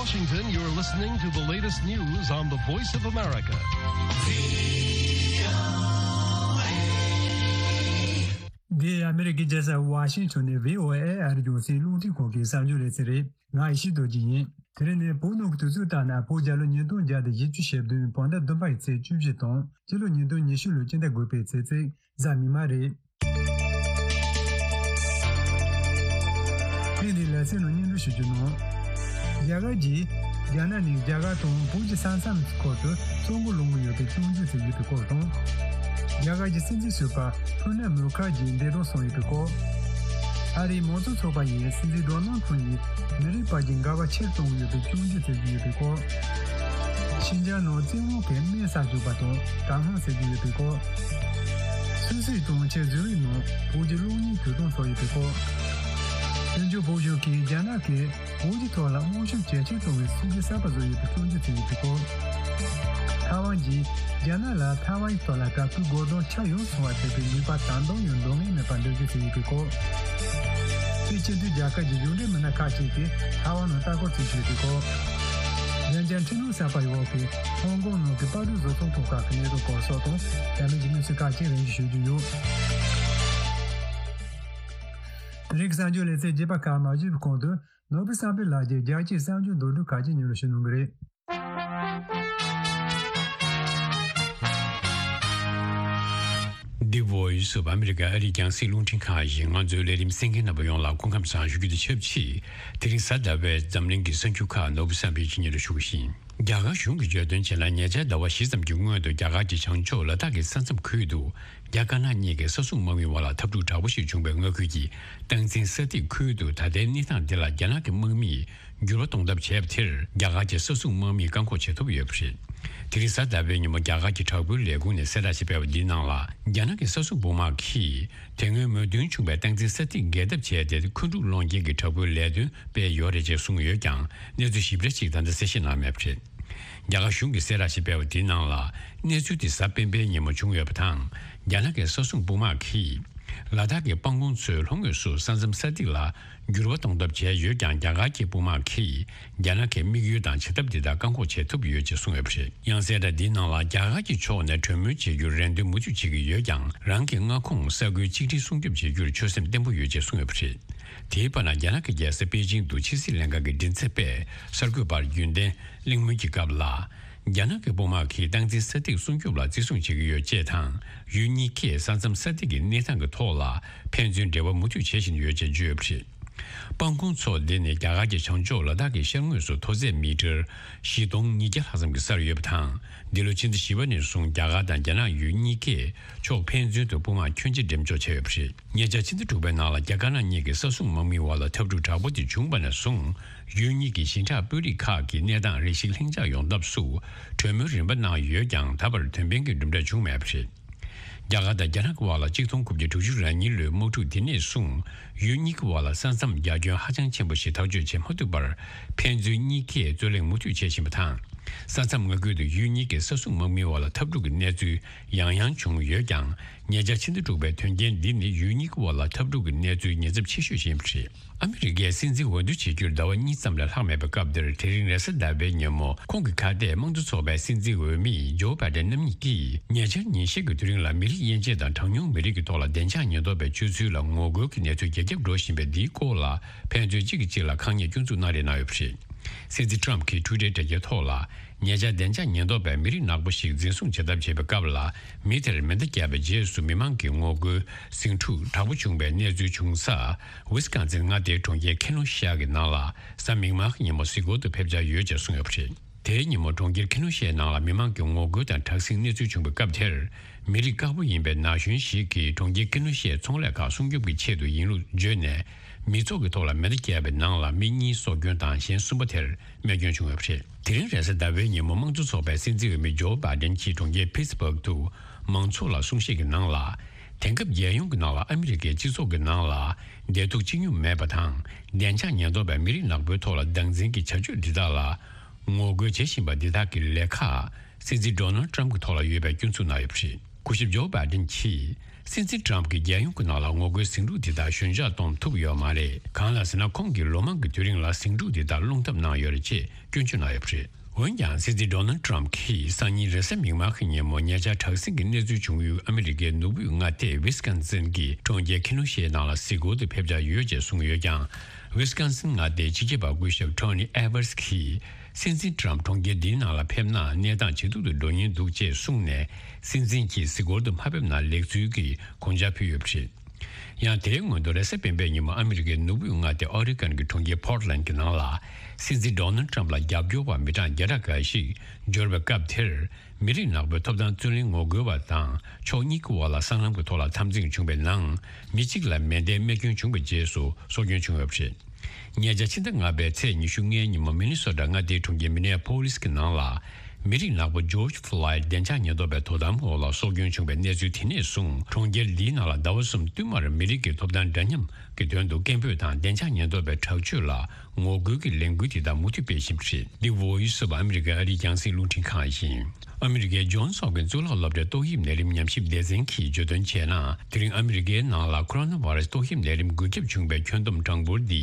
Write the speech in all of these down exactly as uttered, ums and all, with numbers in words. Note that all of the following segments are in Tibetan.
Washington, you're listening to the latest news on the Voice of America. འདི་ཨ་མི་རི་ཀའི་རྒྱལ་ས་ཝ་ཤིང་ཊོན་ནས་བྷི་ཨོ་ཨེ་ཨ་རིའི་རྒྱང་སྲིང་རླུང་འཕྲིན་ཁང་གི་གསར་འགྱུར་ལེ་ཚན་རེད། ང་ཡེ་ཤེས་རྡོ་རྗེ་ཡིན། དེ་རིང་ནི་བོད་ནང་གི་དུས་ཚོད་ལྟར་ན་བོད་རྒྱལ་ལོ་ཉིས་སྟོང་བརྒྱ་དང་བཞི་བཅུ་ཞེ་བདུན་བོད་ཟླ་བདུན་པའི་ཚེས་བཅུ་བཞི་དང་སྤྱི་ལོ་ཉིས་སྟོང་ཉི་ཤུ་ལོའི་སྤྱི་ཟླ་དགུ་པའི་ཚེས་ཚེས་གཟའ་མིག་དམར་རེད། ཐེངས་འདིའི་ལེ་ཚན་ནང་སྙན་སྒྲོན་ཞུ་རྒྱུ་ནང་། རྒྱ་གར་གྱིས་རྒྱ་ནག་ནས་རྒྱ་གར་དང་བོད་ཀྱི་ས་མཚམས་ཁུལ་དུ་གསོག་འགོ་སློང་གི་ཡོད་པའི་རྐྱེན་གྱིས་ཟེར་ཡོད་པའི་སྐོར་དང་། རྒྱ་གར་གྱི་སྲིད་འཛིན་ཟུར་པ་པྲ་ནབ་མུ་ཁར་ཇི་འདས་གྲོངས་སོང་ཡོད་པའི་སྐོར། ཨ་རིའི་མང་གཙོ་ཚོགས་པ་ཡིས་སྲིད་འཛིན་ཌོ་ནལ་ཁྲམ་ཡིས་མི་རིགས་བར་གྱི་འགལ་བ་ཆེར་གཏོང་གི་ཡོད་པའི་རྐྱེན་གྱིས་ཟེར་གྱི་ཡོད་པའི་སྐོར། ཤིན་ཅང་ནང་བཙན་དབང་གིས་སྨན་ཟ་བཅུག་པ་དང་དྲག་དམག་བསད་ཀྱི་ཡོད་པའི་སྐོར། སུད་སི་གྲོང་ཁྱེར་ཛུ་རིག་ནང་བོད་ཀྱི་གློག་བརྙན་དུས་སྟོན་ཚོགས་ཡོད་པའི་སྐོར། དོན་གཅོད་བོད་གཞུང་གིས་རྒྱ་ནག་གིས་བོད་ཀྱི་ཐོག་ལ་དམག་ཤུགས་ཇེ་ཆེར་གཏོང་བའི་སྲིད་ཇུས་གསར་པ་བཟོས་ཡོད་པའི་རྐྱེན་གྱིས་ཟེར་ཡོད་པའི་སྐོར། ཐའེ་ཝན་གྱིས་རྒྱ་ནག་ལ་ཐའེ་ཝན་གྱི་ཐོག་ལ་དྲག་པོའི་རྒོལ་རྡུང་ཆ་ཡོངས་སོང་བ་བྱས་པའི་ནུས་པ་ད་དུང་ཡང་འདང་ངེས་མེད་པར་འདོད་ཀྱི་ཟེར་ཡོད་པའི་སྐོར། དེ་སྤྱི་མཐུན་རྒྱལ་ཁབ་ཀྱི་གཞུང་འབྲེལ་མི་སྣ་ཁག་ཅིག་གིས་ཐའེ་ཝན་ནང་ལྟ་སྐོར་བྱེད་བཞིན་ཡོད་པའི་སྐོར། བདེ་འཇགས་འཕྲིན་ལས་གསར་པའི་འོག་གི་ཧོང་ཀོང་ནང་གི་དཔའ་སྤྲོད་བཟོ་ཚོང་ཐོག་ཁག་གི་གནས་སྟངས་སྐོར་སོགས་དང་། རྒྱ་མི་གྱི་གནས་ཚུལ་ཁག་ཅིག་རིམ་བཞིན་ཞུ་རྒྱུ་ཡོད། དེ་རིང་གི་གསར་འགྱུར་ལེ་ཚན་རྒྱས་པ་ཁག་མ་ཞུས་པའི་གོང་དུ། ནོར་བུ་བསམ་འཕེལ་ལགས་ཀྱིས་རྒྱལ་སྤྱིའི་གསར་འགྱུར་མདོར་བསྡུས་ཁག་ཅིག་སྙན་སྒྲོན་ཞུ་གནང་གི་རེད། འདི་Voice of America ཨ་རིའི་རྒྱང་སྲིང་རླུང་འཕྲིན་ཁང་ཡིན། ང་ཚོའི་ལས་རིམ་གསན་མཁན་རྣམ་པ་ཡོངས་ལ་སྐུ་ཁམས་བཟང་ཞུ་རྒྱུ་དང་ཆབས་ཅིག་དེ་རིང་གཟའ་ཟླ་བའི་འཛམ་གླིང་གི་གསར་འགྱུར་ཁག་ནོར་བུ་བསམ་འཕེལ་གྱིས་སྙན་སྒྲོན་ཞུ་གི་ཡིན། རྒྱ་གར་གཞུང་གིས་བརྗོད་དོན་བྱས་ན། ཉེ་ཆར་ཟླ་བ་བཞི་ཙམ་གྱི་སྔོན་དུ་རྒྱ་གར་གྱི་བྱང་ཕྱོགས་ལ་དྭགས་ཀྱི་ས་མཚམས་ཁུལ་དུ་རྒྱ་དཀར་ནག་གཉིས་ཀྱི་ས་སྲུང་དམག་མིའི་བར་ལ་འཐབ་འཁྲུག་དྲག་པོ་ཞིག་བྱུང་བའི་མངའ་ཁུལ་གྱི་སྟངས་འཛིན་ས་ཐིག་ཁུལ་དུ་ད་ལྟའི་གནས་སྟངས་འདི་ལ་རྒྱ་ནག་གི་དམག་མིས་འགྱུར་བ་གཏོང་ཐབས་བྱས་པ་དེར་རྒྱ་གར་གྱི་ས་སྲུང་དམག་མིས་བཀག་འགོག་བྱེད་ཐུབ་ཡོད་པ་རེད། དེ་རིང་གཟའ་ཟླ་བའི་ཉིན་མོ་རྒྱ་གར་གྱི་དྲག་པོའི་ལས་ཁུངས་ནས་གསལ་བསྒྲགས་ཤིག་སྤེལ་བ་འདིའི་ནང་ལ། རྒྱ་ནག་གི་ས་སྲུང་དཔུང་དམག་གིས་དེ་སྔོན་མོས་མཐུན་བྱུང་བའི་སྟངས་འཛིན་ས་ཐིག་བརྒལ་ཐབས་བྱས་ཏེ། འཁོན་འཁྲུག་སློང་མཁན་གྱི་དྲག་པོའི་ལས་དོན་སྤེལ་ཡོད་རེད་ཅེས་གསུངས་ཡོད་ཀྱང་། གནས་ཚུལ་ཞིབ་ཕྲ་ཞིག་ད་ལྟ་གསལ་བཤད་གནང་མེད་པ་རེད། རྒྱ་གར་གཞུང་གིས་གསལ་བསྒྲགས་ཤིག་སྤེལ་བ་དེའི་ནང་ལ། གནས་ཚུལ་དེ་གཟའ་སྤེན་པའི་ཉིན་མོ་བྱུང་ཡོད་པ་དང་། རྒྱ་ནག་གི་ས་སྲུང་དཔུང་དམག་གིས་ལ་དྭགས་ཀྱི་དཔང་རྐང་ཚོའི་ལྷོ་ངོས་སུ་ས་མཚམས་ས་ཐིག་ལ་འགྱུར་བ་གཏོང་ཐབས་བྱས་ཡོད་ཀྱང་། རྒྱ་གར་གྱི་དཔུང་དམག་གིས་རྒྱ་ནག་གི་དམིགས་ཡུལ་དང་བྱེད་ཐབས་འདི་དག་བཀག་འགོག་བྱེད་ཐུབ་ཡོད་ཅེས་གསུངས་ཡོད་པ་རེད། ཡང་གསལ་བསྒྲགས་འདིའི་ནང་ལ། རྒྱ་གར་གྱི་ཕྱོགས་ནས་གྲོས་མོལ་བྱེད་རྒྱུར་རེ་འདུན་མུ་མཐུད་བྱེད་ཀྱི་ཡོད་ཀྱང་། རང་གི་མངའ་ཁོངས་ས་ཁུལ་གཅིག་སྒྲིལ་སྲུང་སྐྱོབ་བྱེད་རྒྱུར་ཆོད་སེམས་བརྟན་པོ་ཡོད་ཅེས་གསུངས་ཡོད་པ་རེད། དེའི་བར་ན། རྒྱ་ནག་གི་རྒྱལ་ས་པེ་ཅིང་དུ་ཕྱི་སྲིད་ལྷན་ཁང་གི་མགྲིན་ཚབ་པས་གསར་འགོད་པར་རྒྱུན་ལྡན་གླེང་མོལ་གྱི་སྐབས་ལ། རྒྱ་ནག་གི་དཔུང་དམག་གིས་སྟངས་འཛིན་ས་ཐིག་སྲུང་སྐྱོབ་ལ་བརྩི་སྲུང་བྱེད་ཀྱི་ཡོད་ཅེས་དང་། ཡུལ་གཉིས་ཀས་ས་མཚམས་ས་ཐིག་གི་གནས་སྟངས་ཀྱི་ཐོག་ལ་ཕན་ཚུན་འབྲེལ་བ་མུ་མཐུད་བྱེད་བཞིན་ཡོད་ཅེས་བརྗོད་ཡོད་པ་རེད། དཔང་རྐང་མཚོ་འདི་ནི་རྒྱ་གར་གྱི་བྱང་ཕྱོགས་ལ་དྭགས་ཀྱི་ཤར་ངོས་སུ་མཐོ་ཚད་མི་ཊར་བཞི་སྟོང་ཉིས་བརྒྱ་ལྷག་ཙམ་གྱི་སར་ཡོད་པ་དང་། འདི་ལོ་ཕྱི་ཟླ་བཞི་པ་ནས་བཟུང་རྒྱ་གར་དང་རྒྱ་ནག་ཡུལ་གཉིས་ཀས་ཕྱོགས་ཕན་ཚུན་དུ་དཔུང་དམག་ཁྱོན་ཆེ་འགྲེམས་འཇོག་བྱས་ཡོད་པ་རེད། ཉེ་ཆར་ཕྱི་ཟླ་དྲུག་པའི་ནང་ལ་རྒྱ་དཀར་ནག་གཉིས་ཀྱི་ས་སྲུང་དམག་མིའི་བར་ལ་འཐབ་འཁྲུག་དྲག་པོ་དེ་བྱུང་བ་ནས་བཟུང་། ཡུལ་གཉིས་ཀྱི་ཞིང་ཁྲག་དཔོན་རིགས་ཁག་གི་གནས་སྟངས་རེ་ཞིག་ལྷིང་འཇགས་ཡོང་ཐབས་སུ་གྲོས་མོལ་རིམ་པ་གནང་ཡོད་ཀྱང་། ད་བར་དོན་ཕན་གྱི་གྲུབ་འབྲས་བྱུང་མེད་པ་རེད། རྒྱ་གར་དང་རྒྱ་ནག་གི་བར་ལ་ཆིག་སྟོང་དགུ་བརྒྱ་དྲུག་ཅུ་རེ་གཉིས་ལོའི་དམག་འཁྲུག་དེ་ནས་བཟུང་། ཡུལ་གཉིས་ཀྱི་བར་ལ་ས་མཚམས་རྒྱ་ཁྱོན་ཧ་ཅང་ཆེན་པོ་ཞིག་ཐག་གཅོད་བྱེད་མ་ཐུབ་པར། ཕན་ཚུན་གཉིས་ཀས་རྩོད་གླེང་མུ་མཐུད་བྱེད་བཞིན་པ་དང་། ས་མཚམས་མངའ་ཁུལ་དུ་ཡུལ་གཉིས་ཀྱི་ས་སྲུང་དམག་མིའི་བར་ལ་འཐབ་འཁྲུག་གི་གནས་ཚུལ་ཡང་ཡང་བྱུང་ཡོད་ཀྱང་། ཉེ་ཆར་ཕྱི་ཟླ་དྲུག་པའི་དོན་རྐྱེན་འདི་ནི་ཡུལ་གཉིས་ཀྱི་བར་ལ་འཐབ་འཁྲུག་གི་གནས་ཚུལ་ཉེན་ཚབས་ཆེ་ཤོས་ཤིག་ཡིན་པ་རེད། ཨ་མི་རི་ཀའི་སྲིད་འཛིན་འོས་བསྡུ་བྱེད་རྒྱུར་ཟླ་བ་གཉིས་ཙམ་ལས་ལྷག་མེད་པའི་སྐབས་འདིར། དེ་རིང་རེས་གཟའ་ཟླ་བའི་ཉིན་མོ། ཁོང་གི་ཁ་གཏད་དམངས་གཙོ་ཚོགས་པའི་སྲིད་འཛིན་འོས་མི་ཇོ་བྷའི་ཌེན་རྣམ་གཉིས་ཀྱིས། ཉེ་ཆར་ཉིན་ཤས་ཀྱི་དུས་རིང་ལ། མི་རིགས་དབྱེ་འབྱེད་དང་གྲངས་ཉུང་མི་རིགས་ཀྱི་ཐོག་ལ་བདེ་འཇགས་ཉེན་རྟོག་པའི་སྤྱོད་ཚུལ་ལ་ངོ་རྒོལ་གྱི་གནས་ཚུལ་ཇེ་ཁྱབ་འགྲོ་བཞིན་པའི་འདིའི་སྐོར་ལ། ཕན་ཚུན་གཅིག་གིས་གཅིག་ལ་ཁ་ཉེས་སྐྱོན་འཛུགས་གནང་རེས་གནང་ཡོད་པ་རེད། སྲིད་འཛིན་ཊྲམ་གྱིས་ཊུའི་ཊར་དྲ་རྒྱའི་ཐོག་ལ། ཉེ་ཆར་བདེ་འཇགས་ཉེན་རྟོག་པས་མི་རིགས་ནག་པོ་ཞིག་འཛིན་བཟུང་བྱེད་ཐབས་བྱེད་པའི་སྐབས་ལ། མི་དེར་མེ་མདའ་བརྒྱབ་པའི་རྗེས་སུ། མི་མང་གི་ངོ་རྒོལ་ཟིང་འཁྲུག་དྲག་པོ་བྱུང་བའི་གནས་ཚུལ་བྱུང་ས། ཝི་སི་ཀོན་སིན་མངའ་སྡེའི་གྲོང་ཁྱེར་ཁེ་ནོ་ཤ་གི་ནང་ལ། གཟའ་མིག་དམར་གྱི་ཉིན་མོ་གཟིགས་སྐོར་དུ་ཕེབས་འཆར་ཡོད་ཅེས་གསུངས་ཡོད་པ་རེད། དེའི་ཉིན་མོ་གྲོང་ཁྱེར་ཁེ་ནོ་ཤའི་ནང་ལ་མི་མང་གི་ངོ་རྒོལ་དང་དྲག་ཟིང་གནས་ཚུལ་བྱུང་བའི་སྐབས་དེར། མི་རིགས་དཀར་པོ་ཡིན་པའི་ན་གཞོན་ཞིག་གིས་གྲོང་ཁྱེར་ཁེ་ནོ་ཤའི་ཚོང་ལས་ཁག་སྲུང་སྐྱོབ་ཀྱི་ཆེད་དུ་ཡིན་ལུགས་བརྗོད་ནས། མི་ཚོགས་ཀྱི་ཐོག་ལ་མེ་མདའ་བརྒྱབ་པའི་ནང་ལ་མི་གཉིས་སྲོག་སྐྱོན་དང་། གཞན་གསུམ་པ་དེར་རྨས་སྐྱོན་བྱུང་ཡོད་པ་རེད། དེ་རིང་རེས་གཟའ་ཟླ་བའི་ཉིན་མོ། དམངས་གཙོ་ཚོགས་པའི་སྲིད་འཛིན་འོས་མི་ཇོ་བྷའི་ཌེན་གྱིས་གྲོང་ཁྱེར་ཕིཊ་སྦརག་ཏུ་མང་ཚོགས་ལ་གསུང་བཤད་ཀྱི་ནང་ལ། དེང་སྐབས་རྒྱལ་ཡོངས་ཀྱི་ནང་ལ། ཨ་མི་རི་ཀའི་སྤྱི་ཚོགས་ཀྱི་ནང་ལ། བདེ་སྡུག་གཅིག་མཉམ་མེད་པ་དང་། བདེ་འཇགས་ཉེན་རྟོག་པས་མི་རིགས་ནག་པོའི་ཐོག་ལ་སྟངས་འཛིན་གྱི་བྱ་སྤྱོད་འདི་དག་ལ། ངོ་རྒོལ་བྱེད་བཞིན་པ་འདི་དག་གི་ལས་ཁག་སྲིད་འཛིན་ཌོ་ནལ་ཊྲམ་གྱི་ཐོག་ལ་ཡོད་པའི་སྐྱོན་འཛུགས་གནང་ཡོད་པ་རེད། སྐུ་ཞབས་ཇོ་བྷའི་ཌེན་གྱིས་སྲིད་འཛིན་ཊམ་གྱིས་རྒྱལ་ཡོངས་ཀྱི་ནང་ལ་ངོ་རྒོལ་ཟིང་འཁྲུག་འདི་དག་ཞོད་འཇགས་གཏོང་ཐུབ་ཡོད་མ་རེད། གང་ལ་ཟེར་ན། ཁོང་གིས་ལོ་མང་གི་དུས་རིང་ལ་ཟིང་འཁྲུག་འདི་དག་སློང་ཐབས་གནང་ཡོད་རེད་ཅེས་སྐྱོན་བརྗོད་གནང་ཡོད་པ་རེད། འོན་ཀྱང་། སྲིད་འཛིན་ཌོ་ནལ་ཊམ་གྱིས་སང་ཉིན་རེས་གཟའ་མིག་དམར་གྱི་ཉིན་མོ་ཉེ་ཆར་དྲག་ཟིང་གི་གནས་ཚུལ་བྱུང་ཡུལ་ཨ་མི་རི་ཀའི་ནུབ་དབུས་མངའ་སྡེ་ཝི་སི་ཀོན་སིན་གྱི་གྲོང་ཁྱེར་ཁི་ནོ་ཤའི་ནང་ལ་གཟིགས་སྐོར་དུ་ཕེབས་འཆར་ཡོད་ཅེས་གསུངས་ཡོད་ཀྱང་། ཝི་སི་ཀོན་སིན་མངའ་སྡེའི་སྤྱི་ཁྱབ་པ་སྐུ་ཞབས་ཊོ་ནི་ཨེ་ཝར་སི་གིས། སྲིད་འཛིན་ཊམ་གྲོང་ཁྱེར་འདིའི་ནང་ལ་ཕེབས་ན་གནས་སྟངས་ཇེ་སྡུག་ཏུ་འགྲོ་ཉེན་འདུག་ཅེས་གསུངས་ནས། སྲིད་འཛིན་གྱིས་གཟིགས་སྐོར་དུ་མ་ཕེབས་ན་ལེགས་ཚུལ་གྱི་དགོངས་འཆར་ཕུལ་ཡོད་པ་རེད། ཡང་། དེའི་སྔོན་དུ་རེས་གཟའ་སྤེན་པའི་ཉིན་མོ་ཨ་མི་རི་ཀའི་ནུབ་དབུས་མངའ་སྡེ་ཨོ་རི་གོན་གྱི་གྲོང་ཁྱེར་པོར་ཊི་ལན་གྱི་ནང་ལ། སྲིད་འཛིན་ཌོ་ནལ་ཊམ་ལ་རྒྱབ་སྐྱོར་བ་མི་གྲངས་བརྒྱ་ཕྲག་འགའ་ཞིག་འབྱོར་བའི་སྐབས་དེར། མི་རིགས་ནག་པོའི་ཐོབ་ཐང་རྩོད་ལེན་ངོ་རྒོལ་བ་དང་ཕྱོགས་གཉིས་ཀྱི་དབར་ལ་སྲང་ལམ་གྱི་ཐོག་ལ་འཐབ་འཛིང་བྱུང་བའི་ནང་། མི་གཅིག་ལ་མེ་མདའི་རྨས་སྐྱོན་བྱུང་བའི་རྗེས་སུ་སྲོག་སྐྱོན་བྱུང་ཡོད་པ་རེད། ཉེ་ཆར་ཕྱི་ཟླ་ལྔ་པའི་ཚེས་ཉི་ཤུ་ལྔའི་ཉིན་མོ་མི་ནི་སོ་ཊ་མངའ་སྡེའི་གྲོང་ཁྱེར་མི་ནེ་ཕོ་ལིས་ཀྱི་ནང་ལ། མི་རིགས་ནག་པོ་ཇོརྗ་ཕློའིཌ་བདེ་འཇགས་ཉེན་རྟོག་པའི་དོ་དམ་འོག་ལ་སྲོག་སྐྱོན་བྱུང་བའི་གནས་ཚུལ་དེ་ནས་བཟུང་། གྲོང་ཁྱེར་འདིའི་ནང་ལ་ཟླ་བ་གསུམ་བསྟུད་མར་མི་རིགས་ཀྱི་ཐོབ་ཐང་འདྲ་མཉམ་གྱི་དོན་དུ་སྐད་འབོད་དང་བདེ་འཇགས་ཉེན་རྟོག་པའི་དྲག་སྤྱོད་ལ་ངོ་རྒོལ་གྱི་ལས་འགུལ་དེ་དག་མུ་མཐུད་སྤེལ་བཞིན་པ་རེད། འདི་བོ་ཡིས་ཨོཕ་ཨ་མི་རི་ཀའི་ཨ་རིའི་རྒྱང་སྲིང་རླུང་འཕྲིན་ཁང་ཡིན། ཨ་མི་རི་ཀའི་ཇོན་སི་ཧོབ་ཀིན་སི་གཙུག་ལག་སློབ་གྲྭའི་ཏོག་དབྱིབས་ནད་རིམས་ཉམས་ཞིབ་སྡེ་ཚན་གྱིས་བརྗོད་དོན་བྱས་ན། དེ་རིང་ཨ་མི་རི་ཀའི་ནང་ལ་ཁོ་རོ་ན་བྷ་ར་སི་ཏོག་དབྱིབས་ནད་རིམས་འགོས་ཁྱབ་བྱུང་བའི་ཁྱོན་བསྡོམས་གྲངས་འབོར་འདི་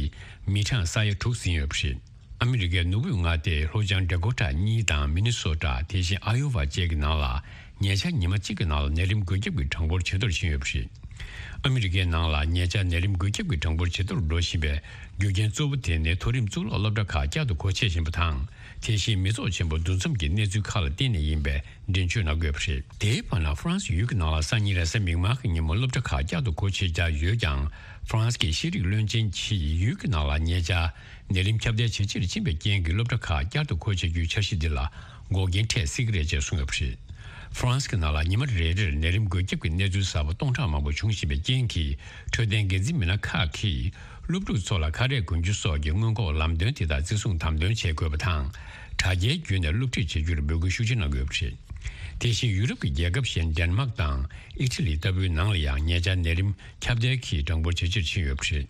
མི་གྲངས་ས་ཡ་དྲུག་ཟིན་ཡོད་པ་རེད། ཨ་མི་རི་ཀའི་ནུབ་དབུས་མངའ་སྡེ་ལྷོ་བྱང་ཌ་ཀོ་ཊ་གཉིས་དང་མི་ནི་སོ་ཊ། དེ་བཞིན་ཨ་ཡོ་ཝ་བཅས་ཀྱི་ནང་ལ་ཉེ་ཆར་ཉི་མ་གཅིག་གི་ནང་ལ་ནད་རིམས་འགོས་ཁྱབ་ཀྱི་གྲངས་འབོར་ཇེ་མཐོར་ཕྱིན་ཡོད་པ་རེད། ཨ་མི་རི་ཀའི་ནང་ལ་ཉེ་ཆར་ནད་རིམས་འགོས་ཁྱབ་ཀྱི་གྲངས་འབོར་ཇེ་མཐོར་འགྲོ་བཞིན་པའི་རྒྱུ་རྐྱེན་གཙོ་བོ་དེ་ནི་མཐོ་རིམ་གཙུག་ལག་སློབ་གྲྭ་ཁག་བསྐྱར་དུ་སྒོ་ཕྱེ་བཞིན་པ་དང་། དེ་བཞིན་མི་ཚོགས་ཆེན་པོ་འདུ་འཛོམས་ཀྱི་གནས་ཚུལ་ཁག་ལ་བརྟེན་ནས་ཡིན་པའི་འགྲེལ་བརྗོད་གནང་དགོས་པ་རེད། དེའི་བར་ན། ཧྥ་རན་སི་ཡུལ་གྱི་ནང་ལ་སང་ཉིན་རེས་གཟའ་མིག་དམར་གྱི་ཉིན་མོ་སློབ་གྲྭ་ཁག་བསྐྱར་དུ་སྒོ་ཕྱེ་འཆར་ཡོད་ཀྱང་། ཧྥ་རན་སི་གི་ཤེས་རིག་བློན་ཆེན་གྱིས་ཡུལ་གྱི་ནང་ལ་ཉེ་ཆར་ནད་རིམས་ཁྱབ་གདལ་ཇེ་ཆེར་ཕྱིན་པའི་རྐྱེན་གྱིས་སློབ་གྲྭ་ཁག་བསྐྱར་དུ་སྒོ་ཕྱེ་རྒྱུའི་འཆར་གཞི་འདི་ལ་འགོག་རྐྱེན་འཕྲད་སྲིད་ཀྱི་རེད་ཅེས་གསུངས་ཡོད་པ་རེད། ཧྥ་རན་སི་གི་ནང་ལ་ཉི་མ་རེ་རེར་ནད་རིམས་འགོས་ཁྱབ་ཀྱི་གནས་ཚུལ་གསར་པ་སྟོང་ཕྲག་མང་པོ་བྱུང་བཞིན་པའི་རྐྱེན་གྱིས། འཕྲོད་བསྟེན་འགན་འཛིན་མི་སྣ་ཁག་གིས་སློབ་ཕྲུག་ཚོ་ལ་ཁ་རས་གོན་རྒྱུ་སོགས་ཀྱི་སྔོན་འགོག་ལམ་སྟོན་དེ་དག་བརྩི་སྲུང་དམ་དོན་བྱེད་དགོས་པ་དང་། དྲ་རྒྱའི་བརྒྱུད་ནས་སློབ་ཁྲིད་བྱེད་རྒྱུར་འབོད་སྐུལ་ཤུགས་ཆེ་གནང་དགོས་པ་རེད། དེ་བཞིན་ཡུ་རོབ་ཀྱི་རྒྱལ་ཁབ་གཞན་ཌེན་མཱག་དང་ཨི་ཊ་ལི་ལྟ་བུའི་ནང་ལ་ཡང་ཉེ་ཆར་ནད་རིམས་ཁྱབ་གདལ་གྱི་གྲངས་འབོར་ཇེ་ཆེར་ཕྱིན་ཡོད་པ་རེད།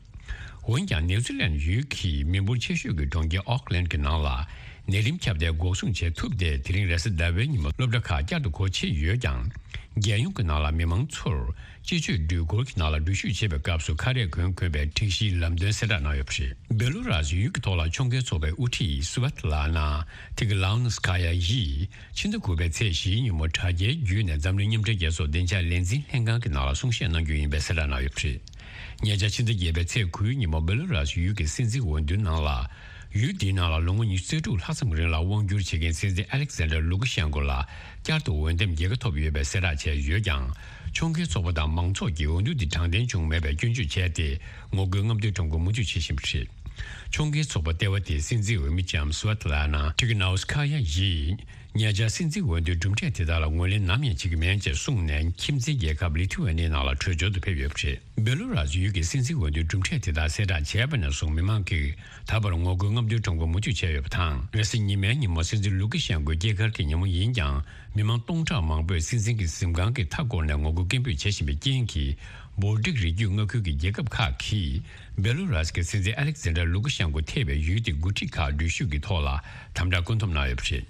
འོན་ཀྱང་། ནེའུ་ཛི་ལན་ཡུལ་གྱི་མི་འབོར་ཆེ་ཤོས་ཀྱི་གྲོང་ཁྱེར་ཨོག་ལན་གྱི་ནང་ལ་ནད་རིམས་ཁྱབ་གདལ་འགོག་སྲུང་བྱེད་ཐུབ་སྟེ། དེ་རིང་རེས་གཟའ་ཟླ་བའི་ཉིན་མོ་སློབ་གྲྭ་ཁག་བསྐྱར་དུ་སྒོ་ཕྱེ་ཡོད་ཀྱང་། རྒྱལ་ཡོངས་ཀྱི་ནང་ལ་མི་མང་ཚོར་སྤྱི་སྤྱོད་འགྲུལ་འཁོར་གྱི་ནང་ལ་འགྲུལ་བཞུད་བྱེད་པའི་སྐབས་སུ་ཁ་རས་གོན་དགོས་པའི་སྒྲིག་གཞིའི་ལམ་སྟོན་གསལ་བསྒྲགས་གནང་ཡོད་པ་རེད། བེ་ལུ་རཱས་ཡུལ་གྱི་ཐོག་ལ་ཁྱོན་ཁའི་ཚོགས་པའི་དབུ་ཁྲིད་སུ་ཝེ་ཏ་ལ་ན་ཏི་ཀི་ལའོ་ནོ་སི་ཁ་ཡ་ཡིས་ཕྱི་ཟླ་དགུ་པའི་ཚེས་བཞིའི་ཉིན་མོ་དྲ་རྒྱའི་བརྒྱུད་ནས་འཛམ་གླིང་མཉམ་འབྲེལ་རྒྱལ་ཚོགས་བདེ་འཇགས་ལས་འཛིན་ལྷན་ཁང་གི་ནང་ལ་གསུང་བཤད་གནང་རྒྱུ་ཡིན་པའི་གསལ་བསྒྲགས་གནང་ཡོད་པ་རེད། ཉེ་ཆར་ཕྱི་ཟླ་བརྒྱད་པའི་ཚེས་དགུའི་ཉིན་མོ་བེ་ལུ་རཱས་ཡུལ་གྱི་སྲིད་འཛིན་འོས་བསྡུའི་ནང་ལ། ཡུལ་འདིའི་ནང་ལ་ལོ་ངོ་ཉི་ཤུ་རྩ་དྲུག་ལྷག་ཙམ་རིང་ལ་དབང་བསྒྱུར་བྱེད་མཁན་སྲིད་འཛིན་ཨ་ལེག་སན་ཌར་ལུ་ཀ་ཤན་ཀོ་ལ་བསྐྱར་དུ་འོས་འདེམས་རྒྱལ་ཁ་ཐོབ་ཡོད་པའི་གསལ་བསྒྲགས་བྱས་ཡོད་ཀྱང་། ཁྱོན་ཁའི་ཚོགས་པ་དང་མང་ཚོགས་ཀྱིས་འོས་བསྡུ་འདི་དྲང་བདེན་བྱུང་མེད་པའི་སྐྱོན་བརྗོད་བྱས་ཏེ། ངོ་རྒོལ་རྔམ་སྟོན་ཁྲོམ་སྐོར་མུ་མཐུད་བྱེད་བཞིན་པ་རེད། ཁྱོན་ཁའི་ཚོགས་པ་ལྟེ་བ་དེའི་སྲིད་འཛིན་འོས་མི་ལྕམ་སུ་ཝེ་ཏ་ལ་ན་ཏི་ཀི་ནའོ་སི་ཁ་ཡ་ཡིས། ཉེ་ཆར་སྲིད་འཛིན་འོས་བསྡུའི་གྲུབ་འབྲས་དེ་དག་ལ་ངོས་ལེན་ནམ་ཡང་བྱེད་ཀྱི་མེད་ཅེས་གསུངས་ནས། ཁྱིམ་མཚེས་རྒྱལ་ཁབ་ལི་ཐུ་ཝེ་ནིའི་ནང་ལ་བྲོས་བྱོལ་དུ་ཕེབས་ཡོད་པ་རེད། བེ་ལུ་རཱས་ཡུལ་གྱི་སྲིད་འཛིན་འོས་བསྡུའི་གྲུབ་འབྲས་དེ་དག་གསལ་བསྒྲགས་བྱས་པ་ནས་བཟུང་། མི་མང་གིས་ད་བར་ངོ་རྒོལ་རྔམ་སྟོན་ཁྲོམ་སྐོར་མུ་མཐུད་བྱས་ཡོད་པ་དང་། རེས་གཟའ་ཉི་མའི་ཉིན་མོ་སྲིད་འཛིན་ལུ་ཀི་ཤན་ཀོའི་སྐྱེས་སྐར་གྱི་ཉིན་མོ་ཡིན་ཀྱང་། མི་མང་སྟོང་ཕྲག་མང་པོས་སྲིད་འཛིན་གྱི་གཟིམ་ཁང་གི་མཐའ་བསྐོར་ནས་ངོ་རྒོལ་སྐད་འབོད་བྱེད་བཞིན་པའི་རྐྱེན་གྱིས། བོལ་ཊིག་རི་རྒྱུད་མངའ་ཁུལ་གྱི་རྒྱལ་ཁབ་ཁག་གིས། བེ་ལུ་རཱས་ཀྱི་སྲིད་འཛིན་ཨ་ལེག་ཛན་ཌར་ལུ་ཀ་ཤན་ཀོ་ཐེ་བའི་ཡུལ་དེའི་འགོ་ཁྲིད་ཁག་འགྲུལ་བཞུད་ཀྱི་ཐོག་ལ་དམ་དྲག་བཀོད་འཐོམ་གནང་ཡོད་པ་རེད།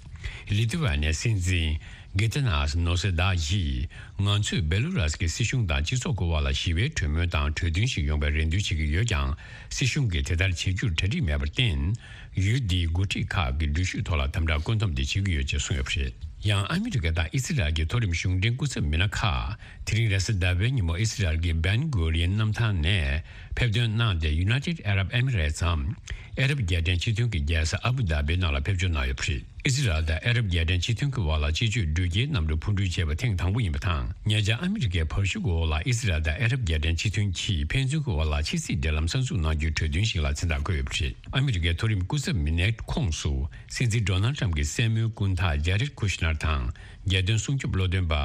ལི་ཐུ་ཝེ་ནི་ཡའི་སྲིད་འཛིན་གི་ཏི་ནཱས་ནོ་སེ་དཱ་ཡིས། ང་ཚོས་བེ་ལུ་རཱས་ཀྱི་སྲིད་གཞུང་དང་སྤྱི་ཚོགས་ཀྱི་དབར་ལ་ཞི་བའི་གྲོས་མོལ་དང་གྲོས་མཐུན་ཞིག་ཡོང་བའི་རེ་འདུན་བྱེད་ཀྱི་ཡོད་ཀྱང་། སྲིད་གཞུང་གིས་དེ་ལྟར་བྱེད་རྒྱུར་གྲ་སྒྲིག་མེད་པར་བརྟེན། ཡུལ་འདིའི་འགོ་ཁྲིད་ཁག་གི་འགྲུལ་བཞུད་ཐོག་ལ་དམ་དྲག་བཀོད་འཐོམ་དེ་བྱེད་ཀྱི་ཡོད་ཅེས་གསུངས་ཡོད་པ་རེད། ཡང་ཨ་མི་རི་ཀ་དང་ཨི་སི་རལ་གྱི་མཐོ་རིམ་གཞུང་འབྲེལ་སྐུ་ཚབ་མི་སྣ་ཁག་དེ་རིང་རེས་གཟའ་ཟླ་བའི་ཉིན་མོ་ཨི་སི་རལ་གྱི་བན་གུ་རི་ཡན་གནམ་ཐང་ནས་ཕེབས་ཐོན་གནང་སྟེ། United Arab Emirates འམ་ཨ་རབ་རྒྱལ་ཕྲན་སྤྱི་མཐུན་གྱི་རྒྱལ་ས་ཨ་བུ་དྷ་བིའི་ནང་ལ་ཕེབས་འབྱོར་གནང་ཡོད་པ་རེད། ཨི་སི་རལ་དང་ཨ་རབ་རྒྱལ་ཕྲན་སྤྱི་མཐུན་གྱི་དབར་ལ་སྤྱི་སྤྱོད་འགྲུལ་སྐྱེལ་གནམ་གྲུ་འཕུར་འགྲུལ་བྱས་པ་ཐེངས་དང་པོ་ཡིན་པ་དང་། ཉེ་ཆར་ཨ་མི་རི་ཀའི་བར་ཤུག་གི་འོག་ལ་ཨི་སི་རལ་དང་ཨ་རབ་རྒྱལ་ཕྲན་སྤྱི་མཐུན་གྱིས་ཕན་ཚུན་གྱི་དབར་ལ་ཕྱི་སྲིད་འབྲེལ་ལམ་གསར་འཛུགས་གནང་རྒྱུའི་གྲོས་མཐུན་ཞིག་ལ་མཚན་རྟགས་བཀོད་ཡོད་པ་རེད། ཨ་མི་རི་ཀའི་མཐོ་རིམ་སྐུ་ཚབ་མི་སྣའི་ཁོངས་སུ། སྲིད་འཛིན་ཌོ་ནལ་ཊམ་གྱི་སྲས་མོའི་སྐུ་ཟླ་ཇེ་རེད་ཀུ་ཤ་ནར་དང་། རྒྱལ་དོན་སྲུང་སྐྱོབ་བློ་འདོན་པ་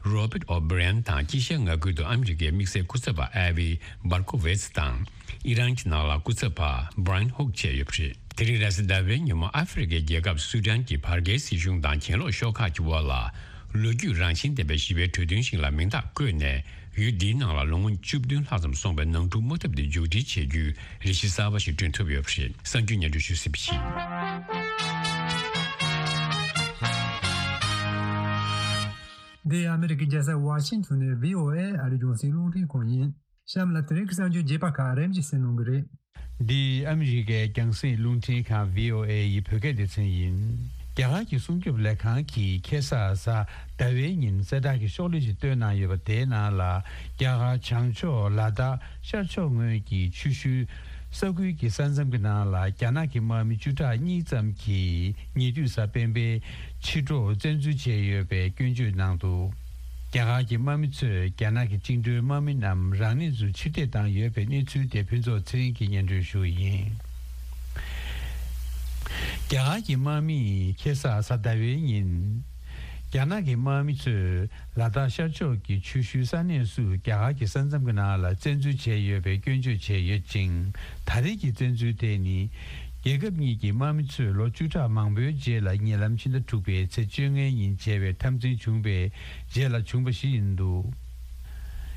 རོ་བྷར་ཊི་ཨོ་བྷི་རན་དང་། དཀྱིལ་ཤར་མངའ་ཁུལ་དུ་ཨ་མི་རི་ཀའི་དམིགས་བསལ་སྐུ་ཚབ་པ་ཨེ་ཝི་བར་ཀོ་ཝེ་ཚི་དང་། ཨི་རན་གྱི་ནང་ལ་སྐུ་ཚབ་པ་བྷ་ར་ཡན་ཧུག་བཅས་ཡོད་པ་རེད། དེ་རིང་རེས་གཟའ་ཟླ་བའི་ཉིན་མོ་ཨ་ཧྥེ་རི་ཁའི་རྒྱལ་ཁབ་སུ་ཌན་གྱི་བར་བརྒལ་སྲིད་གཞུང་དང་གྱེན་ལོག་ཤོག་ཁག་གི་དབར་ལ། ལོ་རྒྱུས་རང་བཞིན་ལྡན་པའི་ཞི་བའི་གྲོས་མཐུན་ཞིག་ལ་མིང་རྟགས་བཀོད་ནས། ཡུལ་འདིའི་ནང་ལ་ལོ་ངོ་བཅུ་བདུན་ལྷག་ཙམ་སོང་བའི་ནང་འཁྲུག་དམག་འཐབ་དེ་མཇུག་སྒྲིལ་བྱེད་རྒྱུའི་རེ་ཞིག་གསར་པ་ཞིག་བསྐྲུན་ཐུབ་ཡོད་པ་རེད། གསར་འགྱུར་སྙན་སྒྲོན་ཞུས་ཟིན་པ་ཡིན། འདི་ཨ་མི་རི་ཀའི་རྒྱལ་ས་ཝ་ཤིང་ཊོན་ནས་བྷི་ཨོ་ཨེ་ཨ་རིའི་རྒྱང་སྲིང་རླུང་འཕྲིན་ཁང་ཡིན། གཤམ་ལ་དེ་རིང་གི་གསར་འགྱུར་རྒྱས་པ་ཁག་རིམ་བཞིན་གསན་གནང་གི་རེད། འདི་ཨ་མི་རི་ཀའི་རྒྱང་སྲིང་རླུང་འཕྲིན་ཁང་བྷི་ཨོ་ཨེ་ཡི་བོད་སྐད་སྡེ་ཚན་ཡིན། རྒྱ་གར་གྱི་སྲུང་སྐྱོབ་ལས་ཁང་གིས་ཁ་སང་གཟའ་ཟླ་བའི་ཉིན་གསལ་བསྒྲགས་ཀྱི་ཤོག་ལྷེ་ཞིག་བཏོན་གནང་ཡོད་པ་དེའི་ནང་ལ། རྒྱ་གར་བྱང་ཕྱོགས་ལ་དྭགས་ཤར་ཕྱོགས་ངོས་ཀྱི་ཆུ་ཤུལ་ས་ཁུལ་གྱི་ས་མཚམས་ཀྱི་ནང་ལ་རྒྱ་ནག་གི་དམག་མི་བཅུ་ཕྲག་གཉིས་ཙམ་གྱིས་ཉེ་དུས་གཟའ་སྤེན་པའི་ཕྱི་དྲོ་བཙན་འཛུལ་བྱས་ཡོད་པའི་སྐྱོན་བརྗོད་གནང་འདུག། རྒྱ་གར་གྱི་དམག་མི་ཚོས་རྒྱ་ནག་གི་བཅིངས་འགྲོལ་དམག་མི་རྣམས་རང་ཉིད་ཚོར་ཕྱིར་འཐེན་བཏང་ཡོད་པའི་གནས་ཚུལ་དེ་ཕུན་ཚོགས་ཚེ་རིང་གིས་སྙན་སྒྲོན་ཞུ་གི་ཡིན། རྒྱ་གར་གྱི་དམག་མིས་ཁ་སང་གཟའ་ཟླ་བའི་ཉིན། རྒྱ་ནག་གི་དམག་མི་ཚོས་ལ་དྭགས་ཤར་ཕྱོགས་ཀྱི་ཆུ་ཤུལ་ས་གནས་སུ་རྒྱ་གར་གྱི་ས་མཚམས་ཀྱི་ནང་ལ་བཙན་འཛུལ་བྱས་ཡོད་པའི་སྐྱོན་བརྗོད་བྱས་ཡོད་ཅིང་། ད་རེས་ཀྱི་བཙན་འཛུལ་དེ་ནི། རྒྱལ་ཁབ་གཉིས་ཀྱི་དམག་མི་ཚོས་ལོ་བཅུ་ཕྲག་མང་པོའི་རྗེས་ལ་ཉེ་ལམ་ཕྱི་ཟླ་དྲུག་པའི་ཚེས་བཅོ་ལྔའི་ཉིན་བྱས་པའི་འཐབ་འཛིང་བྱུང་བའི་རྗེས་ལ་བྱུང་བ་ཞིག་ཡིན་འདུག།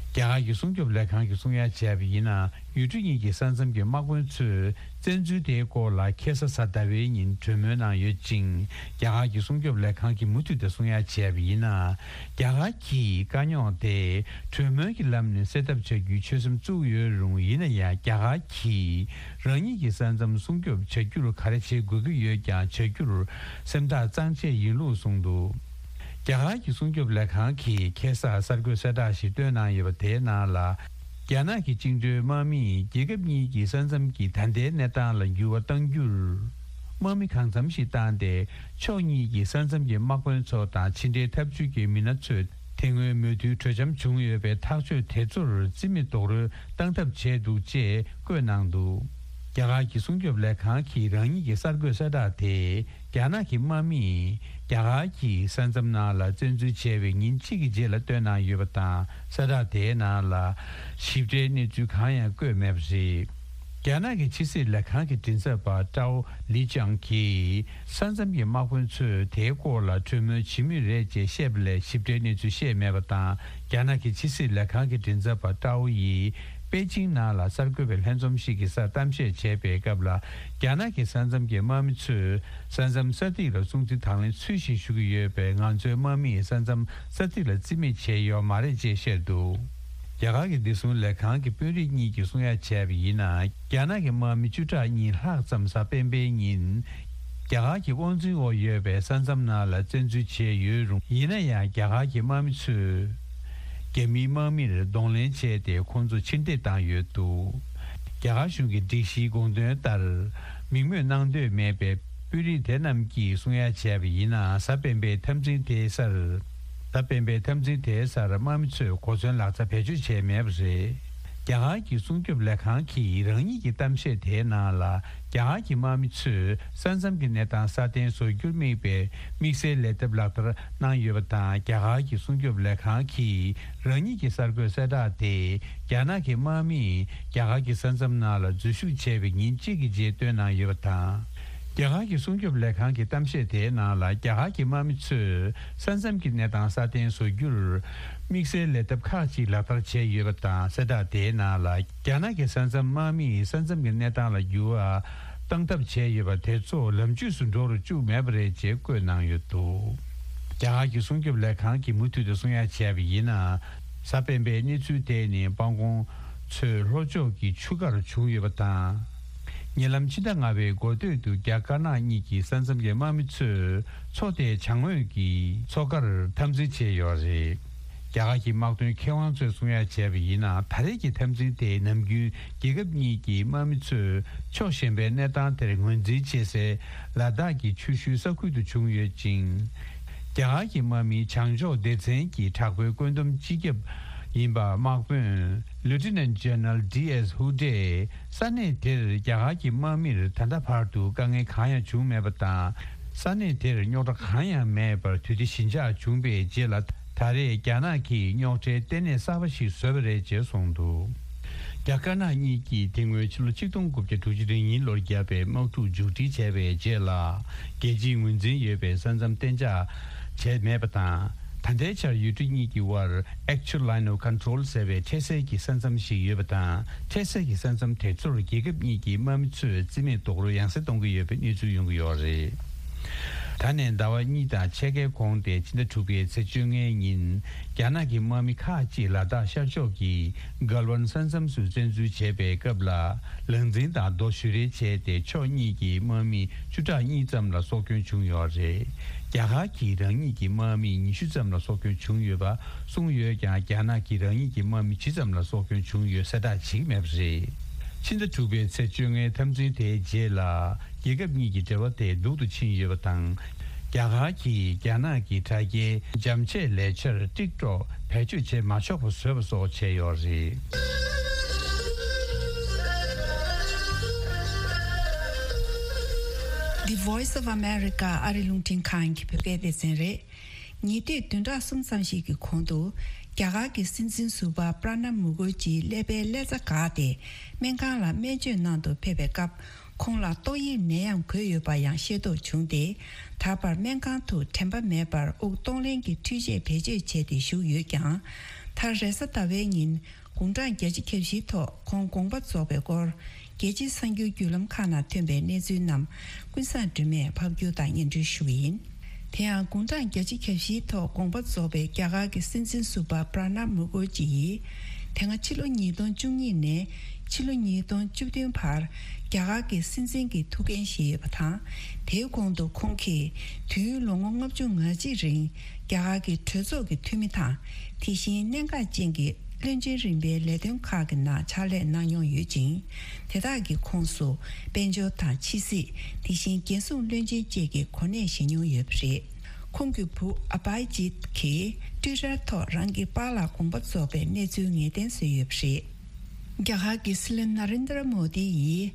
རྒྱ་གར་གྱི་སྲུང་སྐྱོབ་ལས་ཁང་གིས་གསུང་ཡ་བྱས་པ་ཡིན་ན། ཡུལ་གྲུ་གཉིས་ཀྱི་ས་མཚམས་ཀྱི་དམག་དཔོན་ཚོས་བཙན་འཛུལ་དེའི་སྐོར་ལ་ཁ་སང་གཟའ་ཟླ་བའི་ཉིན་གྲོས་མོལ་གནང་ཡོད་ཅིང་། རྒྱ་གར་གྱི་སྲུང་སྐྱོབ་ལས་ཁང་གིས་མུ་མཐུད་དུ་གསུང་ཡ་བྱས་པ་ཡིན་ན། རྒྱ་གར་གྱིས་དཀའ་རྙོག་དེ་གྲོས་མོལ་གྱི་ལམ་ནས་སེལ་ཐབས་བྱ་རྒྱུའི་ཆོད་སེམས་བཙུགས་ཡོད་རུང་། ཡིན་ན་ཡང་རྒྱ་གར་གྱིས་རང་ཉིད་ཀྱི་ས་མཚམས་སྲུང་སྐྱོབ་བྱ་རྒྱུར་ག་རེ་བྱེད་དགོས་ཀྱི་ཡོད་ཀྱང་བྱ་རྒྱུར་སེམས་ཐག་གཙང་བཅད་ཡིན་ལུགས་གསུངས་འདུག། རྒྱ་གར་གྱི་སྲུང་སྐྱོབ་ལས་ཁང་གིས་ཁ་སང་གསར་འགོད་གསལ་བསྒྲགས་ཤིག་བཏོན་གནང་ཡོད་པ་དེའི་ནང་ལ། རྒྱ་ནག་གི་བཅིངས་འགྲོལ་དམག་མིས་རྒྱལ་ཁབ་གཉིས་ཀྱི་ས་མཚམས་ཀྱི་ད་ལྟའི་གནས་སྟངས་ལ་འགྱུར་བ་གཏང་རྒྱུར། དམག་མི་གང་འཚམ་ཞིག་བཏང་སྟེ། ཕྱོགས་གཉིས་ཀྱི་ས་མཚམས་ཀྱི་དམག་དཔོན་ཚོ་དང་ཕྱི་འབྲེལ་ཐབས་ཇུས་ཀྱི་མི་སྣ་ཚོས། དེ་སྔོན་མོས་མཐུན་གྲོས་འཆམ་བྱུང་ཡོད་པའི་ཐག་གཅོད་དེ་ཚོར་རྩིས་མེད་རྡོག་རོལ་བཏང་ཐབས་བྱས་འདུག་ཅེས་བཀོད་གནང་འདུག། རྒྱ་གར་གྱི་སྲུང་སྐྱོབ་ལས་ཁང་གིས་རང་ཉིད་ཀྱི་གསར་འགོད་གསལ་བསྒྲགས་དེ། རྒྱ་ནག་གི་དམག་མིས་རྒྱ་གར་གྱི་ས་མཚམས་ནང་ལ་བཙན་འཛུལ་བྱས་པའི་ཉིན་གཅིག་གི་རྗེས་ལ་བཏོན་གནང་ཡོད་པ་དང་། གསལ་བསྒྲགས་དེའི་ནང་ལ་ཞིབ་ཕྲའི་གནས་ཚུལ་གང་ཡང་བཀོད་མེད་པ་རེད། རྒྱ་ནག་གི་ཕྱི་སྲིད་ལས་ཁང་གི་མགྲིན་ཚབ་པ་ཀྲའོ་ལི་ཅང་གིས། ས་མཚམས་ཀྱི་དམག་དཔོན་ཚོས་དེའི་སྐོར་ལ་གྲོས་མོལ་བྱེད་མུས་རེད་ཅེས་བཤད་པ་ལས་ཞིབ་ཕྲའི་གནས་ཚུལ་བཤད་མེད་པ་དང་། རྒྱ་ནག་གི་ཕྱི་སྲིད་ལས་ཁང་གི་མགྲིན་ཚབ་པ་ཀྲའོ་ཡིས་པེ་ཅིང་ནང་ལ་གསར་འགོད་པའི་ལྷན་འཛོམས་ཤིག་གི་སར་གཏམ་བཤད་བྱས་པའི་སྐབས་ལ། རྒྱ་ནག་གི་ས་མཚམས་ཀྱི་དམག་མི་ཚོས་ས་མཚམས་ས་ཐིག་ལ་སྲུང་བརྩི་དང་ལེན་ཚུལ་བཞིན་ཞུ་གི་ཡོད་པས། ང་ཚོའི་དམག་མིས་ས་མཚམས་ས་ཐིག་ལ་རྩིས་མེད་བྱས་ཡོད་མ་རེད་ཅེས་བཤད་འདུག། རྒྱ་གར་གྱི་བདེ་སྲུང་ལས་ཁང་གི་དཔོན་རིགས་གཉིས་ཀྱིས་གསུང་ཡ་བྱས་པ་ཡིན་ན། རྒྱ་ནག་གི་དམག་མི་བཅུ་ཕྲག་གཉིས་ལྷག་ཙམ་གཟའ་སྤེན་པའི་ཉིན། རྒྱ་གར་གྱི་དབང་འཛིན་འོག་ཡོད་པའི་ས་མཚམས་ནང་ལ་བཙན་འཛུལ་བྱས་ཡོད་རུང་། ཡིན་ན་ཡང་རྒྱ་གར་གྱི་དམག་མི་ཚོས། རྒྱ་མིའི་དམག་མིར་གདོང་ལེན་བྱས་ཏེ། ཁོང་ཚོ་ཕྱིར་འཐེན་བཏང་ཡོད་འདུག། རྒྱ་གར་གཞུང་གི་སྒྲིག་གཞིའི་དགོངས་དོན་ལྟར། མིང་སྨོས་གནང་འདོད་མེད་པའི་དཔོན་རིགས་དེ་རྣམས་ཀྱིས་གསུང་ཡ་བྱས་པ་ཡིན་ན། གཟའ་སྤེན་པའི་འཐབ་འཛིང་དེའི་སར། གཟའ་སྤེན་པའི་འཐབ་འཛིང་དེའི་སར་དམག་མི་ཚོས་གོ་མཚོན་ལག་ཆ་བེད་སྤྱོད་བྱས་མེད་པ་རེད། རྒྱ་གར་གྱི་སྲུང་སྐྱོབ་ལས་ཁང་གིས་རང་ཉིད་ཀྱི་གཏམ་བཤད་དེའི་ནང་ལ། རྒྱ་གར་གྱི་དམག་མི་ཚོས་ས་མཚམས་ཀྱི་གནས་སྟངས་སྲ་བརྟན་བཟོ་རྒྱུར་དམིགས་པའི་དམིགས་བསལ་ལས་སྟབས་ལག་བསྟར་གནང་ཡོད་པ་དང་། རྒྱ་གར་གྱི་སྲུང་སྐྱོབ་ལས་ཁང་གིས་རང་ཉིད་ཀྱི་གསར་འགོད་གསལ་བསྒྲགས་དེ། རྒྱ་ནག་གི་དམག་མིས་རྒྱ་གར་གྱི་ས་མཚམས་ནང་ལ་འཛུལ་ཞུགས་བྱས་པའི་ཉིན་གཅིག་གི་རྗེས་བཏོན་གནང་ཡོད་པ་དང་། རྒྱ་གར་གྱི་སྲུང་སྐྱོབ་ལས་ཁང་གི་གཏམ་བཤད་དེའི་ནང་ལ། རྒྱ་གར་གྱི་དམག་མི་ཚོས་ས་མཚམས་ཀྱི་གནས་སྟངས་སྲ་བརྟན་བཟོ་རྒྱུར་དམིགས་བསལ་ལས་སྟབས་ཁག་ཅིག་ལག་བསྟར་བྱས་ཡོད་པ་དང་། གསལ་བསྒྲགས་དེའི་ནང་ལ། རྒྱ་ནག་གི་ས་མཚམས་དམག་མིས་ས་མཚམས་ཀྱི་གནས་སྟངས་ལ་འགྱུར་བ་བཏང་ཐབས་བྱས་ཡོད་པ་དེ་ཚོ་ལམ་ཇུས་སུ་འགྲོ་རུ་བཅུག་མེད་པ་རེད་ཅེས་བཀོད་གནང་ཡོད་འདུག། རྒྱ་གར་གྱི་སྲུང་སྐྱོབ་ལས་ཁང་གིས་མུ་མཐུད་དུ་གསུང་ཡ་བྱས་པ་ཡིན་ན། གཟའ་སྤེན་པའི་གནས་ཚུལ་དེ་ནི་སྤང་གོང་མཚོའི་ལྷོ་ཕྱོགས་ཀྱི་ཆུ་ཁར་བྱུང་ཡོད་པ་དང་། ཉེ་ལམ་ཕྱི་ཟླ་ལྔ་པའི་འགོ་སྟོད་དུ་རྒྱ་དཀར་ནག་གཉིས་ཀྱི་ས་མཚམས་ཀྱི་དམག་མི་ཚོས་མཚོ་དེའི་བྱང་ངོས་ཀྱི་མཚོ་ཁར་འཐབ་འཛིང་བྱས་ཡོད་རེད། རྒྱ་གར་གྱི་དམག་དོན་མཁས་དབང་ཚོས་གསུང་ཡ་བྱས་པ་ཡིན་ན། ད་རེས་ཀྱི་འཐབ་འཛིང་དེ་ནམ་རྒྱུན་རྒྱལ་ཁབ་གཉིས་ཀྱི་དམག་མི་ཚོས་ཕྱོགས་གཞན་པའི་གནས་སྟངས་དེར་ངོས་འཛིན་བྱེད་སའི་ལ་དྭགས་ཀྱི་ཆུ་ཤུལ་ས་ཁུལ་དུ་བྱུང་ཡོད་ཅིང་། རྒྱ་གར་གྱི་དམག་མིའི་བྱང་ཕྱོགས་སྡེ་ཚན་གྱི་དྲག་པོའི་བཀོད་འདོམས་སྤྱི་ཁྱབ་ཡིན་པ་དམག་དཔོན་Lieutenant General D S Hu Tae་ས་གནས་དེར་རྒྱ་གར་གྱི་དམག་མིར་ད་ལྟ་བར་དུ་དཀའ་ངལ་གང་ཡང་བྱུང་མེད་པ་དང་། ས་གནས་དེར་རྙོག་དྲ་གང་ཡང་མེད་པར་དུས་བདེ་ཞི་འཇགས་བྱུང་པའི་རྗེས་ལ། ད་རེས་རྒྱ་ནག་གིས་རྙོག་དྲའི་ལྟེ་གནས་གསར་པ་ཞིག་བཟོས་པ་རེད་ཅེས་གསུངས་འདུག། རྒྱ་དཀར་ནག་གཉིས་ཀྱིས་དེ་སྔོན་ཕྱི་ལོ་ཆིག་སྟོང་དགུ་བརྒྱ་དྲུག་ཅུ་རེ་གཉིས་ལོར་བརྒྱབ་པའི་དམག་འཁྲུག་མཇུག་སྒྲིལ་བྱས་པའི་རྗེས་ལ། རྒྱལ་སྤྱིའི་ངོས་འཛིན་ཡོད་པའི་ས་མཚམས་གཏན་འཇགས་བྱས་མེད་པ་དང་། ད་ལྟའི་ཆར་ཡུལ་གྲུ་གཉིས་ཀྱི་དབར་Actual Line of Control་ཟེར་བའི་འཕྲལ་སེལ་གྱི་ས་མཚམས་ཤིག་ཡོད་པ་དང་། འཕྲལ་སེལ་གྱི་ས་མཚམས་དེ་ཚོར་རྒྱལ་ཁབ་གཉིས་ཀྱི་དམག་མི་ཚོས་རྩིས་མེད་རྡོག་རོལ་ཡང་སེ་གཏོང་གི་ཡོད་པའི་གནས་ཚུལ་ཡོང་གི་ཡོད་རེད། ད་ནས་ཟླ་བ་གཉིས་དང་ཕྱེད་ཀའི་གོང་སྟེ་ཕྱི་ཟླ་དྲུག་པའི་ཚེས་བཅོ་ལྔའི་ཉིན། རྒྱ་ནག་གི་དམག་མི་ཁག་ཅིག་ལ་དྭགས་ཤར་ཕྱོགས་ཀྱི་གལ་ཝན་ས་མཚམས་སུ་བཙན་འཛུལ་བྱས་པའི་སྐབས་ལ། ལག་འཛིང་དང་རྡོ་གཞུ་རེས་བྱས་ཏེ་ཕྱོགས་གཉིས་ཀྱི་དམག་མི་བཅུ་ཕྲག་གཉིས་ཙམ་ལ་སྲོག་སྐྱོན་བྱུང་ཡོད་རེད། རྒྱ་གར་གྱིས་རང་ཉིད་ཀྱི་དམག་མི་ཉི་ཤུ་ཙམ་ལ་སྲོག་སྐྱོན་བྱུང་ཡོད་པ་གསུངས་ཡོད་ཀྱང་། རྒྱ་ནག་གིས་རང་ཉིད་ཀྱི་དམག་མི་ཇི་ཙམ་ལ་སྲོག་སྐྱོན་བྱུང་ཡོད་གསལ་བསྒྲགས་བྱེད་ཀྱི་མེད་པ་རེད། ཕྱི་ཟླ་དྲུག་པའི་ཚེས་བཅོ་ལྔའི་འཐབ་འཛིང་དེའི་རྗེས་ལ། རྒྱལ་ཁབ་གཉིས་ཀྱི་འབྲེལ་བ་དེ་སྡུག་ཏུ་ཕྱིན་ཡོད་པ་དང་། རྒྱ་གར་གྱིས་རྒྱ་ནག་གི་དྲ་རྒྱའི་འཇམ་ཆས་ལས་འཆར་ཊིག་ཊོག་བེད་སྤྱོད་བྱེད་མ་ཆོག་པ་བཟོས་པ་སོགས་བྱས་ཡོད་རེད། The Voice of America ཨ་རི་རླུང་འཕྲིན་ཁང་གི་བོད་སྐད་སྡེ་ཚན་རེད། ཉེ་དུས་བདུན་ཕྲག་གསུམ་ཙམ་ཞིག་གི་གོང་དུ། རྒྱ་གར་གྱི་སྲིད་འཛིན་ཟུར་པ་པྲ་ནབ་མུ་ཁར་ཇིའི་ཀླད་པའི་ཀླད་རྩ་འགག་སྟེ། སྨན་ཁང་ལ་སྨན་བཅོས་གནང་དུ་ཕེབས་པའི་སྐབས། ཁོང་ལ་ཏོག་དབྱིབས་ནད་ཡམས་འགོས་ཡོད་པ་ཡང་ཤེས་རྟོགས་བྱུང་སྟེ། ད་བར་སྨན་ཁང་དུ་དྲན་པ་མེད་པར་དབུགས་གཏོང་ལེན་གྱི་འཕྲུལ་ཆས་བེད་སྤྱོད་བྱས་ཏེ་བཞུགས་ཡོད་ཀྱང་། མཐར་རེས་གཟའ་ཟླ་བའི་ཉིན། དགུང་གྲངས་བརྒྱད་ཅུ་གྱ་བཞིའི་ཐོག་ཁོང་དགོངས་པ་རྫོགས་པའི་སྐོར། རྒྱལ་སྤྱིའི་གསར་འགྱུར་བརྒྱུད་ལམ་ཁག་ནང་ཐོན་པའི་གནས་ཚུལ་རྣམས། ཀུན་བཟང་སྒྲོལ་མས་ཕབ་སྒྱུར་དང་སྙན་སྒྲོན་ཞུ་གི་ཡིན། དེ་ཡང་དགུང་གྲངས་བརྒྱད་ཅུ་གྱ་བཞིའི་ཐོག་དགོངས་པ་རྫོགས་པའི་རྒྱ་གར་གྱི་སྲིད་འཛིན་ཟུར་པ་པྲ་ནབ་མུ་ཁར་ཇི་ཡིས། དེ་སྔ་ཕྱི་ལོ་ཉིས་སྟོང་བཅུ་གཉིས་ནས་ཕྱི་ལོ་ཉིས་སྟོང་བཅུ་བདུན་བར་རྒྱ་གར་གྱི་སྲིད་འཛིན་གྱི་ཐུགས་འགན་བཞེས་ཡོད་པ་དང་། དེའི་གོང་དུ་ཁོང་གིས་དུས་ཡུན་ལོ་ངོ་ལྔ་བཅུ་ང་གཅིག་རིང་རྒྱ་གར་གྱི་གྲོས་ཚོགས་ཀྱི་འཐུས་མི་དང་། དེ་བཞིན་གནད་འགག་ཅན་གྱི་བློན་ཆེན་རིམ་པའི་ལས་དོན་ཁག་གི་ནང་ཕྱག་ལས་གནང་མྱོང་ཡོད་ཅིང་། དེ་དག་གི་ཁོངས་སུ་དཔལ་འབྱོར་དང་ཕྱི་སྲིད། དེ་བཞིན་རྒྱལ་སྲུང་བློན་ཆེན་བཅས་ཀྱི་གོ་གནས་བཞེས་མྱོང་ཡོད་པ་རེད། ཁོང་གི་བུ་ཨ་བྷ་ཇིད་ཀྱིས་ཊུའི་ཊར་ཐོག་རང་གི་པཱ་ལགས་དགོངས་པ་རྫོགས་པའི་གནས་ཚུལ་ངེས་གཏན་བཟོས་ཡོད་པ་རེད། རྒྱ་གར་གྱི་སྲིད་བློན་ནཱ་རེན་དྲ་མོ་དི་ཡིས་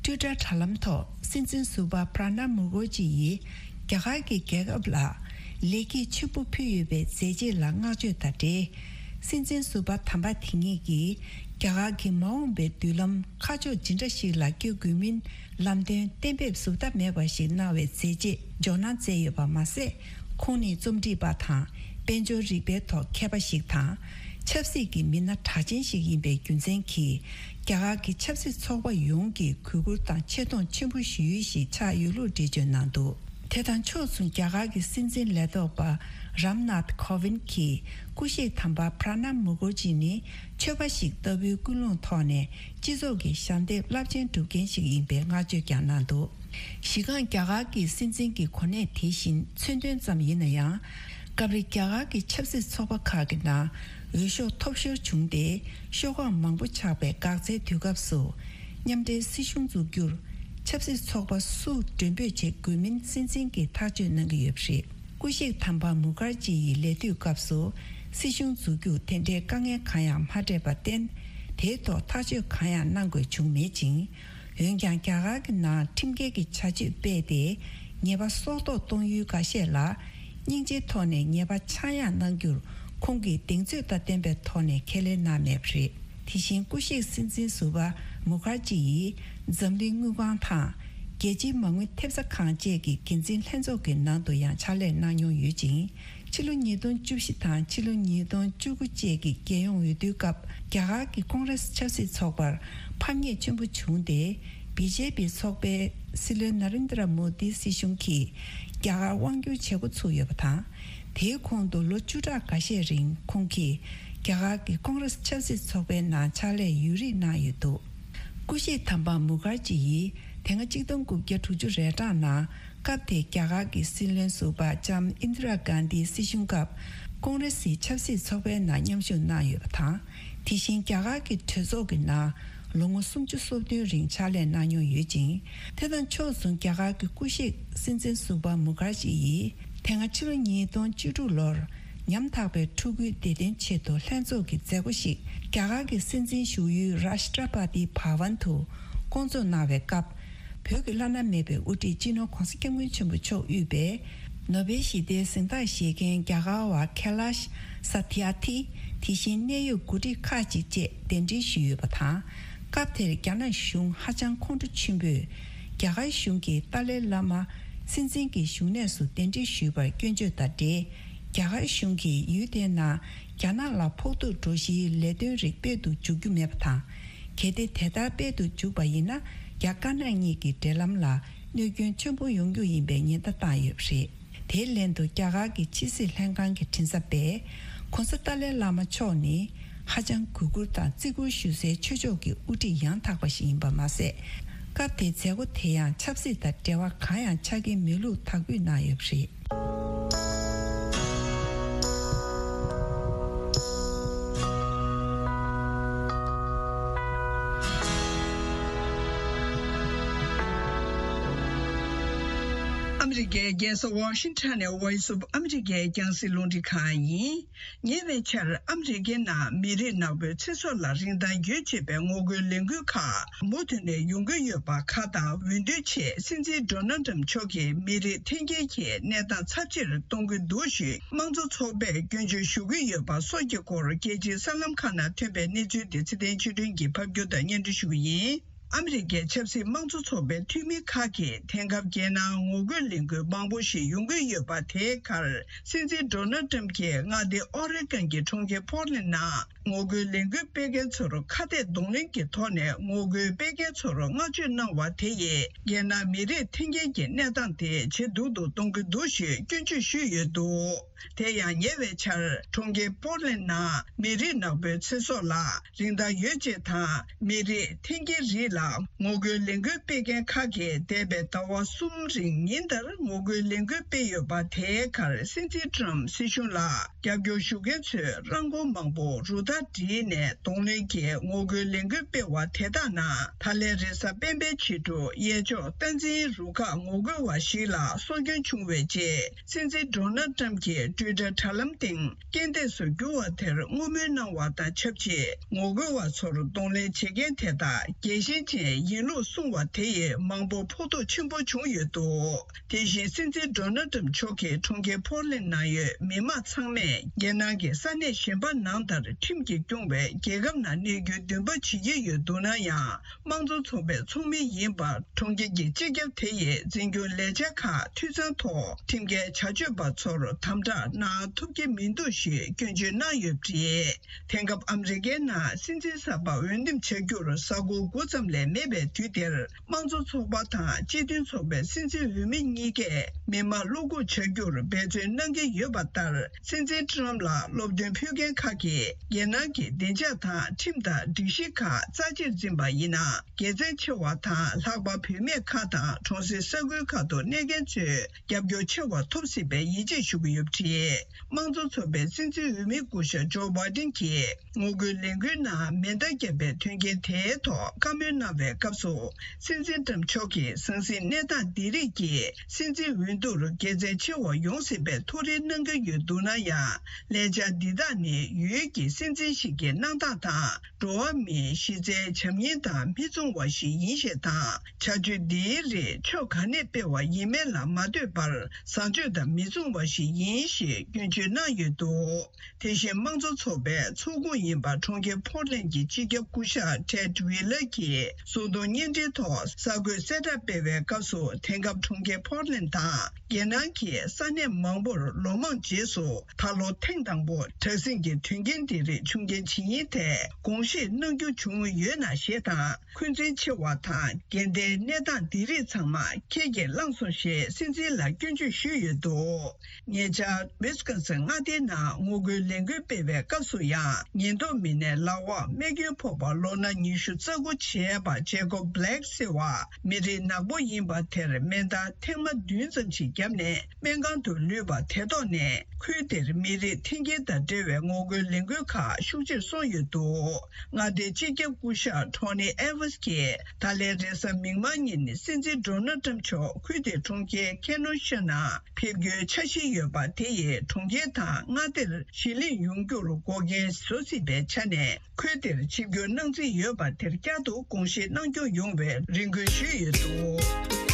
ཊུའི་ཊར་དྲ་ལམ་ཐོག་སྲིད་འཛིན་ཟུར་པ་པྲ་ནབ་མུ་ཁར་ཇི་ཡིས་རྒྱ་གར་གྱི་རྒྱལ་ཁབ་ལ་ལེགས་སྐྱེས་ཆེན་པོ་ཕུལ་ཡོད་པའི་མཛད་རྗེས་ལ་བསྔགས་བརྗོད་དང་འབྲེལ། སྲིད་འཛིན་ཟུར་པ་དམ་པ་དེ་ཉིད་ཀྱིས་རྒྱ་གར་གྱི་མ་འོངས་པའི་མདུན་ལམ་ཁ་ཕྱོགས་ཇི་འདྲ་ཞིག་ལ་བསྐྱོད་དགོས་མིན་ལམ་སྟོན་གཏན་འབེབས་ཟུར་ལྟ་མེད་པ་ཞིག་གནང་བའི་མཛད་རྗེས་འཇོག་གནང་མཛད་ཡོད་པ་མ་ཟད། ཁོང་ནི་རྩོམ་སྒྲིག་པ་དང་། དཔལ་འབྱོར་རིག་པའི་ཐོག་མཁས་པ་ཞིག་དང་། ཆབ་སྲིད་ཀྱི་མི་སྣ་གྲགས་ཅན་ཞིག་ཡིན་པའི་རྒྱུ་མཚན་གྱིས། རྒྱ་གར་གྱི་ཆབ་སྲིད་ཚོགས་པ་ཡོངས་ཀྱི་གུས་བཀུར་དང་ཆེ་མཐོང་ཆེན་པོ་ཞུ་ཡུལ་ཞིག་ཆགས་ཡོད་ལུགས་འགྲེལ་བརྗོད་གནང་འདུག་དེ་དང་ཕྱོགས་མཚུངས། རྒྱ་གར་གྱི་སྲིད་འཛིན་ལས་ཐོག་པ་རམ་ནཱཐ་ཁོ་ཝིན་གྱིས་སྐུ་གཤེགས་དམ་པ་པྲ་ནབ་མུ་ཁར་ཇི་ནི་ཆོས་པ་ཞིག་ལྟ་བུའི་ཀུན་སློང་ཐོག་ནས་སྤྱི་ཚོགས་ཀྱི་ཞབས་འདེགས་རླབས་ཆེན་སྒྲུབ་མཁན་ཞིག་ཡིན་པའི་བསྔགས་བརྗོད་ཀྱང་གནང་འདུག་གཞི་རྐང་རྒྱ་གར་གྱི་སྲིད་འཛིན་གྱི་གོ་གནས་དེ་བཞིན་མཚོན་དོན་ཙམ་ཡིན་ན་ཡང་། སྐབས་རེ་རྒྱ་གར་གྱི་ཆབ་སྲིད་ཚོགས་པ་ཁག་གི་ནང་འོས་ཤོག་ཐོབ་ཤོར་བྱུང་སྟེ། ཤོག་ཁག་མང་པོ་ཆགས་པའི་འགག་རྩའི་དུས་སྐབས་སུ། མཉམ་འབྲེལ་སྲིད་གཞུང་འཛུགས་རྒྱུར་ཆབ་སྲིད་ཚོགས་པ་སུ་མགྲོན་འབོད་བྱེད་དགོས་མིན་སྲིད་འཛིན་གྱིས་ཐག་གཅོད་གནང་གི་ཡོད་པ་རེད། སྐུ་གཤེགས་དམ་པ་མུ་ཁར་ཇི་ཡི་ལས་དུས་སྐབས་སུ་སྲིད་གཞུང་འཛུགས་རྒྱུར་དེ་འདྲའི་དཀའ་ངལ་གང་ཡང་མ་འཕྲད་པར་བརྟེན། དེའི་ཐོག་ཐག་གཅོད་གང་ཡང་གནང་དགོས་བྱུང་མེད་ཅིང་། འོན་ཀྱང་། རྒྱ་གར་གྱི་ནང་ཁྲིམས་འགལ་གྱི་བྱ་སྤྱོད་སྤེལ་ཏེ། ཉེས་པ་སྲོག་ཐོག་གཏོང་ཡུལ་འགའ་ཤས་ལ། སྙིང་རྗེའི་ཐོག་ནས་ཉེས་པ་ཆག་ཡང་གནང་རྒྱུར། ཁོང་གིས་གདེང་ཚོད་དང་ལྡན་པའི་ཐོག་ནས་ཁས་ལེན་གནང་མེད་པ་རེད། དེ་བཞིན་སྐུ་གཤེགས་སྲིད་འཛིན་ཟུར་པ་མུ་ཁར་ཇི་ཡིས། འཛམ་གླིང་དངུལ་ཁང་དང་། རྒྱལ་སྤྱིའི་མ་དངུལ་ཐེབས་རྩ་ཁང་བཅས་ཀྱི་འགན་འཛིན་ལྷན་ཚོགས་ཀྱི་ནང་དུ་ཡང་ཕྱག་ལས་གནང་མྱོང་ཡོད་ཅིང་། ཕྱི་ལོ་ཉིས་སྟོང་བཅུ་བཞི་དང་ཕྱི་ལོ་ཉིས་སྟོང་བཅུ་དགུ་བཅས་ཀྱི་རྒྱལ་ཡོངས་འོས་བསྡུའི་སྐབས། རྒྱ་གར་གྱི་ཀོང་རེ་སི་ཆབ་སྲིད་ཚོགས་པར་ཕམ་ཉེས་ཆེན་པོ་བྱུང་སྟེ། བི་ཇེ་པི་ཚོགས་པའི་སྲིད་བློན་ནཱ་རེན་དྲ་མོ་དི་སྲིད་གཞུང་གིས་རྒྱ་གར་དབང་བསྒྱུར་བྱེད་འགོ་ཚུགས་ཡོད་པ་དང་། དེའི་གོང་དུ་ལོ་བཅུ་ཕྲག་འགའ་ཤས་རིང་ཁོང་གིས་རྒྱ་གར་གྱི་ཀོང་རེ་སི་ཆབ་སྲིད་ཚོགས་པའི་ནང་ཕྱག་ལས་ཡུན་རིང་གནང་ཡོད་འདུག་སྐུ་གཤེགས་དམ་པ་མུ་ཁར་ཇི་ཡིས་དེ་སྔ་གཅིག་སྟོང་དགུ་བརྒྱ་དྲུག་ཅུ་རེ་གྲངས་ནང་། སྐབས་དེའི་རྒྱ་གར་གྱི་སྲིད་བློན་ཟུར་པ་ལྕམ་ཨིན་དི་ར་གྷན་དིའི་སྲིད་གཞུང་སྐབས། ཀོང་རེ་སིའི་ཆབ་སྲིད་ཚོགས་པའི་ནང་མཉམ་ཞུགས་གནང་ཡོད་པ་དང་། དེ་བཞིན་རྒྱ་གར་གྱི་གྲོས་ཚོགས་ཀྱི་ནང་ལོ་ངོ་སུམ་ཅུ་སོ་བདུན་རིང་ཕྱག་ལས་གནང་མྱོང་ཡོད་ཅིང་། དེ་དང་ཕྱོགས་མཚུངས། རྒྱ་གར་གྱི་སྐུ་གཤེགས་སྲིད་འཛིན་ཟུར་པ་མུ་ཁར་ཇི་ཡིས། དེ་སྔ་ཕྱི་ལོ་ཉིས་སྟོང་བཅུ་དྲུག་ལོར། ཉམ་ཐག་པའི་ཕྲུ་གུའི་བདེ་དོན་ཆེད་དུ་ལྷན་ཚོགས་ཀྱི་མཛད་སྒོ་ཞིག་རྒྱ་གར་གྱི་སྲིད་འཛིན་བཞུགས་ཡུལ་རཱཤ་ཏྲ་པ་ཏི་བྷ་ཝན་དུ་བསྐོང་ཚོགས་གནང་བའི་སྐབས། བོད་ཀྱི་བླ་ན་མེད་པའི་དབུ་ཁྲིད་སྤྱི་ནོར་༧གོང་ས་༧སྐྱབས་མགོན་ཆེན་པོ་མཆོག་དབུས་པའི་ནོ་བེལ་ཞི་བདེའི་གཟེངས་རྟགས་བཞེས་མཁན་རྒྱ་གར་བ་ཁེ་ལཱཤ་ས་ཐི་ཨར་ཐི། དེ་བཞིན་གནད་ཡོད་འགོ་ཁྲིད་ཁག་ཅིག་བཅས་གདན་འདྲེན་ཞུས་ཡོད་པ་དང་། སྐབས་དེར་རྒྱ་ནག་གཞུང་ཧ་ཅང་ཁོང་ཁྲོ་ཆེན་པོས། རྒྱ་གར་གཞུང་གིས་ཏཱ་ལའི་བླ་མ་སྲིད་འཛིན་གྱི་བཞུགས་གནས་སུ་གདན་འདྲེན་ཞུས་པར་སྐྱོན་བརྗོད་དང་འབྲེལ། རྒྱ་གར་གཞུང་གིས་ཡུལ་དེའི་ནང་རྒྱ་ནག་ལ་ཕོག་ཐུག་འགྲོ་གཞིའི་ལས་དོན་རིགས་སྤེལ་དུ་འཇུག་རྒྱུ་མེད་པ་དང་། གལ་ཏེ་དེ་ལྟར་སྤེལ་དུ་འཇུག་པ་ཡིན་ན། རྒྱ་དཀར་ནག་གཉིས་ཀྱི་འབྲེལ་ལམ་ལ་ གནོད་སྐྱོན་ཆེན་པོ་ཡོང་རྒྱུ་ཡིན་པའི་ཉེན་བརྡ་བཏང་ཡོད་པ་རེད། དེའི་ལན་དུ་རྒྱ་གར་གྱི་ཕྱི་སྲིད་ལྷན་ཁང་གི་མགྲིན་ཚབ་པས་༧གོང་ས་ཏཱ་ལའི་བླ་མ་མཆོག་ནི་ཧ་ཅང་གུས་བཀུར་དང་བརྩི་བཀུར་ཞུ་སའི་ཆོས་ཕྱོགས་ཀྱི་དབུ་ཁྲིད་ཡང་དག་པ་ཞིག་ཡིན་པ་མ་ཟད། སྐབས་དེའི་མཛད་སྒོ་དེ་ཡང་ཆབ་སྲིད་དང་འབྲེལ་བ་གང་ཡང་ཆགས་ཀྱི་མེད་ལུགས་དག་འབུལ་གནང་ཡོད་པ་རེད། ཨ་མི་རི་ཀའི་རྒྱལ་ས་ཝ་ཤིང་ཊོན་ནས་Voice of America རྒྱང་སྲིང་རླུང་འཕྲིན་ཁང་ཡིན། ཉེ་བའི་ཆར་ཨ་མི་རི་ཀའི་ནང་མི་རིགས་ནག་པོའི་ཚེ་སྲོག་ལ་རིན་ཐང་ཡོད་ཅེས་པའི་ངོ་རྒོལ་ལས་འགུལ་ཁག་མུ་མཐུད་ནས་ཡོང་གི་ཡོད་པ་ཁག་དང་འོས་བསྡུའི་ཆེད་སྲིད་འཛིན་ཌོ་ནལ་ཏྲམ་མཆོག་གིས་མི་རིགས་འཐེན་འཁྱེར་གྱི་གནས་སྟངས་ཚབས་ཆེར་གཏོང་གི་འདུག་ཞུས། དམངས་གཙོ་ཚོགས་པས་སྐྱོན་བརྗོད་ཞུ་གི་ཡོད་པ་སོགས་ཀྱི་སྐོར་རྒྱལ་སྤྱིའི་གསར་ལམ་ཁག་ནང་ཐོན་པའི་གནས་ཚུལ་དེ་ཚེ་བརྟན་ཆོས་སྒྲོན་གྱིས་ཕབ་སྒྱུར་དང་སྙན་སྒྲོན་ཞུ་གི་ཡིན། ཨ་མི་རི་ཀའི་ཆབ་སྲིད་དམངས་གཙོ་ཚོགས་པའི་འཐུས་མི་ཁག་གིས་དེང་སྐབས་རྒྱལ་ནང་ངོ་རྒོལ་ལས་འགུལ་མང་པོ་ཞིག་ཡོང་གི་ཡོད་པ་དེའི་ཁར། སྲིད་འཛིན་ཌོ་ནལ་ཏྲམ་གྱིས་མངའ་སྡེ་ཨོ་རེ་གོན་གྱི་གྲོང་ཁྱེར་ཕོར་ལེན་ནང་ངོ་རྒོལ་ལས་འགུལ་སྤེལ་མཁན་ཚོར་ཁ་གཏད་གདོང་ལེན་གྱི་ཐོག་ནས་ངོ་རྒོལ་སྤེལ་མཁན་ཚོར་བསྔགས་བརྗོད་གནང་བ་དེ་ཡིས་རྒྱལ་ནང་མི་རིགས་འཐེན་འཁྱེར་གྱི་གནས་སྟངས་དེ་ཇེ་སྡུག་ཏུ་གཏོང་གི་འདུག་ཞེས་སྐྱོན་བརྗོད་ཞུས་ཡོད་འདུག་དེ་ཡང་ཉེ་བའི་ཆར་གྲོང་ཁྱེར་པོར་ལེན་ནང་མི་རིགས་ནག་པོའི་ཚེ་སྲོག་ལ་རིན་ཐང་ཡོད་ཅེས་དང་མི་རིགས་འཐེན་འཁྱེར་རིགས་ལ་ངོ་རྒོལ་ལས་འགུལ་སྤེལ་མཁན་ཁག་གིས་འདས་པའི་ཟླ་བ་གསུམ་རིང་ཉིན་ལྟར་ངོ་རྒོལ་ལས་འགུལ་སྤེལ་ཡོད་པ་དེའི་ཁར་སྲིད་འཛིན་ཏྲམ་སྲིད་གཞུང་ལ་རྒྱབ་སྐྱོར་ཞུ་མཁན་ཚོས་རང་འཁོར་མང་པོ་རུ་སྟར་བསྒྲིགས་ནས་གདོང་ལེན་གྱིས་ངོ་རྒོལ་ལས་འགུལ་སྤེལ་བ་དེ་དག་ནང་ད་ལན་རེས་གཟའ་སྤེན་པའི་ཕྱི་དྲོ་གཡས་ཕྱོགས་སྟངས་འཛིན་རུ་ཁག་ངོ་རྒོལ་བ་ཞིག་ལ་སྲོག་སྐྱོན་བྱུང་བའི་རྗེས། སྲིད་འཛིན་ཌོ་ནལ་ཏྲམ་གྱིས་ཊུའི་ཊར་དྲ་ལམ་སྟེང་རྐྱེན་འདས་སུ་གྱུར་བ་དེར་བསྔོ་སྨོན་གནང་བ་དང་ཆབས་ཅིག་ངོ་རྒོལ་བ་ཚོར་གདོང་ལེན་བྱེད་མཁན་དེ་དག་རྒྱལ་ཞེན་ཅན་ཡིན་ལུགས་གསུངས་བ་དེ་ཡིས་མང་པོར་ཕོག་ཐུག་ཆེན་པོ་བྱུང་ཡོད་འདུག་དེ་བཞིན་སྲིད་འཛིན་ཌོ་ནལ་ཏྲམ་མཆོག་གིས་གྲོང་ཁྱེར་ཕོར་ལེན་ནང་ཡོད་མི་མང་ཚང་མས་རྒྱལ་ནང་གི་ས་གནས་གཞན་པ་ནང་ལྟར་ཁྲིམས་ཀྱིས་སྐྱོང་བའི་རྒྱལ་ཁབ་ནང་གནས་རྒྱུའི་འདུན་པ་བྱེད་ཀྱི་ཡོད་འདུག་ན་ཡང་། དམངས་གཙོ་ཚོགས་པའི་ཚོགས་མི་ཡིན་པར་གྲོང་ཁྱེར་གྱི་སྤྱི་ཁྱབ་དེ་ཡིས་འཛིན་སྐྱོང་ལས་འཆར་ཁག་འཐུས་ཚང་ཐོག་ཁྲིམས་འགལ་བྱ་སྤྱོད་པ་ཚོར་དམ་དྲག་གནང་ཐུབ་ཀྱི་མི་འདུག་ཞེས་སྐྱོན་བརྗོད་གནང་ཡོད་པ་རེད། དེང་སྐབས་ཨ་མི་རི་ཀའི་ནང་སྲིད་འཛིན་གསར་པ་འོས་འདེམས་བྱ་རྒྱུར་གཟའ་འཁོར་དགུ་ཙམ་ལས་མེད་པའི་དུས་དེར། དམངས་གཙོ་ཚོགས་པ་དང་སྤྱི་མཐུན་ཚོགས་པའི་སྲིད་འཛིན་འོས་མི་གཉིས་ཀས་མི་མང་བློ་འགུག་བྱ་རྒྱུར་འབད་བརྩོན་གནང་གི་ཡོད་པ་ལྟར། སྲིད་འཛིན་ཏྲམ་ལ་སློབ་སྟོན་ཕུལ་མཁན་ཁག་གིས་རྒྱལ་ནང་གི་བདེ་འཇགས་དང་ཁྲིམས་དང་སྒྲིག་གཞི་ཁག་རྩ་ཆེར་འཛིན་པ་ཡིན་ན། དགེ་མཚན་ཆེ་བ་དང་། ལྷག་པར་བུད་མེད་ཁག་དང་གྲོང་གསེབ་ས་ཁུལ་ཁག་ཏུ་གནས་མཁན་ཚོས་རྒྱབ་སྐྱོར་ཆེ་བ་ཐོབ་སྲིད་པའི་ཡིད་ཆེས་ཞུ་གི་ཡོད་པ་རེད། དམངས་གཙོ་ཚོགས་པའི་སྲིད་འཛིན་འོས་མི་སྐུ་ཞབས་ཇོ་བྷའི་ཌེན་གྱིས་ངོ་རྒོལ་ལས་འགུལ་ནང་མེ་མདའ་བརྒྱབ་པའི་དོན་རྐྱེན་དེའི་ཐོག་བཀའ་མོལ་གནང་བའི་སྐབས་སུ། སྲིད་འཛིན་ཏྲམ་མཆོག་གིས་ཟང་ཟིང་གནས་སྟངས་འདི་རིགས་ཀྱིས་སྲིད་འཛིན་འོས་བསྡུར་དགེ་མཚན་ཆེ་བ་ཡོང་སྲིད་པའི་ཐུགས་རེ་གནང་གི་ཡོད་འདུག་ན་ཡང་། ལས་འཆར་འདི་དག་ནི་ཡུལ་གྱི་སྲིད་འཛིན་ཞིག་གི་གནང་སྟངས་དང་། འགྲོ་བ་མིའི་གཞི་རྩའི་བྱམས་སྙིང་དང་མི་མཚུངས་པ་ཞིག་ཡིན་ཞེས་དང་། བྱ་སྤྱོད་འདིའི་རིགས་ཕྱོགས་ག་ནས་སྤེལ་བ་ཡིན་མིན་ལ་མ་ལྟོས་པར་བཟང་སྤྱོད་དང་མི་མཚུངས་པ་ཞིག་ཡིན་ཞེས་སྐྱོན་བརྗོད་གནང་ཡོད་འདུག་དེ་བཞིན་དམངས་གཙོ་ཚོགས་པའི་ཚོགས་ཁོངས་ཡིན་པ་གྲོང་ཁྱེར་ཕོར་ལེན་གྱི་སྤྱི་ཁྱབ་སྐུ་ཞབས་ཊེད་ཝི་ལར་གྱིས་གསོལ་འདེབས་བརྙན་འཕྲིན་ཐོག་གསར་འགོད་གསལ་བསྒྲགས་སྤེལ་བའི་སྐབས་སུ། དེང་སྐབས་གྲོང་ཁྱེར་ཕོར་ལེན་དང་། རྒྱལ་ནང་གི་ས་གནས་མང་པོར་ལོ་མང་རྗེས་སུ་ད་ལོ་ཐེངས་དང་པོ་དྲག་ཟིང་གི་དོན་རྐྱེན་འདི་རིགས་བྱུང་རྐྱེན་ཇི་ཡིན་ཐད་དགོངས་བཞེས་གནང་རྒྱུ་བྱུང་ཡོད་ན་ཞེས་དང་། འཁོན་འཛིན་ཆེ་བ་དང་འགལ་ཟླའི་གནས་སྟངས་འདི་རིགས་ཚང་མ་ཁྱེད་ཀྱིས་བླངས་སོང་ཞེས་སྲིད་འཛིན་ལ་སྐྱོན་བརྗོད་ཞུས་ཡོད་འདུག་ཉེ་ཆར་ཝི་སི་ཀོན་སིན་མངའ་སྡེའི་ནང་ངོ་རྒོལ་ལས་འགུལ་སྤེལ་བའི་སྐབས་སུ་ཡང་། ཉེན་རྟོག་མི་སྣས་ལག་འོག་རྨས་སྐྱོན་ཕོག་པ་ལོ་ན་ཉི་ཤུ་རྩ་དགུ་བྱས་པ་ཇེ་ཀོབ་བྷི་ལེག་ཟེར་བ་མི་རིགས་ནག་པོ་ཡིན་པ་དེར་མེ་མདའ་ཐེངས་མ་བདུན་ཙམ་ཞིག་བརྒྱབ་ནས་སྨན་ཁང་དུ་ལུས་པ་དེ་ཐོག་ནས། ཁུལ་དེར་མི་རིགས་འཐེན་འཁྱེར་དང་འབྲེལ་བའི་ངོ་རྒོལ་ལས་འགུལ་ཁག་ཤུགས་ཆེར་སོང་ཡོད་འདུག་མངའ་སྡེའི་སྤྱི་ཁྱབ་སྐུ་ཞབས་ཊོ་ནི་ཨེ་ཝར་ཊི་གིས་ད་ལན་རེས་གཟའ་མིག་དམར་ཉིན་སྲིད་འཛིན་ཌོ་ནལ་ཏྲམ་མཆོག་ཁུལ་དེའི་གྲོང་ཁྱེར་ཁེ་ནོ་ཤ་ནང་ཕེབས་རྒྱུའི་འཆར་གཞི་ཡོད་པ་དེ་ཡིས་གྲོང་ཁྱེར་དང་མངའ་སྡེར་གཞིས་ལེན་ཡོང་རྒྱུར་འགོག་རྐྱེན་བཟོ་སྲིད་པའི་ཆ་ནས། ཁུལ་དེར་ཆིབས་བསྒྱུར་གནང་རྩིས་ཡོད་པ་དེར་བསྐྱར་དུ་དགོངས་བཞེས་གནང་སྐྱོང་ཡོང་བའི་རེ་སྐུལ་ཞུས་ཡོད་འདུག་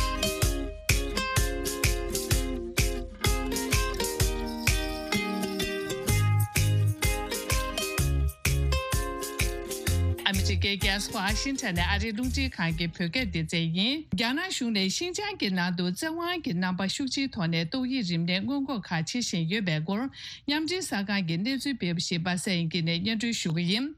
ཨ་མི་རི་ཀའི་རྒྱལ་ས་ཝ་ཤིང་ཊོན་ནས་ཨ་རིའི་རླུང་འཕྲིན་ཁང་གི་བོད་སྐད་སྡེ་ཚན་ཡིན། རྒྱ་ནག་གཞུང་ནས་ཤིན་ཅང་གི་ནང་དུ་བཙན་དབང་གི་རྣམ་པ་ཤུགས་ཆེའི་ཐོག་ནས་ཏོག་དབྱིབས་རིམས་ནད་སྔོན་འགོག་ཁག་བྱེད་བཞིན་ཡོད་པའི་སྐོར། མཉམ་འབྲེལ་གསར་ཁང་གིས་གནས་ཚུལ་སྤེལ་བ་ཞིག་པ་སངས་དབྱངས་སྐྱིད་ནས་སྙན་སྒྲོན་ཞུ་གི་ཡིན།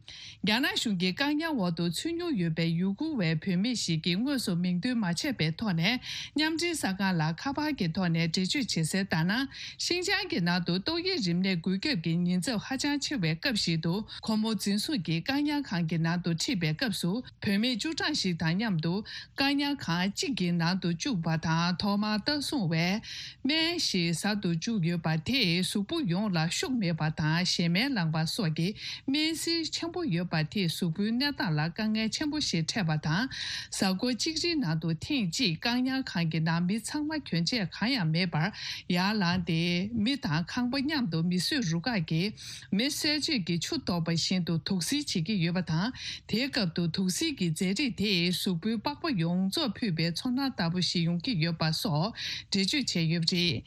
རྒྱ་ནག་གཞུང་གི་བཀག་ཉར་འོག་ཏུ་ཚུད་མྱོང་ཡོད་པའི་ཡུ་གུར་བའི་བུད་མེད་ཞིག་གིས་དངོས་སུ་མིང་འདོན་མ་བྱས་པའི་ཐོག་ནས། མཉམ་འབྲེལ་གསར་ཁང་ལ་ཁ་པར་གྱི་ཐོག་ནས་འགྲེལ་བརྗོད་བྱེད་གསལ་ལྟར་ན། ཤིན་ཅང་གི་ནང་དུ་ཏོག་དབྱིབས་རིམས་ནད་འགོས་ཁྱབ་ཀྱི་ཉེན་ཚབས་ཧ་ཅང་ཆེ་བའི་སྐབས་ཤིག་ཏུ། ཁོ་མོ་འཛིན་བཟུང་གིས་བཀག་ཉར་ཁང་གི་ནང་དུ་ཁྲིད་པའི་སྐབས་སུ། བུད་མེད་བཅུ་གྲངས་ཤིག་དང་མཉམ་དུ་བཀག་ཉར་ཁང་གཅིག་གི་ནང་དུ་བཅུག་པ་དང་། ཐོག་མར་ལྟ་སྲུང་བས་སྨན་ཞིག་ཟ་དུ་བཅུག་ཡོད་པ་དེས་གཟུགས་པོ་ཡོངས་ལ་ཤུགས་མེད་པ་དང་། ཞེ་མེར་ལངས་པ་སོགས་ཀྱི་སྨན་སིལ་ཆེན་པོ་ཡོད་པ་དེས་གཟུགས་པོའི་གནས་སྟངས་ལ་དཀའ་ངལ་ཆེན་པོ་ཞིག་འཕྲད་པ་དང་། གཟའ་འཁོར་གཅིག་རིང་ནང་དུ་ཐེངས་གཅིག་བཀག་ཉར་ཁང་གི་ནང་མི་ཚང་མ་གྱོན་ཆས་གང་ཡང་མེད་པར་ཡར་ལངས་ཏེ། མི་དང་ཁང་པ་མཉམ་དུ་མིས་བཟོས་རུ་ཁག་གིས་མེ་གསོད་བྱེད་ཀྱི་ཆུ་གཏོར་བ་བཞིན་དུ་དུག་སེལ་བྱེད་ཀྱི་ཡོད་པ་དང་། དེའི་སྐབས་སུ་དུག་སེལ་གྱི་རྫས་རིགས་དེས་གཟུགས་པོའི་པགས་པ་ཡོངས་རྫོགས་ཕུད་པའི་ཚོར་སྣང་ལྟ་བུ་ཞིག་ཡོང་གི་ཡོད་པ་སོགས་འགྲེལ་བརྗོད་བྱས་ཡོད་པ་རེད།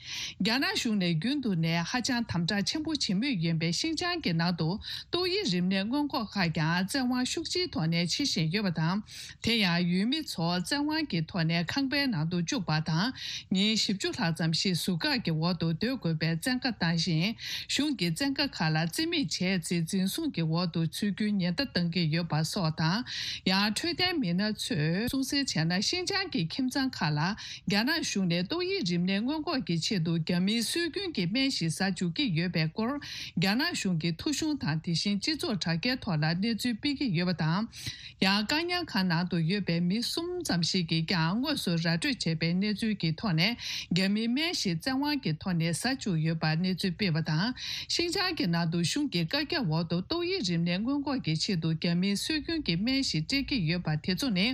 རྒྱ་ནག་གཞུང་ནས་རྒྱུན་དུ་ནས་ཧ་ཅང་དམ་དྲག་ཆེན་པོ་བྱེད་མུས་ཡིན་པའི་ཤིན་ཅང་གི་ནང་དུ་ཏོག་དབྱིབས་རིམས་ནད་སྔོན་འགོག་ཁག་ཀྱང་བཙན་དབང་ཤུགས་ཆེའི་ཐོག་ནས་བྱེད་བཞིན་ཡོད་པ་དང་། དེ་ཡང་ཡུལ་མི་ཚོ་བཙན་དབང་གི་ཐོག་ནས་ཁང་པའི་ནང་དུ་བཅུག་པ་དང་། ཉིན་བཞི་བཅུ་ལྷག་ཙམ་ཞིག་ཟུར་བཀག་གི་འོག་ཏུ་སྡོད་དགོས་པའི་བཙན་བཀའ་བཏང་ཞིང་། གཞུང་གི་བཙན་བཀའ་ཁག་ལ་བརྩི་མེད་བྱས་ཚེ་འཛིན་བཟུང་གི་འོག་ཏུ་ཚུད་རྒྱུའི་ཉེན་བརྡ་བཏང་གི་ཡོད་པ་སོགས་དང་། ཡང་འཕྲོད་བསྟེན་མི་སྣ་ཚོས་གསུང་གསལ་བྱས་ན། ཤིན་ཅང་གི་ཁྱིམ་ཚང་ཁག་ལ་རྒྱ་ནག་གཞུང་ནས་ཏོག་དབྱིབས་རིམས་ནད་སྔོན་འགོག་གི་ཆེད་དུ་རྒྱ་མིའི་སྲོལ་རྒྱུན་གྱི་སྨན་ཞིག་ཟ་འཇུག་གི་ཡོད་པའི་སྐོར། རྒྱ་ནག་གཞུང་གི་ཐོ་གཞུང་དང་། དེ་བཞིན་སྤྱི་ཚོགས་དྲ་རྒྱའི་ཐོག་ལ་གནས་ཚུལ་སྤེལ་གྱི་ཡོད་པ་དང་། ཡང་བཀག་ཉར་ཁང་ནང་དུ་ཡོད་པའི་མི་གསུམ་ཙམ་ཞིག་གིས་ཀྱང་དངོས་སུ་ར་སྤྲོད་བྱས་པའི་གནས་ཚུལ་གྱི་ཐོག་ནས། རྒྱ་མིའི་སྨན་ཞིག་བཙན་དབང་གི་ཐོག་ནས་ཟ་བཅུག་ཡོད་པར་གནས་ཚུལ་སྤེལ་བ་དང་། ཤིན་ཅང་གི་ནང་དུ་གཞུང་གི་བཀའ་རྒྱ་འོག་ཏུ་ཏོག་དབྱིབས་རིམས་ནད་སྔོན་འགོག་གི་ཆེད་དུ་རྒྱ་མིའི་སྲོལ་རྒྱུན་གྱི་སྨན་ཞིག་སྤྲད་ཀྱི་ཡོད་པ་དེ་ཚོ་ནི།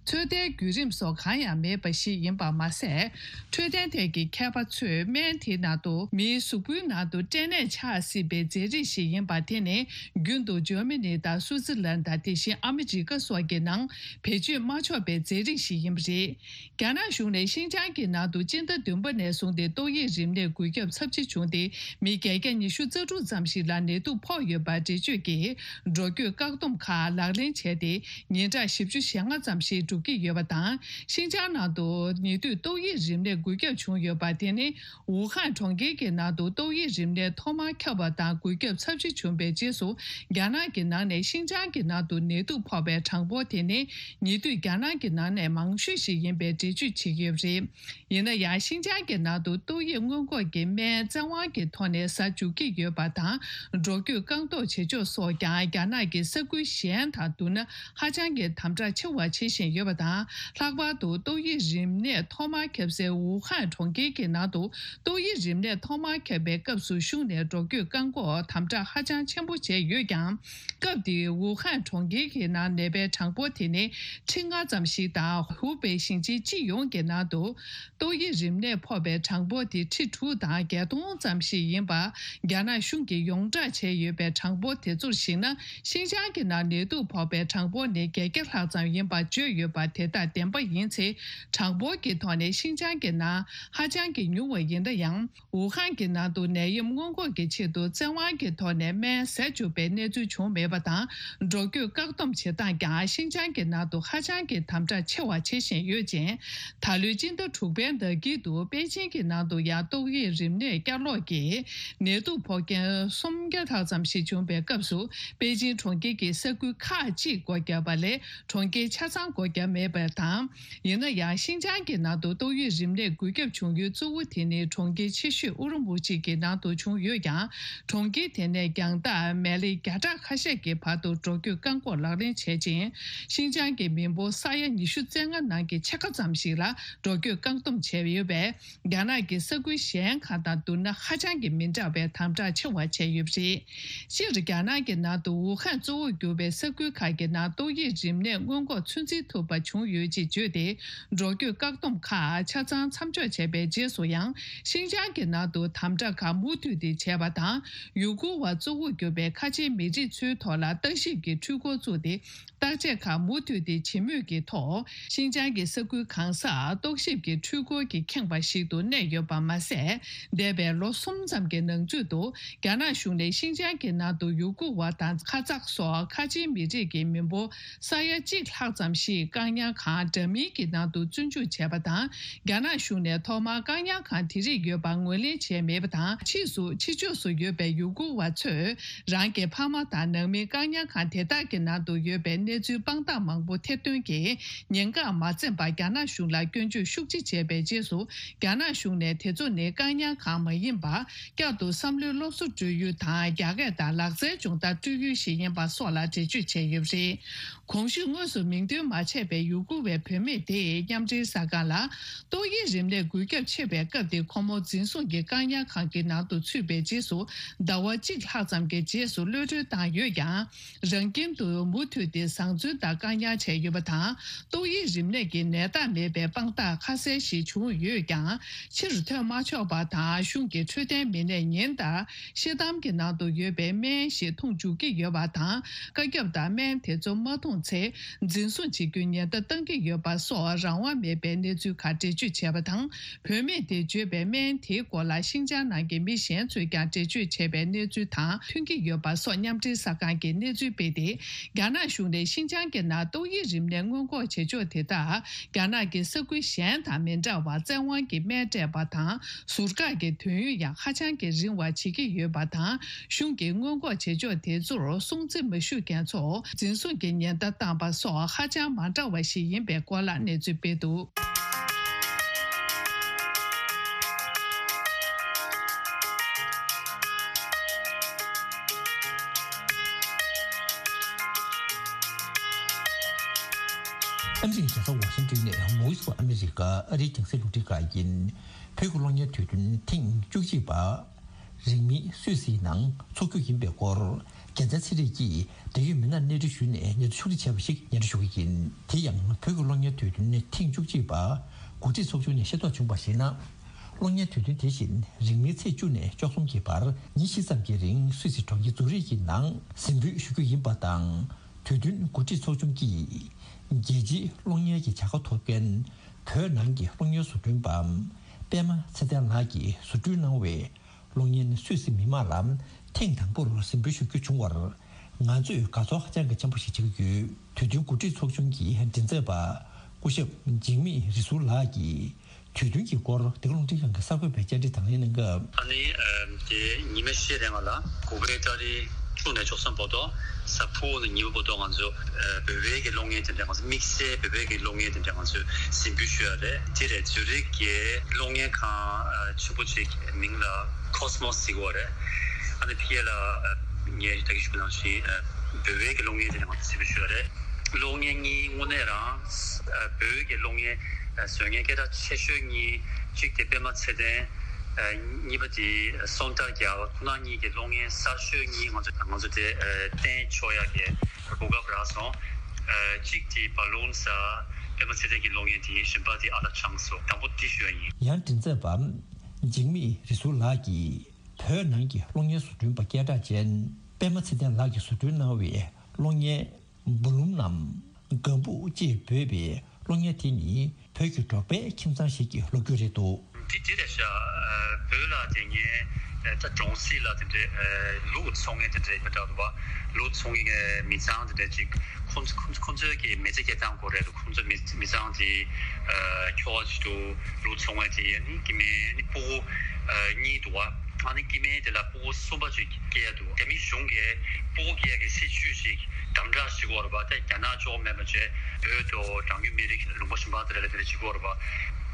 ཚོད་ལྟའི་བརྒྱུད་རིམ་སོགས་གང་ཡང་མེད་པ་ཞིག་ཡིན་པ་མ་ཟད། འཕྲོད་བསྟེན་ཐད་ཀྱི་མཁས་པ་ཚོས་སྨན་དེའི་ནང་དུ་མིའི་གཟུགས་པོའི་ནང་དུ་སྐྲན་ནད་ཆགས་སྲིད་པའི་རྫས་རིགས་ཤིག་ཡིན་པ་དེ་ནི། རྒྱུན་དུ་འཇར་མ་ནི་དང་སུའུ་ཙི་ལན་དང་། དེ་བཞིན་ཨ་མི་རི་ཀ་སོགས་ཀྱི་ནང་བེད་སྤྱོད་མ་ཆོག་པའི་རྫས་རིགས་ཤིག་ཡིན་པ་རེད། རྒྱ་ནག་གཞུང་ནས་ཤིན་ཅང་གི་ནང་དུ་སྤྱི་ཟླ་བདུན་པ་ནས་བཟུང་སྟེ་ཏོག་དབྱིབས་རིམས་ནད་འགོས་ཁྱབ་ཚབས་ཆེ་བྱུང་སྟེ། མི་བརྒྱད་བརྒྱ་ཉི་ཤུ་རྩ་དྲུག་ཙམ་ཞིག་ལ་ནད་དུག་ཕོག་ཡོད་པར་འགྲེལ་བརྗོད་ཀྱིས། འགྲོ་སྐྱོད་བཀག་སྡོམ་ཁག་ལག་ལེན་བྱས་ཏེ། ཉིན་གྲངས་བཞི་བཅུ་ཞེ་ལྔ་ཙམ་ཞིག་འགྲོ་གི་ཡོད་པ་དང་། ཤིན་ཅང་ནང་དུ་ཉེ་དུས་ཏོག་དབྱིབས་རིམས་ནད་འགོས་ཁྱབ་བྱུང་ཡོད་པ་དེ་ནི། ཝུ་ཧན་གྲོང་ཁྱེར་གྱི་ནང་དུ་ཏོག་དབྱིབས་རིམས་ནད་ཐོག་མར་ཁྱབ་པ་དང་། འགོས་ཁྱབ་ཚབས་ཆེ་བྱུང་བའི་རྗེས་སུ། རྒྱ་ནག་གི་ནང་ནས་ཤིན་ཅང་གི་ནང་དུ་ནད་དུག་ཕོག་པའི་གྲངས་འབོར་དེ་ནི། ཉེ་དུས་རྒྱ་ནག་གི་ནང་ནས་མང་ཤོས་ཤིག་ཡིན་པའི་འགྲེལ་བརྗོད་བྱེད་ཀྱི་ཡོད་པ་རེད། ཡིན་ན་ཡང་། ཤིན་ཅང་གི་ནང་དུ་ཏོག་དབྱིབས་སྔོན་འགོག་གི་སྨན་བཙན་དབང་གི་ཐོག་ནས་ཟ་འཇུག་གི་ཡོད་པ་དང་། འགྲོ་སྐྱོད་བཀག་འགོག་བྱེད་ཕྱོགས་སོགས་ཀྱང་རྒྱ་ནག་གི་ས་ཁུལ་གཞན་དང་བསྡུར་ན། ཧ་ཅང་གི་དམ་དྲག་ཆེ་བ་བྱེད་བཞིན་ཡོད་པ་དང་། ལྷག་པར་དུ་ཏོག་དབྱིབས་རིམས་ནད་ཐོག་མར་ཁྱབ་སའི་ཝུ་ཧན་གྲོང་ཁྱེར་གྱི་ནང་དུ། ཏོག་དབྱིབས་རིམས་ནད་ཐོག་མར་ཁྱབ་པའི་སྐབས་སུ། གཞུང་ནས་འགྲོ་སྐྱོད་བཀག་འགོག་དམ་དྲག་ཧ་ཅང་ཆེན་པོ་བྱས་ཡོད་ཀྱང་། སྐབས་དེའི་ཝུ་ཧན་གྲོང་ཁྱེར་གྱི་ནང་ནད་པའི་གྲངས་འབོར་དེ་ནི་ཁྲི་ལྔ་ཙམ་ཞིག་དང་། ཧུའུ་པེ་ཞིང་ཆེན་སྤྱི་ཡོངས་ཀྱི་ནང་དུ་ཏོག་དབྱིབས་རིམས་ནད་ཕོག་པའི་གྲངས་འབོར་དེ་ཁྲི་དྲུག་དང་བརྒྱད་སྟོང་ཙམ་ཞིག་ཡིན་པ། རྒྱ་ནག་གཞུང་གིས་ཡོངས་བསྒྲགས་བྱས་ཡོད་པའི་གྲངས་འབོར་དེ་ཚོར་གཞིགས་ན། ཤིན་ཅང་གི་ནང་ནད་དུག་ཕོག་པའི་གྲངས་འབོར་ནི་བརྒྱད་བརྒྱ་ལྷག་ཙམ་ཡིན་པ་བརྗོད་ཡོད་པ་དེ་དག་བདེན་པ་ཡིན་ཚེ། གྲངས་འབོར་གྱི་ཐོག་ནས་ཤིན་ཅང་གི་ནང་ཧ་ཅང་གི་ཉུང་བ་ཡིན་ན་ཡང་། ཝུ་ཧན་གྱི་ནང་དུ་ནད་ཡམས་སྔོན་འགོག་གི་ཆེད་དུ་བཙན་དབང་གི་ཐོག་ནས་སྨན་ཟས་བཅུག་པའི་གནས་ཚུལ་བྱུང་མེད་པ་དང་། འགྲོ་སྐྱོད་བཀག་སྡོམ་བྱེད་སྟངས་ཀྱང་ཤིན་ཅང་གི་ནང་དུ་ཧ་ཅང་གི་དམ་དྲག་ཆེ་བ་བྱེད་བཞིན་ཡོད་ཅིང་། ད་ལོའི་སྤྱི་ཟླ་དྲུག་པའི་ཟླ་དཀྱིལ་དུ་པེ་ཅིན་གྱི་ནང་དུ་ཡང་ཏོག་དབྱིབས་རིམས་ནད་བསྐྱར་ལོག་གིས་ནད་དུག་ཕོག་མཁན་སུམ་བརྒྱ་ལྷག་ཙམ་ཞིག་བྱུང་བའི་སྐབས་སུ། པེ་ཅིན་གྲོང་ཁྱེར་གྱི་ས་ཁུལ་ཁག་ཅིག་སྒོ་བརྒྱབ་པ་ལས་གྲོང་ཁྱེར་ཆ་ཚང་སྒོ་བརྒྱབ་མེད་པ་དང་། ཡིན་ན་ཡང་། ཤིན་ཅང་གི་ནང་དུ་ཏོག་དབྱིབས་རིམས་ནད་འགོས་ཁྱབ་བྱུང་ཡུལ་གཙོ་བོ་དེ་ནི་གྲོང་ཁྱེར་ཆེ་ཤོས་ཨུ་རུམ་བུ་ཅི་གི་ནང་དུ་བྱུང་ཡོད་ཀྱང་། གྲོང་ཁྱེར་དེ་ནས་རྒྱང་ཐག་མེལ་ལེ་བརྒྱ་ཕྲག་ཁ་ཤས་ཀྱི་བར་དུ་འགྲོ་སྐྱོད་བཀག་འགོག་ལག་ལེན་བྱེད་ཅིང་། ཤིན་ཅང་གི་མི་འབོར་ས་ཡ་ཉི་ཤུ་རྩ་ལྔ་ནང་གི་ཕྱེད་ཀ་ཙམ་ཞིག་ལ་འགྲོ་སྐྱོད་བཀག་སྡོམ་བྱས་ཡོད་པས། རྒྱ་ནག་གི་ས་ཁུལ་གཞན་ཁག་དང་བསྡུར་ན་ཧ་ཅང་གི་མི་འདྲ་བའི་དམ་དྲག་ཆེ་བ་བྱས་ཡོད་པ་རེད། སྤྱིར་རྒྱ་ནག་གི་ནང་དུ་ཝུ་ཧན་གཙོ་བོར་གྱུར་པའི་ས་ཁུལ་ཁག་གི་ནང་ཏོག་དབྱིབས་རིམས་ནད་སྔོན་འགོག་ཚོད་འཛིན་ཐུབ་ པ་བྱུང་ཡོད་ཅེས་བརྗོད་དེ། འགྲོ་སྐྱོད་བཀག་སྡོམ་ཁག་ཆ་ཚང་མཚམས་འཇོག་བྱས་པའི་རྗེས་སུ་ཡང་ཤིན་ཅང་གི་ནང་དུ་དམ་དྲག་ཁག་མུ་མཐུད་དེ་བྱས་པ་དང་། ཡུ་གུར་བ་གཙོ་བོར་གྱུར་པའི་ཁ་ཆེའི་མི་རིགས་ཚོའི་ཐོག་ལ་བརྟག་ཞིབ་ཀྱི་འཕྲུལ་འཁོར་བཙུགས་ཏེ། བརྟག་དཔྱད་ཁག་མུ་མཐུད་དེ་བྱེད་མུས་ཀྱི་ཐོག་ཤིན་ཅང་གི་ས་ཁུལ་གང་སར་རྟོག་ཞིབ་ཀྱི་འཕྲུལ་འཁོར་གྱིས་ཁེངས་པ་ཞིག་ཏུ་གནས་ཡོད་པ་མ་ཟད། འདས་པའི་ལོ་གསུམ་ཙམ་གྱི་ནང་ཚུད་དུ། རྒྱ་ནག་གཞུང་ནས་ཤིན་ཅང་གི་ནང་དུ་ཡུ་གུར་བ་དང་ཁ་ཛག་སོགས་ཁ་ཆེའི་མི་རིགས་ཀྱི་མི་འབོར་ས་ཡ་གཅིག་ལྷག་ཙམ་ཞིག་བཀག་ཉར་ཁང་འདྲ་མིན་གྱི་ནང་དུ་བཙོན་འཇུག་བྱས་པ་དང་། རྒྱ་ནག་གཞུང་ནས་ཐོག་མར་བཀག་ཉར་ཁང་དེ་རིགས་ཡོད་པ་ངོས་ལེན་བྱས་མེད་པ་དང་། ཕྱིས་སུ་ཕྱི་ཕྱོགས་སུ་ཡོད་པའི་ཡུ་གུར་བ་ཚོས་རང་གི་ཕ་མ་དང་ནང་མི་བཀག་ཉར་ཁང་དེ་དག་གི་ནང་དུ་ཡོད་པའི་གནས་ཚུལ་དཔང་རྟགས་མང་པོ་ཐེར་འདོན་གྱིས་ཉེན་ཁར་མ་འཛེམས་པར་རྒྱ་ནག་གཞུང་ལ་སྐྱོན་བརྗོད་ཤུགས་ཆེ་བྱས་པའི་རྗེས་སུ། རྒྱ་ནག་གཞུང་ནས་དེ་ཚོ་ནི་བཀག་ཉར་ཁང་མ་ཡིན་པར། བསྐྱར་དུ་བསམ་བློའི་སློབ་གསོ་སྤྲོད་ཡུལ་དང་། རྒྱ་སྐད་དང་ལག་རྩལ་སྦྱོང་བརྡར་སྤྲོད་ཡུལ་ཞིག་ཡིན་པ་སོགས་ལ་འགྲེལ་བརྗོད་བྱས་ཡོད་པ་རེད། གོང་ཞུས་དངོས་སུ་མིང་འདོན་མ་བྱས་པའི་ཡུ་གུར་བའི་བུད་མེད་དེས་མཉམ་འབྲེལ་གསར་ཁང་ལ། ཏོག་དབྱིབས་རིམས་ནད་འགོས་ཁྱབ་ཆེ་བའི་སྐབས་དེ་ཁོ་མོ་འཛིན་བཟུང་གི་བཀག་ཉར་ཁང་གི་ནང་དུ་ཚུད་པའི་རྗེས་སུ། ཟླ་བ་གཅིག་ལྷག་ཙམ་གྱི་རྗེས་སུ་གློད་གྲོལ་བཏང་ཡོད་ཀྱང་། རང་ཁྱིམ་དུ་མུ་མཐུད་དེ་བཟང་བཙོན་དང་བཀག་ཉར་བྱས་ཡོད་པ་དང་། ཏོག་དབྱིབས་རིམས་ནད་ཀྱི་ནད་རྟགས་མེད་པའི་དཔང་རྟགས་ཁ་གསལ་ཞིག་བྱུང་ཡོད་ཀྱང་། ཕྱིར་ཐོན་མ་ཆོག་པ་དང་། གཞུང་གི་འཕྲོད་བསྟེན་མི་སྣས་ཉིན་ལྟར་ཤེལ་དམ་གྱི་ནང་དུ་ཡོད་པའི་སྨན་ཞིག་འཐུང་འཇུག་གི་ཡོད་པ་དང་། བཀའ་ཁྱབ་ལྟར་སྨན་དེ་ཚོ་མ་འཐུང་ཚེ། འཛིན་བཟུང་བྱེད་རྒྱུའི་ཉེན་བརྡ་བཏང་གི་ཡོད་པ་སོགས་རང་དབང་མེད་པའི་གནས་ཚུལ་ཁག་འགྲེལ་བརྗོད་བྱས་པ་དང་། བུད་མེད་དེས་བརྗོད་པའི་སྨན་དེའི་སྐོར་ལ་ཤིན་ཅང་ནང་གི་མི་གཞན་ཚོས་ཀྱང་འགྲེལ་བརྗོད་བྱས་པའི་གནས་ཚུལ་དང་མཐུན་གྱི་ཡོད་པ་སོགས་མཉམ་འབྲེལ་གསར་ཁང་གིས་གནས་ཚུལ་སྤེལ་ཏེ། རྒྱ་ནག་གཞུང་ནས་ཤིན་ཅང་གི་ནང་ཏོག་དབྱིབས་རིམས་ནད་སྔོན་འགོག་བྱེད་ཕྱོགས་དེ་དག་རྒྱ་ནག་གི་ས་ཁུལ་གཞན་དང་མི་འདྲ་བར་བཙན་དབང་གིས་སྨན་སྤྲད་པ་དང་། ཟུར་བཀག་གི་དུས་ཡུན་ཡང་ཧ་ཅང་གི་རིང་བ་བྱེད་ཀྱི་ཡོད་པ་དང་། གཞུང་གིས་སྔོན་འགོག་བྱེད་ཕྱོགས་དེ་ཚོར་སྲུང་བརྩི་མ་ཞུ་མཁན་ཚོ་འཛིན་བཟུང་གི་ཉེན་བརྡ་བཏང་པ་སོགས་ཧ་ཅང་མ་འདྲ་བ་ཞིག་ཡིན་པའི་སྐོར་ལ་གནས་ཚུལ་སྤེལ་འདུག། ཨ་མི་རི་ཀའི་རྒྱལ་ས་ཝ་ཤིང་ཏོན་ནས་Voice of America ཨ་རིའི་རྒྱང་སྲིང་རླུང་འཕྲིན་ཁང་ཡིན། བོད་ཀྱི་གློག་བརྙན་དུས་སྟོན་ཐེངས་བཅུ་གཅིག་པ། རིང་མིན་སུད་སིའི་ནང་འཚོགས་རྒྱུ་ཡིན་པའི་སྐོར། རྒྱལ་མཚན་ཚེ་རིང་གིས་འབྲེལ་ཡོད་མི་སྣར་གནས་འདྲི་ཞུས་ནས་ཉེ་དུ་ཕྱོགས་སྒྲིག་བྱས་པ་ཞིག་སྙན་སྒྲོན་ཞུ་གི་ཡིན། དེ་ཡང་བོད་ཀྱི་གློག་བརྙན་དུས་སྟོན་ཐེངས་བཅུ་གཅིག་པ། འགོ་ཁྲིད་ཚོགས་ཆུང་ནས་ཤེས་རྟོགས་བྱུང་བར་གཞིགས་ན། གློག་བརྙན་དུས་སྟོན་དེ་བཞིན་རིང་མིན་ཚེས་བཅུ་ནས་བཅུ་གསུམ་གྱི་བར་ཉིན་བཞི་ཙམ་གྱི་རིང་སུད་སི་གྲོང་ཁྱེར་ཛུ་རིག་གི་ནང་གཟིགས་འབུལ་ཞུ་རྒྱུ་ཡིན་པ་དང་། དུས་སྟོན་འགོ་ཁྲིད་ཚོགས་ཆུང་གིས་རྒྱལ་སྤྱིའི་གློག་བརྙན་གྱི་བྱ་དགའ་ཐོབ་མཁན་བོད་ནང་གི་གློག་བརྙན་བཟོ་སྐྲུན་པ་པད་མ་ཚེ་བརྟན་ལགས་ཀྱིས་བཟོ་སྐྲུན་གནང་བའི་གློག་བརྙན་སུད་སི་མི་མང་ལ་ཐེངས་དང་པོར་གཟིགས་འབུལ་ཞུ་རྒྱུ་བྱུང་བར་ང་ཚོས་དགའ་ཚོར་ཧ་ཅང་གི་ཆེན་པོ་ཞིག་བྱེད་ཀྱི་ཡོད། དུས་སྟོན་འགོ་ཁྲིད་ཚོགས་ཆུང་གི་མགྲིན་ཚབ་པ་སྐུ་ཞབས་འཇིགས་མེད་རི་ཟུར་ལགས་ཀྱིས། དུས་སྟོན་གྱི་སྐོར་འདི་ག་རླུང་འཕྲིན་ཁང་གི་གསར་འགོད་པས་བཅར་འདྲི་དང་ལེན་གནང་སྐབས། ཨ་ནི་ཨ་དེ་ཉི་མ་ཤས་རིང་ལ་གུ་པའི་ཏ་རིག་བཅུ་ནས་བཅུ་གསུམ་བར་དུ་གཟའ་ཕུར་བུ་ནས་ཉི་མ་བར་དུ་ང་ཚོ་ཨ་བོད་པའི་གི་གློག་བརྙན་དེ་འདྲ་ང་ཚོ་དམིགས་བསལ་བོད་པའི་གི་གློག་བརྙན་དེ་འདྲ་ང་ཚོས་གཟིགས་འབུལ་ཞུ་ཡ་རེད། དེ་རེད། ཛུ་རིག་གི་གློག་བརྙན་ཁང་ཨ་ཆེན་པོ་ཅིག་མིང་ལ་Cosmos་ཟེར་གི་ཡོད་རེད། ཨ་ནི་ཕ་གི་ལ་ཨ་ངས་ད་གིན་ཞུ་ནང་བཞིན་ཨ་བོད་པའི་གི་གློག་བརྙན་དེ་འདྲ་ང་ཚོ་གཟིགས་འབུལ་ཞུ་ཡ་རེད། གློག་བརྙན་གཉིས་དངོས་གནས་རང་ཨ་བོད་ཀྱི་གློག་བརྙན་ཨ་བཟོ་མཁན་སྐད་གྲགས་ཆེ་ཤོས་གཉིས། གཅིག་དེ་པད་མ་ཚེ་བརྟན། ཨ་གཉིས་པ་དེ་སོན་ཏཱ་རྒྱལ། ཁོ་རང་གཉིས་ཀྱི་གློག་བརྙན་གསར་ཤོས་གཉིས་ང་ཚོ་ང་ཚོ་དེ་ཨ་བསྟན་ཆོག་ཡག་གི་གོ་སྐབས་རག་སོང་། ཨ་གཅིག་དེ་བ་ལུན་ས། པད་མ་ཚེ་བརྟན་གྱི་གློག་བརྙན་དེ་ཡིན། གཞན་པ་དེ་ཨ་ལ་ཆང་སོ། དང་པོ་དེ་ཞུ་ཡ་ཡིན། ཡང་མགྲིན་ཚབ་པ་འཇིགས་མེད་རི་ཟུར་ལགས་ཀྱིས་བོད་ནང་གི་གློག་བརྙན་བཟོ་སྐྲུན་པ་སྐད་གྲགས་ཅན་པད་མ་ཚེ་བརྟན་ལགས་ཀྱིས་བཟོ་སྐྲུན་གནང་བའི་གློག་བརྙན། བུ་ལུམ་ནམ། སྒམ་ཕུག་ཅེས་འབོད་པའི་གློག་བརྙན་དེ་ནི་བོད་ཀྱི་འབྲོག་པའི་ཁྱིམ་ཚང་ཞིག་གི་ལོ་རྒྱུས་རེད་འདུག། འདི་འདི་རེད་ཤག། བོད་ལ་དེ་སྔའི་ད་གྲོང་གསེབ་ལ་དེ་འདྲའི་ལུག་འཚོ་མཁན་དེ་འདྲའི་མི་འདྲ་འདུག་བ། ལུག་འཚོ་མཁན་མི་ཚང་དེ་འདྲ་ཅིག་ཁོང་ཁོང་ཁོང་ཚོའི་གི་མི་ཚེ་སྐྱེལ་སྟངས་སྐོར་རེད་འདུག། ཁོང་ཚོ་མི་མི་ཚང་དེ་ཁྱོ་ག་ཅིག་འདུག། ལུག་འཚོ་མཁན་དེ་ནི་སྐྱེ་དམན་ནི་ཕྲུ་གུ་གཉིས་འདུག་བ། ཨ་ནི་སྐྱེ་དམན་དེ་ལ་ཕྲུ་གུ་གསུམ་པ་ཅིག་སྐྱེ་ཡ་འདུག། རྒྱ་མི་གཞུང་གིས་ཕྲུ་གུ་སྐྱེ་ཡ་གི་སྲིད་ཇུས་ཤིག་དམ་དྲག་ཞིག་ཡོད་རེད་པ། ད་རྒྱ་ནག་གཅིག་པོ་མེད་པ་བྱས་བོད་དུ་གྲངས་ཉུང་མི་རིགས་ལུང་པ་གཞན་པ་དེ་ལ་དེ་འདྲ་ཅིག་ཡོད་རེད་པ།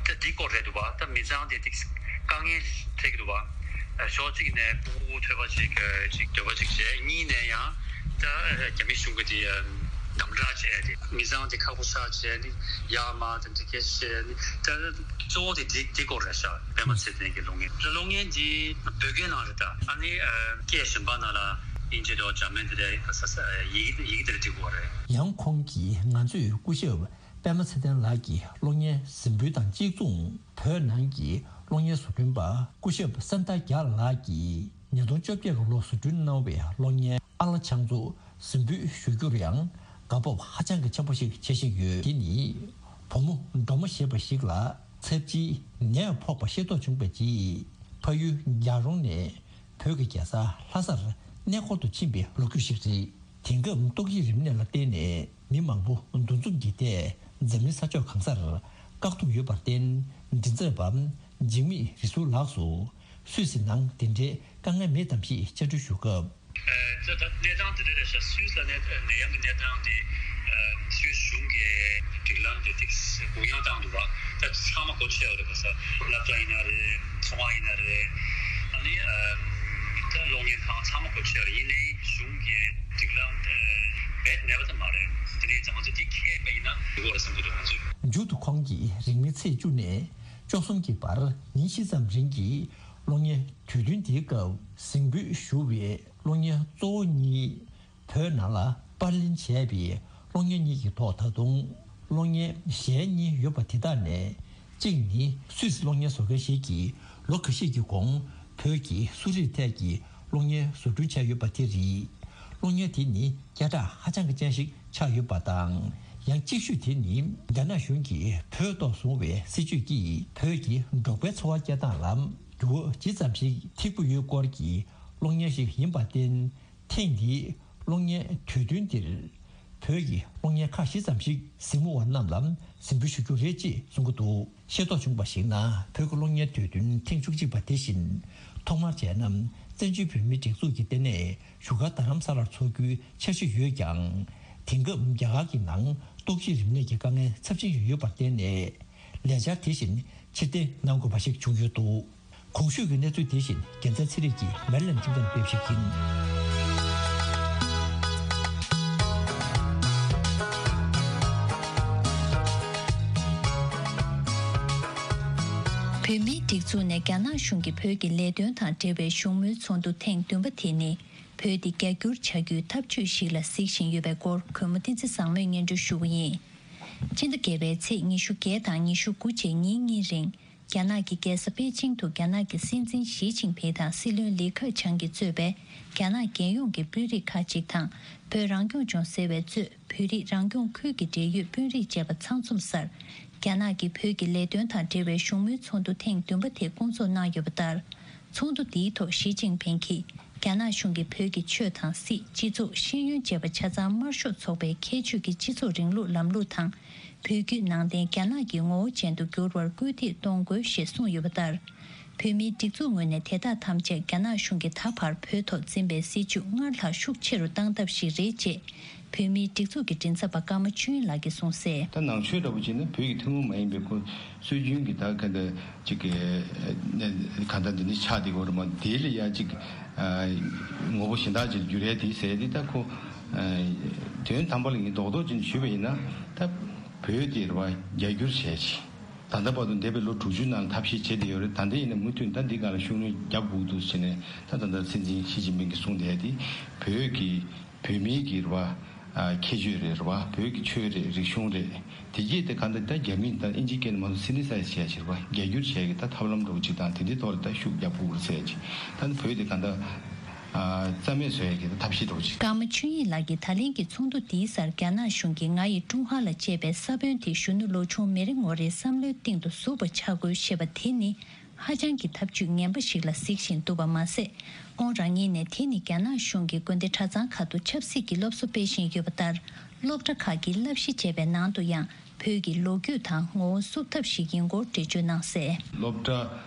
ད་འདི་སྐོར་རེད་འདུག་པ། ད་མི་ཚང་དེ་ཏིག་དཀའ་ངལ་འཕྲད་ཀྱི་འདུག་པ། ཕྱོགས་གཅིག་ནས་ཕྲུ་གུ་ཐོས་པ་ཅིག་ཅིག་འདོད་པ་ཅིག་བྱས། གཉིས་ནས་ཡང་ད་རྒྱ་མི་གཞུང་གིས་དེ་དམ་དྲག་བྱས་ཏེ་མི་ཚང་དེ་ཁག་པོ་ཆགས་བྱས་ནི་ཡར་མར་དེ་འདྲ་སྐད་ཆ་བཤད་ནི་ད་གཙོ་བོ་དེ་འདི་འདི་སྐོར་རེད་ཤག། པད་མ་ཚེ་བརྟན་གྱི་གློག་བརྙན། གློག་བརྙན་འདི་བོད་སྐད་ནང་རེད། ད་ཨ་ནི་སྐད་གཞན་པ་ནང་ལ་དབྱིན་ཇི་དང་འཇར་མན་དེ་འདྲ་ཡི་གེ་ཡི་གེ་དེ་འདྲ་འབྲི་དགོས་རེད། ཡང་ཁོང་གིས་ང་ཚོས་སྐུ་ཞབས་ པད་མ་ཚེ་བརྟན་ལགས་ཀྱི་གློག་བརྙན་གཟིགས་འབུལ་དང་གཅིག་མཚུངས། བོད་ནང་གི་གློག་བརྙན་བཟོ་སྐྲུན་པ་སྐུ་ཞབས་སན་ཏཱ་རྒྱལ་ལགས་ཀྱིས་ཉིས་སྟོང་བཅོ་བརྒྱད་ལོར་བཟོ་སྐྲུན་གནང་བའི་གློག་བརྙན་ཨ་ལ་ཕྱག་མཛོད་གཟིགས་འབུལ་ཞུ་རྒྱུར་ཡང་དགའ་སྤོབས་ཧ་ཅང་གི་ཆེན་པོ་ཞིག་བྱེད་བཞིན་ཡོད། དེ་ནི་བུ་མོ་སྒྲོལ་མ་ཞེས་པ་ཞིག་ལ་ཚབས་ཆེའི་ནད་ཕོག་པ་ཤེས་རྟོགས་བྱུང་བའི་རྗེས། ཕ་ཡུལ་རྒྱལ་རོང་ནས་བོད་ཀྱི་རྒྱལ་ས་ལྷ་སར་གནས་སྐོར་དུ་ཕྱིན་པའི་ལོ་རྒྱུས་ཤིག་རེད། དེང་སྐབས་ཏོག་དབྱིབས་རིམས་ནད་ལ་བརྟེན་ནས་མི་མང་པོ་འདུ་འཛོམས་ཀྱི་ཐད་འཛམ་གླིང་ས་ཕྱོགས་གང་སར་བཀག་སྡོམ་ཡོད་པར་བརྟེན། མགྲིན་ཚབ་པ་འཇིགས་མེད་རིག་འཛུགས་ལགས་སུ་སུད་སི་ནང་དེ་འདྲའི་དཀའ་ངལ་མེད་དམ་ཞེས་བཅར་འདྲི་ཞུ་སྐབས། ད་ད་གནས་སྟངས་དེ་འདྲ་རེད་ཤག་སུད་སི་ལ་ནད་ནད་ཡམས་ཀྱི་གནས་སྟངས་དེ་སུད་སི་གཞུང་གིས་སྒྲིག་ལམ་དེ་ཏིག་གུ་ཡངས་བཏང་འདུག་བ། ད་ཚང་མ་སྒོ་ཕྱེ་བ་རེད། ག་ས་སློབ་གྲྭ་ཡིན་ན་རེད། ཚོང་བ་ཡིན་ན་རེད། ཨ་ནི་ད་གློག་བརྙན་ཁང་ཚང་མ་སྒོ་ཕྱེ་བ་རེད། ཡིན་ནའི་གཞུང་གི་སྒྲིག་ལམ་རྦད་མེད་པ་ཙམ་མ་རེད། དེ་ནས་ང་ཚོ་འདི་ཁས་པ་ཡིན་ན་འགྲིག་གི་རེད་བསམ་གྱི་འདུག་ང་ཚོས། མཇུག་ཏུ་ཁོང་གིས་རིང་མིན་ཚེས་བཅུ་ནས་བཅུ་གསུམ་གྱི་བར་ཉིན་བཞི་ཙམ་རིང་གི་གློག་བརྙན་དུས་སྟོན་དེའི་སྐབས་གཟིགས་འབུལ་ཞུ་བའི་གློག་བརྙན་གཙོ་བོ་གཉིས། བོད་ནང་ལ་པར་ལེན་བྱས་པའི་གློག་བརྙན་གཉིས་ཀྱི་ཐོག་ད་དུང་གློག་བརྙན་གཞན་གཉིས་ཡོད་པ་དེ་དག་ནས། གཅིག་ནི་སུད་སི་གློག་བརྙན་བཟོ་མཁན་ཞིག་གིས་ལོ་ཁ་ཤས་ཀྱི་གོང་བོད་ཀྱི་གསོ་རིག་ཐད་ཀྱི་གློག་བརྙན་བཟོ་སྐྲུན་བྱས་ཡོད་པ་དེ་རེད། གློག་བརྙན་དེ་ནི་སྐད་གྲགས་ཧ་ཅང་གི་ཅན་ཞིག་ཆགས་ཡོད་པ་དང་། ཡང་གཅིག་ཤོས་དེ་ནི་རྒྱ་ནག་གཞུང་གིས་བོད་ཐོག་བཟུང་བའི་སྲིད་བྱུས་ཀྱིས་བོད་ཀྱི་འབྲོག་པའི་འཚོ་བ་སྐྱེལ་སྟངས་ལ་འགྱུར་བ་ཇི་ཙམ་ཞིག་ཐེབས་ཀྱི་ཡོད་སྐོར་གྱི་གློག་བརྙན་ཞིག་ཡིན་པར་བརྟེན། ཐེངས་འདིའི་གློག་བརྙན་དུས་སྟོན་འདིར་བོད་ཀྱི་གློག་བརྙན་ཁག་བཞི་ཙམ་ཞིག་གཟིགས་མོ་བ་རྣམས་ལ་གཟིགས་འབུལ་ཞུ་རྒྱུ་རེད་ཅེས་གསུང་གི་འདུག་ཤེས་རྟོགས་བྱུང་བར་གཞིགས་ན། བོད་ཀྱི་གློག་བརྙན་དུས་སྟོན་ཐེངས་བཅུ་གཅིག་པ་དེ་བཞིན་ཐོག་མར་བྱས་ན་བཙན་བྱོལ་བོད་མིའི་སྒྲིག་འཛུགས་ཀྱི་ལྟེ་གནས་བཞུགས་སྒར་རྡ་རམ་ས་ལར་འཚོགས་རྒྱུའི་འཆར་གཞི་ཡོད་ཀྱང་། དེང་སྐབས་རྒྱ་གར་གྱི་ནང་ཏོག་དབྱིབས་རིམས་ནད་ཀྱི་དཀའ་ངལ་ཚབས་ཆེན་ཞིག་ཡོད་པར་བརྟེན་ནས། ལས་འཆར་དེ་བཞིན་ཕྱིར་འཐེན་གནང་དགོས་པ་ཞིག་བྱུང་ཡོད་འདུག་གོང་ཞུས་ཀྱི་གནས་ཚུལ་དེ་བཞིན་རྒྱལ་མཚན་ཚེ་རིང་གིས་མེ་རི་ལེན་ཁྲིམས་ཁང་ནས་སྤེལ་བ་ཞིག་ཡིན། བོད་མིའི་སྒྲིག་འཛུགས་ནས་རྒྱ་ནག་གཞུང་གིས་བོད་ཀྱི་ལས་དོན་དང་འབྲེལ་བའི་བཞུགས་མོལ་ཚོགས་འདུ་ཐེངས་བདུན་པ་དེ་ནི། བོད་འདི་རྒྱ་སྒྱུར་བྱ་རྒྱུའི་ཐབས་ཇུས་ཤིག་ལ་གཟིགས་བཞིན་ཡོད་པའི་སྐོར་གུས་མོ་བསྟན་འཛིན་བཟང་མོས་སྙན་སྒྲོན་ཞུ་བ་ཡིན། སྤྱི་ཟླ་བརྒྱད་པའི་ཚེས་ཉི་ཤུ་བརྒྱད་དང་ཉི་ཤུ་དགུ་བཅས་ཉིན་གཉིས་རིང་། རྒྱ་ནག་གི་རྒྱལ་ས་པེ་ཅིང་དུ་རྒྱ་ནག་གི་སྲིད་འཛིན་ཞི་ཅིན་ཕིང་དང་སྲིད་བློན་ལི་ཁེ་ཆང་གིས་གཙོས་པའི་རྒྱ་ནག་རྒྱལ་ཡོངས་ཀྱི་དཔོན་རིགས་ཁག་ཅིག་དང་། བོད་རང་སྐྱོང་ལྗོངས་ཟེར་བའི་གཙོས་བོད་རིགས་རང་སྐྱོང་ཁུལ་གྱི་འབྲེལ་ཡོད་དཔོན་རིགས་བཅས་པ་ཚང་འཛོམས་སར། རྒྱ་ནག་གིས་བོད་ཀྱི་ལས་དོན་དང་འབྲེལ་བའི་བཞུགས་མོལ་ཚོགས་འདུ་ཐེངས་བདུན་པ་དེ་སྐོང་ཚོགས་གནང་ཡོད་པ་ལྟར། ཚོགས་འདུ་འདིའི་ཐོག་ཞི་ཅིན་ཕིང་གིས། རྒྱ་ནག་གཞུང་གིས་བོད་ཀྱི་ཆོས་དང་སྲིད། སྤྱི་ཚོགས། ཤེས་ཡོན་བཅས་པ་ཆ་ཚང་དམར་ཤོག་ཚོགས་པའི་ཁྱད་ཆོས་ཀྱི་སྤྱི་ཚོགས་རིང་ལུགས་ལམ་ལུགས་དང་། བོད་བརྒྱུད་ནང་བསྟན་རྒྱ་ནག་གི་ངོ་བོ་ཅན་དུ་འགྱུར་བར་སྐུལ་འདེད་གཏོང་དགོས་ཞེས་གསུངས་ཡོད་པ་ལྟར། བོད་མིའི་སྒྲིག་འཛུགས་ངོས་ནས་དེ་དག་ཐམས་ཅད་རྒྱ་ནག་གཞུང་གིས་ད་བར་བོད་ཐོག་འཛིན་པའི་སྲིད་བྱུས་སྔར་ལྷག་ཤུགས་ཆེ་རུ་བཏང་ཐབས་ཤིག་རེད་ཅེས། བོད་མིའི་སྒྲིག་འཛུགས་ཀྱི་མགྲིན་ཚབ་པ་ཀརྨ་ཆོས་དབྱིངས་ལགས་ཀྱིས་གསུངས་གསལ། ད་ནང་ཆོས་འདྲ་པོ་བྱས་ན་བོད་ཀྱི་ཐུན་མོང་མ་ཡིན་པའི་ཁོ་སྲོལ་རྒྱུན་གྱི་ད་ག་འདྲ་ཅིག་གི་ག་འདྲ་འདི་ནི་ཆགས་བསྡད་ཡོད་རེད་མ། དེ་ལ་ཡ་ཅིག་ངོ་བོ་གཞན་དག་ཅིག་འགྱུར་ཡ་དེ་ཟེར་ཏེ། ད་ཁོ་དོན་དམ་པ་ལ་ངས་རྡོག་རྡོག་ཅིག་ཞུས་པ་ཡིན་ན། ད་བོད་དེ་རེད་བ། རྒྱ་སྒྱུར་བྱས་ཅིག་ད་ལྟ་བར་དུ་འདས་པའི་ལོ་དྲུག་ཅུ་ནང་ཐབས་ཤེས་བྱས་བསྡད་ཡོད་རེད། ད་ལྟ་ཡིན་ན་མུ་མཐུད་ད་འདི་སྒང་ལ་ཤུགས་སྣོན་རྒྱབ་དགོས་འདུག་ཟེར་ནས། ད་ད་ལྟ་སྲིད་འཛིན་ཞི་ཅིན་ཕིང་གིས་གསུངས་བསྡད་དེ། བོད་ཀྱི་བོད་མིའི་གི་རེད་བ། ཨ། ཁྱད་ཆོས་རེད། རེད་བ། བོད་ཀྱི་ཆོས་རེད། རིག་གཞུང་རེད། དེ་གྱིས་དེ་ག་འདྲ་ད་རྒྱ་མིས་ད་ཨིན་ཇིའི་སྐད་ནས་མ་གཏོགས་སི་ནི་སའི་ཛི་བྱས་ཕྱིར་བ། རྒྱ་སྒྱུར་བྱས་ཀྱི་ད་ཐབས་ལམ་འདྲ་བོ་ཅིག་དང་དེ་འདྲའི་ཐོག་ལ་ད་ཤུགས་རྒྱབ་དགོས་རེད་ཟེར་ཅིག་ད་ནི་བོད་དེ་ག་འདྲ། ཨ། རྩ་མེད་བཟོ་ཡ་གི་ད་ཐབས་ཤེས་འདྲ་བོ་ཅིག་ཀརྨ་ཆོས་དབྱིངས་ལགས་ཀྱིས་ད་ལན་གྱི་ཚོགས་འདུ་འདིའི་སར་རྒྱ་ནག་གཞུང་གིས་ང་ཡི་ཀྲུང་ཧྭ་ལ་ཅེས་པའི་ས་བོན་དེ་གཞོན་ནུ་ལོ་ཆུང་མི་རེ་ངོ་རེའི་བསམ་བློའི་སྟེང་དུ་ཟུག་པ་ཆགས་དགོས་ཞེས་པ་དེ་ནི། ཧ་ཅང་གི་ཐབས་ཇུས་ངན་པ་ཞིག་ལ་གཟིགས་བཞིན་འདུག་པ་མ་ཟད། ཁོང་རང་ཉིད་ནས་དེ་ནི་རྒྱ་ནག་གཞུང་གི་དགོན་སྡེ་གྲྭ་ཚང་ཁག་ཏུ་ཆབ་སྲིད་ཀྱི་སློབ་གསོ་སྤེལ་བཞིན་ཡོད་པ་ལྟར། སློབ་གྲྭ་ཁག་གི་བསླབ་གཞི་ཅེས་པའི་ནང་དུ་ཡང་བོད་ཀྱི་ལོ་རྒྱུས་དང་ངོ་བོ་བསུབ་ཐབས་ཤིག་ཡིན་སྐོར་འགྲེལ་བརྗོད་གནང་གསལ། སློབ་གྲྭ་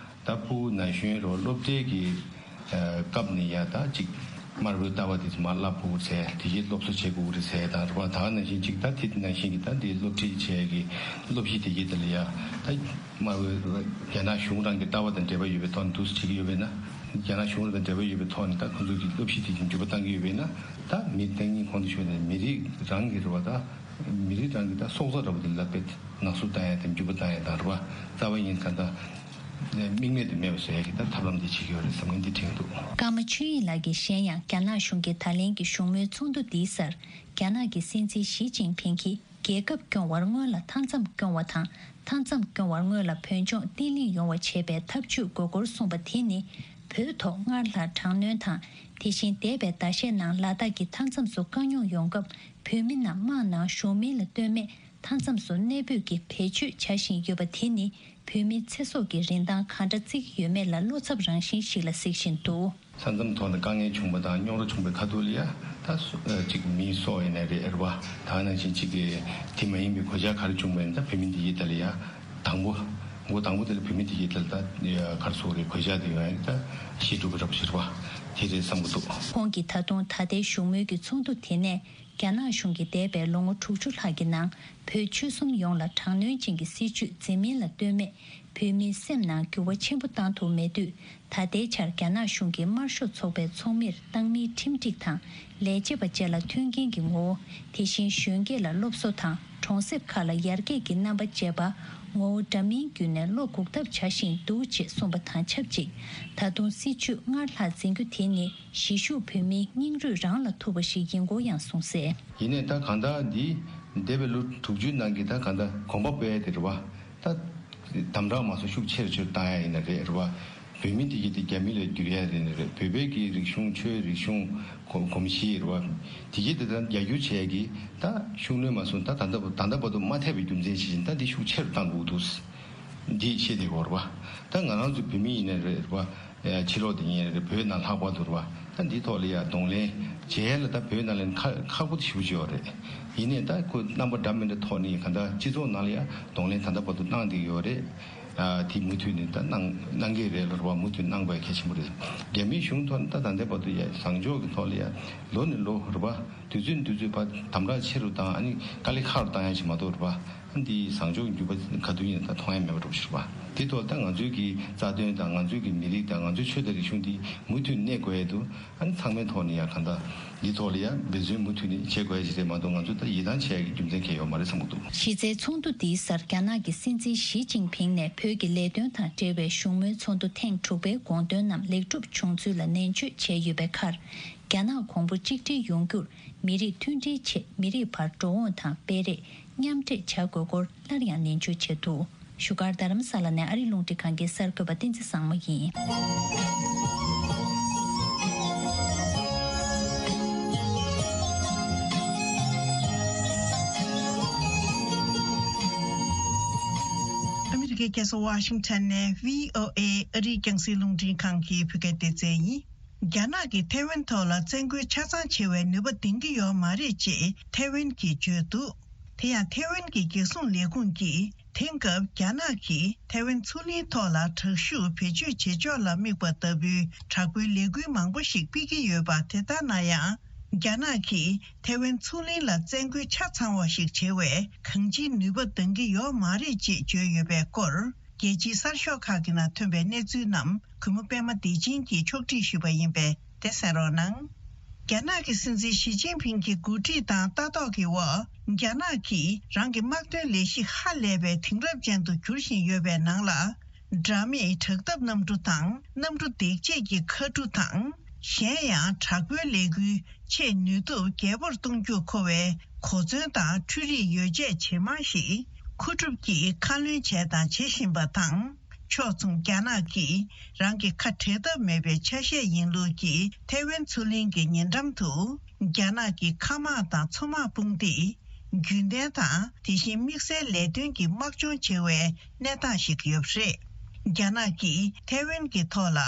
ད་ཕྲུ་གུ་ན་གཞོན་རོ་སློབ་གྲྭའི་གི་སྐབས་ནས་ཡ་ད་ཅིག་དམར་པོའི་ལྟ་བ་དེ་ཚོ་མར་བསླབ་དགོས་རེད་ཟེར། དེ་བཞིན་སློབ་གསོ་བྱེད་དགོས་རེད་ཟེར་དང་རེད་བ། ད་ག་ནང་བཞིན་ཅིག་ད་དེ་ནང་བཞིན་གྱི་ད་འདི་སློབ་ཁྲིད་བྱེད་ཀྱི་སློབ་གཞི་དེ་གྱི་དེ་ལ་ཡ་ད། དམར་པོའི་རྒྱ་ནག་གཞུང་རང་གི་ལྟ་བ་དང་འབྲེལ་བ་ཡོད་པའི་ཐོག་ནས་འདུག་སེ་བྲིས་ཀྱི་ཡོད་པས་ན། རྒྱ་ནག་གཞུང་རང་དང་འབྲེལ་བ་ཡོད་པའི་ཐོག་ནས་ད་ཁོང་ཚོ་གི་སློབ་གཞི་དེ་བཞིན་འགྱུར་བ་གཏང་གི་ཡོད་པས་ན། ད་མི་བསྟན་ཉིན་གོང་དུ་ཞུས་ནས་མི་རིགས་རང་གི་རེད་བ། ད་མི་རིགས་རང་གི་ད་སྲོག་རྩ་འདྲ་པོ་དེ་ལ་དཔེ་ནག་བསུབ་བཏང་ཡ་དང་འགྱུར་བ་བཏང་ཡ་དང་རེད་བ། རྩ་བ་ཉིད་ག་ད་དམིགས་མེད་དུ་མེད་པ་བཟོ་ཡ་གི་ད་ཐབས་ལམ་དེ་བྱེད་ཀྱི་ཡོད་རེད་བསམ་ངན་འདི་དྲན་འདུག་ཀརྨ་ཆོས་དབྱིངས་ལགས་ཀྱིས་གཞན་ཡང་རྒྱ་ནག་གཞུང་གིས་ད་ལན་གྱི་བཞུགས་མོལ་ཚོགས་འདུ་འདིའི་སར་རྒྱ་ནག་གི་སྲིད་འཛིན་ཞི་ཅིན་ཕིང་གིས། རྒྱལ་ཁབ་སྐྱོང་བར་སྔོན་ལ་མཐའ་མཚམས་སྐྱོང་བ་དང་། མཐའ་མཚམས་སྐྱོང་བར་སྔོན་ལ་བོད་ལྗོངས་བརྟན་ལྷིང་ཡོང་བ་བྱེད་པའི་ཐབས་ཇུས་དགོས་སྐོར་གསུངས་པ་དེ་ནི། བོད་ཐོག་སྔར་ལྷག་དྲག་གནོན་དང་། དེ་བཞིན་འདས་པའི་ཟླ་ཤས་ནང་ལ་དྭགས་ཀྱི་མཐའ་མཚམས་སུ་དཀའ་རྙོག་ཡོང་སྐབས། བོད་མི་རྣམས་དམག་ནང་ཞུགས་མིན་ལ་ལྟོས་མེད་མཐའ་མཚམས་སུ་གནས་སྤོས་ཀྱིས་བེད་སྤྱོད་བྱ་བཞིན་ཡོད་པ་དེ་ནི། བོད་མིའི་ཚེ་སྲོག་གི་རིན་ཐང་གང་འདྲ་བརྩི་གི་ཡོད་མེད་ལ་བློ་འཚབ་རང་བཞིན་ཞིག་ལ་གཟིགས་བཞིན་འདུག། ས་མཚམས་ཐོག་ནས་དཀའ་ངལ་བྱུང་བ་དང་། རྙོག་དྲ་བྱུང་བའི་ཁ་ཐུག་ལ་ཡ། ད་སུ་ཨ་གཅིག་མིའི་སྲོག་ཡིན་ནའི་རེད། ཨེ་རེད་པ། ད་ནང་བཞིན་གཅིག་གི་དེ་མ་ཡིན་པའི་གོད་ཆག་ག་རེ་བྱུང་བ་ཡིན་ན། ད་བོད་མི་འདི་གི་ཐད་ལ་ཡ། དང་པོ། འགོ་དང་པོ་དེ་ལ་བོད་མི་འདི་གི་ཐད་ལ་ད་ག་རེ་ཟེར་དགོས་རེད། གོད་ཆག་དེ་ཡོང་ཡ་ད་གཞིས་སྒྲུབ་པ་འདྲ་པོ་ཞིག་རེད་པ། དེ་རེད་བསམ་གྱི་འདུག། ཁོང་གིས་ད་དུང་ད་ལྟའི་བཞུགས་མོལ་གྱི་ཚོགས་འདུ་དེ་ནས། རྒྱ་ནག་གཞུང་གིས་འདས་པའི་ལོ་ངོ་དྲུག་ཅུ་ལྷག་གི་ནང་། བོད་ཆོལ་གསུམ་ཡོངས་ལ་དྲག་གནོན་ཅན་གྱི་སྲིད་བྱུས་འཛིན་མིན་ལ་ལྟོས་མེད། བོད་མིའི་སེམས་ནང་འགྱུར་བ་ཆེན་པོ་བཏང་ཐུབ་མེད་དུས། ད་ལྟའི་ཆར་རྒྱ་ནག་གཞུང་གིས་དམར་ཤོག་ཚོགས་པའི་ཚོགས་མིར་བཏང་མིའི་ཁྲིམས་སྒྲིག་དང་། ལས་བྱེད་པ་བཅས་ལ་མཐུན་རྐྱེན་གྱི་ངོ་བོ། དེ་བཞིན་གཞོན་སྐྱེས་ལ་སློབ་གསོ་དང་། གྲོང་གསེབ་ཁག་ལ་ཡར་རྒྱས་ཀྱི་རྣམ་པ་བཅས་པ། ངོ་བོ་འདྲ་མིན་བརྒྱུད་ནས་བློ་འགུག་ཐབས་བྱ་བཞིན་འདུག་ཅེས་གསུངས་པ་དང་ཆབས་ཅིག། ད་དུང་སྲིད་བྱུས་སྔར་ལྷག་འཛིན་རྒྱུ་དེ་ནི། གཞིས་བཞུགས་བོད་མིའི་སྙིང་རུས་རང་ལ་ཐུག་པ་ཞིག་ཡིན་སྐོར་ཡང་གསུངས་གསལ། ཡིན་ནའི་ད་གང་ལྟར་འདི་འདས་པའི་ལོ་དྲུག་ཅུའི་ནང་གི་ད་གང་ལྟར་གོམ་པ་སྤོས་ཡ་དེ་རེད་པ། ད་དམ་དྲག་མ་སོང་ཤུགས་ཆེ་རུ་ཆེ་རུ་བཏང་ཡ་ཡིན་ན་རེད། རེད་པ། བོད་མི་དེ་གི་དེ་རྒྱ་མི་ལ་བསྒྱུར་ཡ་རེད་ན་རེད། བོད་པའི་གི་རིག་གཞུང་། ཆོས། རིག་གཞུང་། གོམས་གོམས་གཤིས་རེད་པ། དེ་གི་དེ་ད་རྒྱ་སྒྱུར་བྱས་ཀྱི་ད་ཤུགས་སྣོན་མ་སོང་། ད་ད་ལྟ་ད་ལྟ་བར་དུ་མ་ཐེབས་པའི་རྒྱུ་མཚན་ཞིག་བཞིན་ད་འདི་ཤུགས་ཆེ་རུ་བཏང་དགོས་འདུག། འདི་བཤད་བསྡད་ཡོད་རེད་པ། ད་ང་རང་ཚོ་བོད་མི་ཡིན་ན་རེད་པ། ཕྱི་ལོགས་དེ་ཡིན་རེད། བོད་ནང་ལྷག་པར་དུ་རེད་པ། ད་འདི་ཐོག་ལ་ཡ་གདོང་ལེན་བྱེད་ཡ་ལ་ད་བོད་ནང་ལ་ཁག་ཁག་པོ་ཞེ་པོ་ཅིག་ཡོད་རེད། ཡིན་ནའི་ད་ཁོ་རྣམ་པ་འདྲ་མི་འདྲ་ཐོག་ནས་གང་ལྟར་སྤྱི་ཚོགས་ནང་ལ་ཡ་གདོང་ལེན་ད་ལྟ་བར་དུ་གནང་བསྡད་ཡོད་རེད། ཨ་དེ་མུ་མཐུད་ནས་ད་གནང་གནང་གི་རེད་ལ་རེད་པ། མུ་མཐུད་གནང་དགོས་གལ་ཆེན་པོ་རེད། རྒྱ་མིའི་གཞུང་ཐོག་ནས་ད་ད་ལྟའི་བར་དུ་ཡ་བཟང་ཕྱོགས་ཀྱི་ཐོག་ལ་ཡ་ལོ་ནས་ལོ་རེད་པ། དུས་ཚོད་ནས་དུས་ཚོད་བར་དམ་དྲག་ཆེ་རུ་དང་། ཨ་ནི་དཀའ་ལས་ཁག་རུ་བཏང་ཡ་ཞིག་མ་གཏོགས་རེད་པ། ཨ་ནི་འདི་བཟང་ཕྱོགས་ཀྱི་འགྱུར་བ་ག་དུས་ཡིན་ན་ད་མཐོང་ཡ་མེད་པ་འདྲ་པོ་ཞིག་རེད་པ། དེ་ཐོག་ད་ང་ཚོའི་གི་རྩ་དོན་དང་། ང་ཚོའི་ཁྱོན་དང་རིག་གཞུང་འདི་མུ་མཐུད་གནས་དགོས་ཡ་འདུག། ཨ་ནི་ཚང་མའི་ཐོག་ནས་ཡ་གང་ལྟར་འདི་ཐོག་ལ་ཡ་འབད་བརྩོན་མུ་མཐུད་ནས་བྱེད་དགོས་ཡ་ཞིག་རེད་མ་གཏོགས། ང་ཚོ་ད་ཡིད་ཐང་ཆད་ཡ་གི་རྒྱུ་མཚན་གང་ཡང་ཡོད་མ་རེད་བསམ་གྱི་འདུག། གཞི་རྩའི་ཚོགས་འདུ་འདིའི་སར་རྒྱ་ནག་གི་སྲིད་འཛིན་ཞི་ཅིན་ཕིང་ནས་བོད་ཀྱི་ལས་དོན་དང་འབྲེལ་བའི་བཞུགས་མོལ་ཚོགས་འདུ་ཐེངས་དྲུག་པའི་དགོངས་དོན་རྣམས་ལེགས་གྲུབ་བྱུང་ཚུལ་ལ་ནན་བརྗོད་བྱས་ཡོད་པའི་ཁར། རྒྱ་ནག་གོང་བུ་གཅིག་སྒྲིལ་ཡོང་རྒྱུར། མི་རིགས་མཐུན་སྒྲིལ་ཆེད་མི་རིགས་བར་འགྲོ་འོང་དང་སྤེལ་རེས་མཉམ་འདྲེས་བྱ་དགོས་སྐོར་སླར་ཡང་ནན་བརྗོད་བྱས་འདུག། བཞུགས་སྒར་རྡ་རམ་ས་ལ་ནས་ཨ་རི་རླུང་འཕྲིན་ཁང་གི་གསར་འགོད་པ་བསྟན་འཛིན་བཟང་མོ་ཡིན། ཨ་མི་རི་ཀའི་རྒྱལ་ས་ཝ་ཤིང་ཊོན་ནས་བྷི་ཨོ་ཨེ་ཨ་རིའི་རྒྱང་སྲིང་རླུང་འཕྲིན་ཁང་གི་བོད་སྐད་སྡེ་ཚན་ཡིན། རྒྱ་ནག་གིས་ཐའེ་ཝན་ཐོག་ལ་བཙན་རྒོལ་ཆ་ཚང་བྱེད་པའི་ནུས་པ་ལྡན་གྱི་ཡོད་མ་རེད་ཅེས་ཐའེ་ཝན་གྱིས་བརྗོད་འདུག། དེ་ཡང་ཐའེ་ཝན་གྱི་རྒྱལ་སྲུང་ལས་ཁུངས་ཀྱིས་དེང་སྐབས་རྒྱ་ནག་གིས་ཐའེ་ཝན་མཚོ་གླིང་ཐོག་ལ་དྲག་ཤུགས་བེད་སྤྱོད་བྱེད་ཕྱོགས་ལ་དམིགས་པ་ལྟ་བུའི་དྲག་པོའི་ལས་འགུལ་མང་པོ་ཞིག་སྤེལ་གྱི་ཡོད་པ་དེ་ལྟར་ན་ཡང་། རྒྱ་ནག་གིས་ཐའེ་ཝན་མཚོ་གླིང་ལ་བཙན་རྒོལ་ཆ་ཚང་བ་ཞིག་བྱེད་པའི་གང་ཅིའི་ནུས་པ་འདང་གི་ཡོད་མ་རེད་ཅེས་བརྗོད་ཡོད་པའི་སྐོར། རྒྱལ་སྤྱིའི་གསར་ཤོག་ཁག་གི་ནང་ཐོན་པའི་གནས་ཚུལ་རྣམས་གུས་མོ་པད་མ་བདེ་ཆེན་གྱིས་ཕྱོགས་སྒྲིག་ཞུས་པ་ཡིན་པས་དེ་གསན་རོགས་གནང་། རྒྱ་ནག་གི་སྲིད་འཛིན་ཞི་ཅིན་ཕིང་གི་འགོ་ཁྲིད་དང་ལྟ་རྟོག་གི་འོག་རྒྱ་ནག་གིས་རང་གི་དམག་དོན་ལས་གཞི་ཧ་ལས་པའི་དེང་རབས་ཅན་དུ་འགྱུར་བཞིན་ཡོད་པའི་ནང་ལ། དྲ་མིག་དྲག་འཐབ་གནམ་གྲུ་དང་། གནམ་གྲུ་འདེགས་བྱེད་ཀྱི་མཁའ་གྲུ་དང་། གཞན་ཡང་དྲག་པོའི་ལས་འགུལ་ཆེས་ནུས་སྟོབས་རྒྱས་པོར་གཏོང་རྒྱུར་མཁོ་བའི་གོ་མཚོན་དང་འཕྲུལ་རིག་ཡོ་བྱད་ཇེ་མང་ཞིག་མཁོ་སྒྲུབ་ཀྱིས་ཁ་ལོན་བྱས་དང་བྱེད་བཞིན་པ་དང་། ཕྱོགས་མཚུངས་རྒྱ་ནག་གིས་རང་གི་ཁ་བྲལ་ཐབས་མེད་པའི་ཆ་ཤས་ཡིན་ལུགས་ཀྱི་ཐའེ་ཝན་མཚོ་གླིང་གི་ཉེ་འགྲམ་དུ། རྒྱ་ནག་གི་མཁའ་དམག་དང་མཚོ་དམག་དཔུང་སྡེས་རྒྱུན་ལྡན་དང་དེ་བཞིན་དམིགས་བསལ་ལས་དོན་གྱི་དམག་སྦྱོང་བྱེད་པའི་གནས་སྟངས་ཤིག་ཡོད་པ་རེད། རྒྱ་ནག་གིས་ཐའེ་ཝན་གྱི་ཐོག་ལ་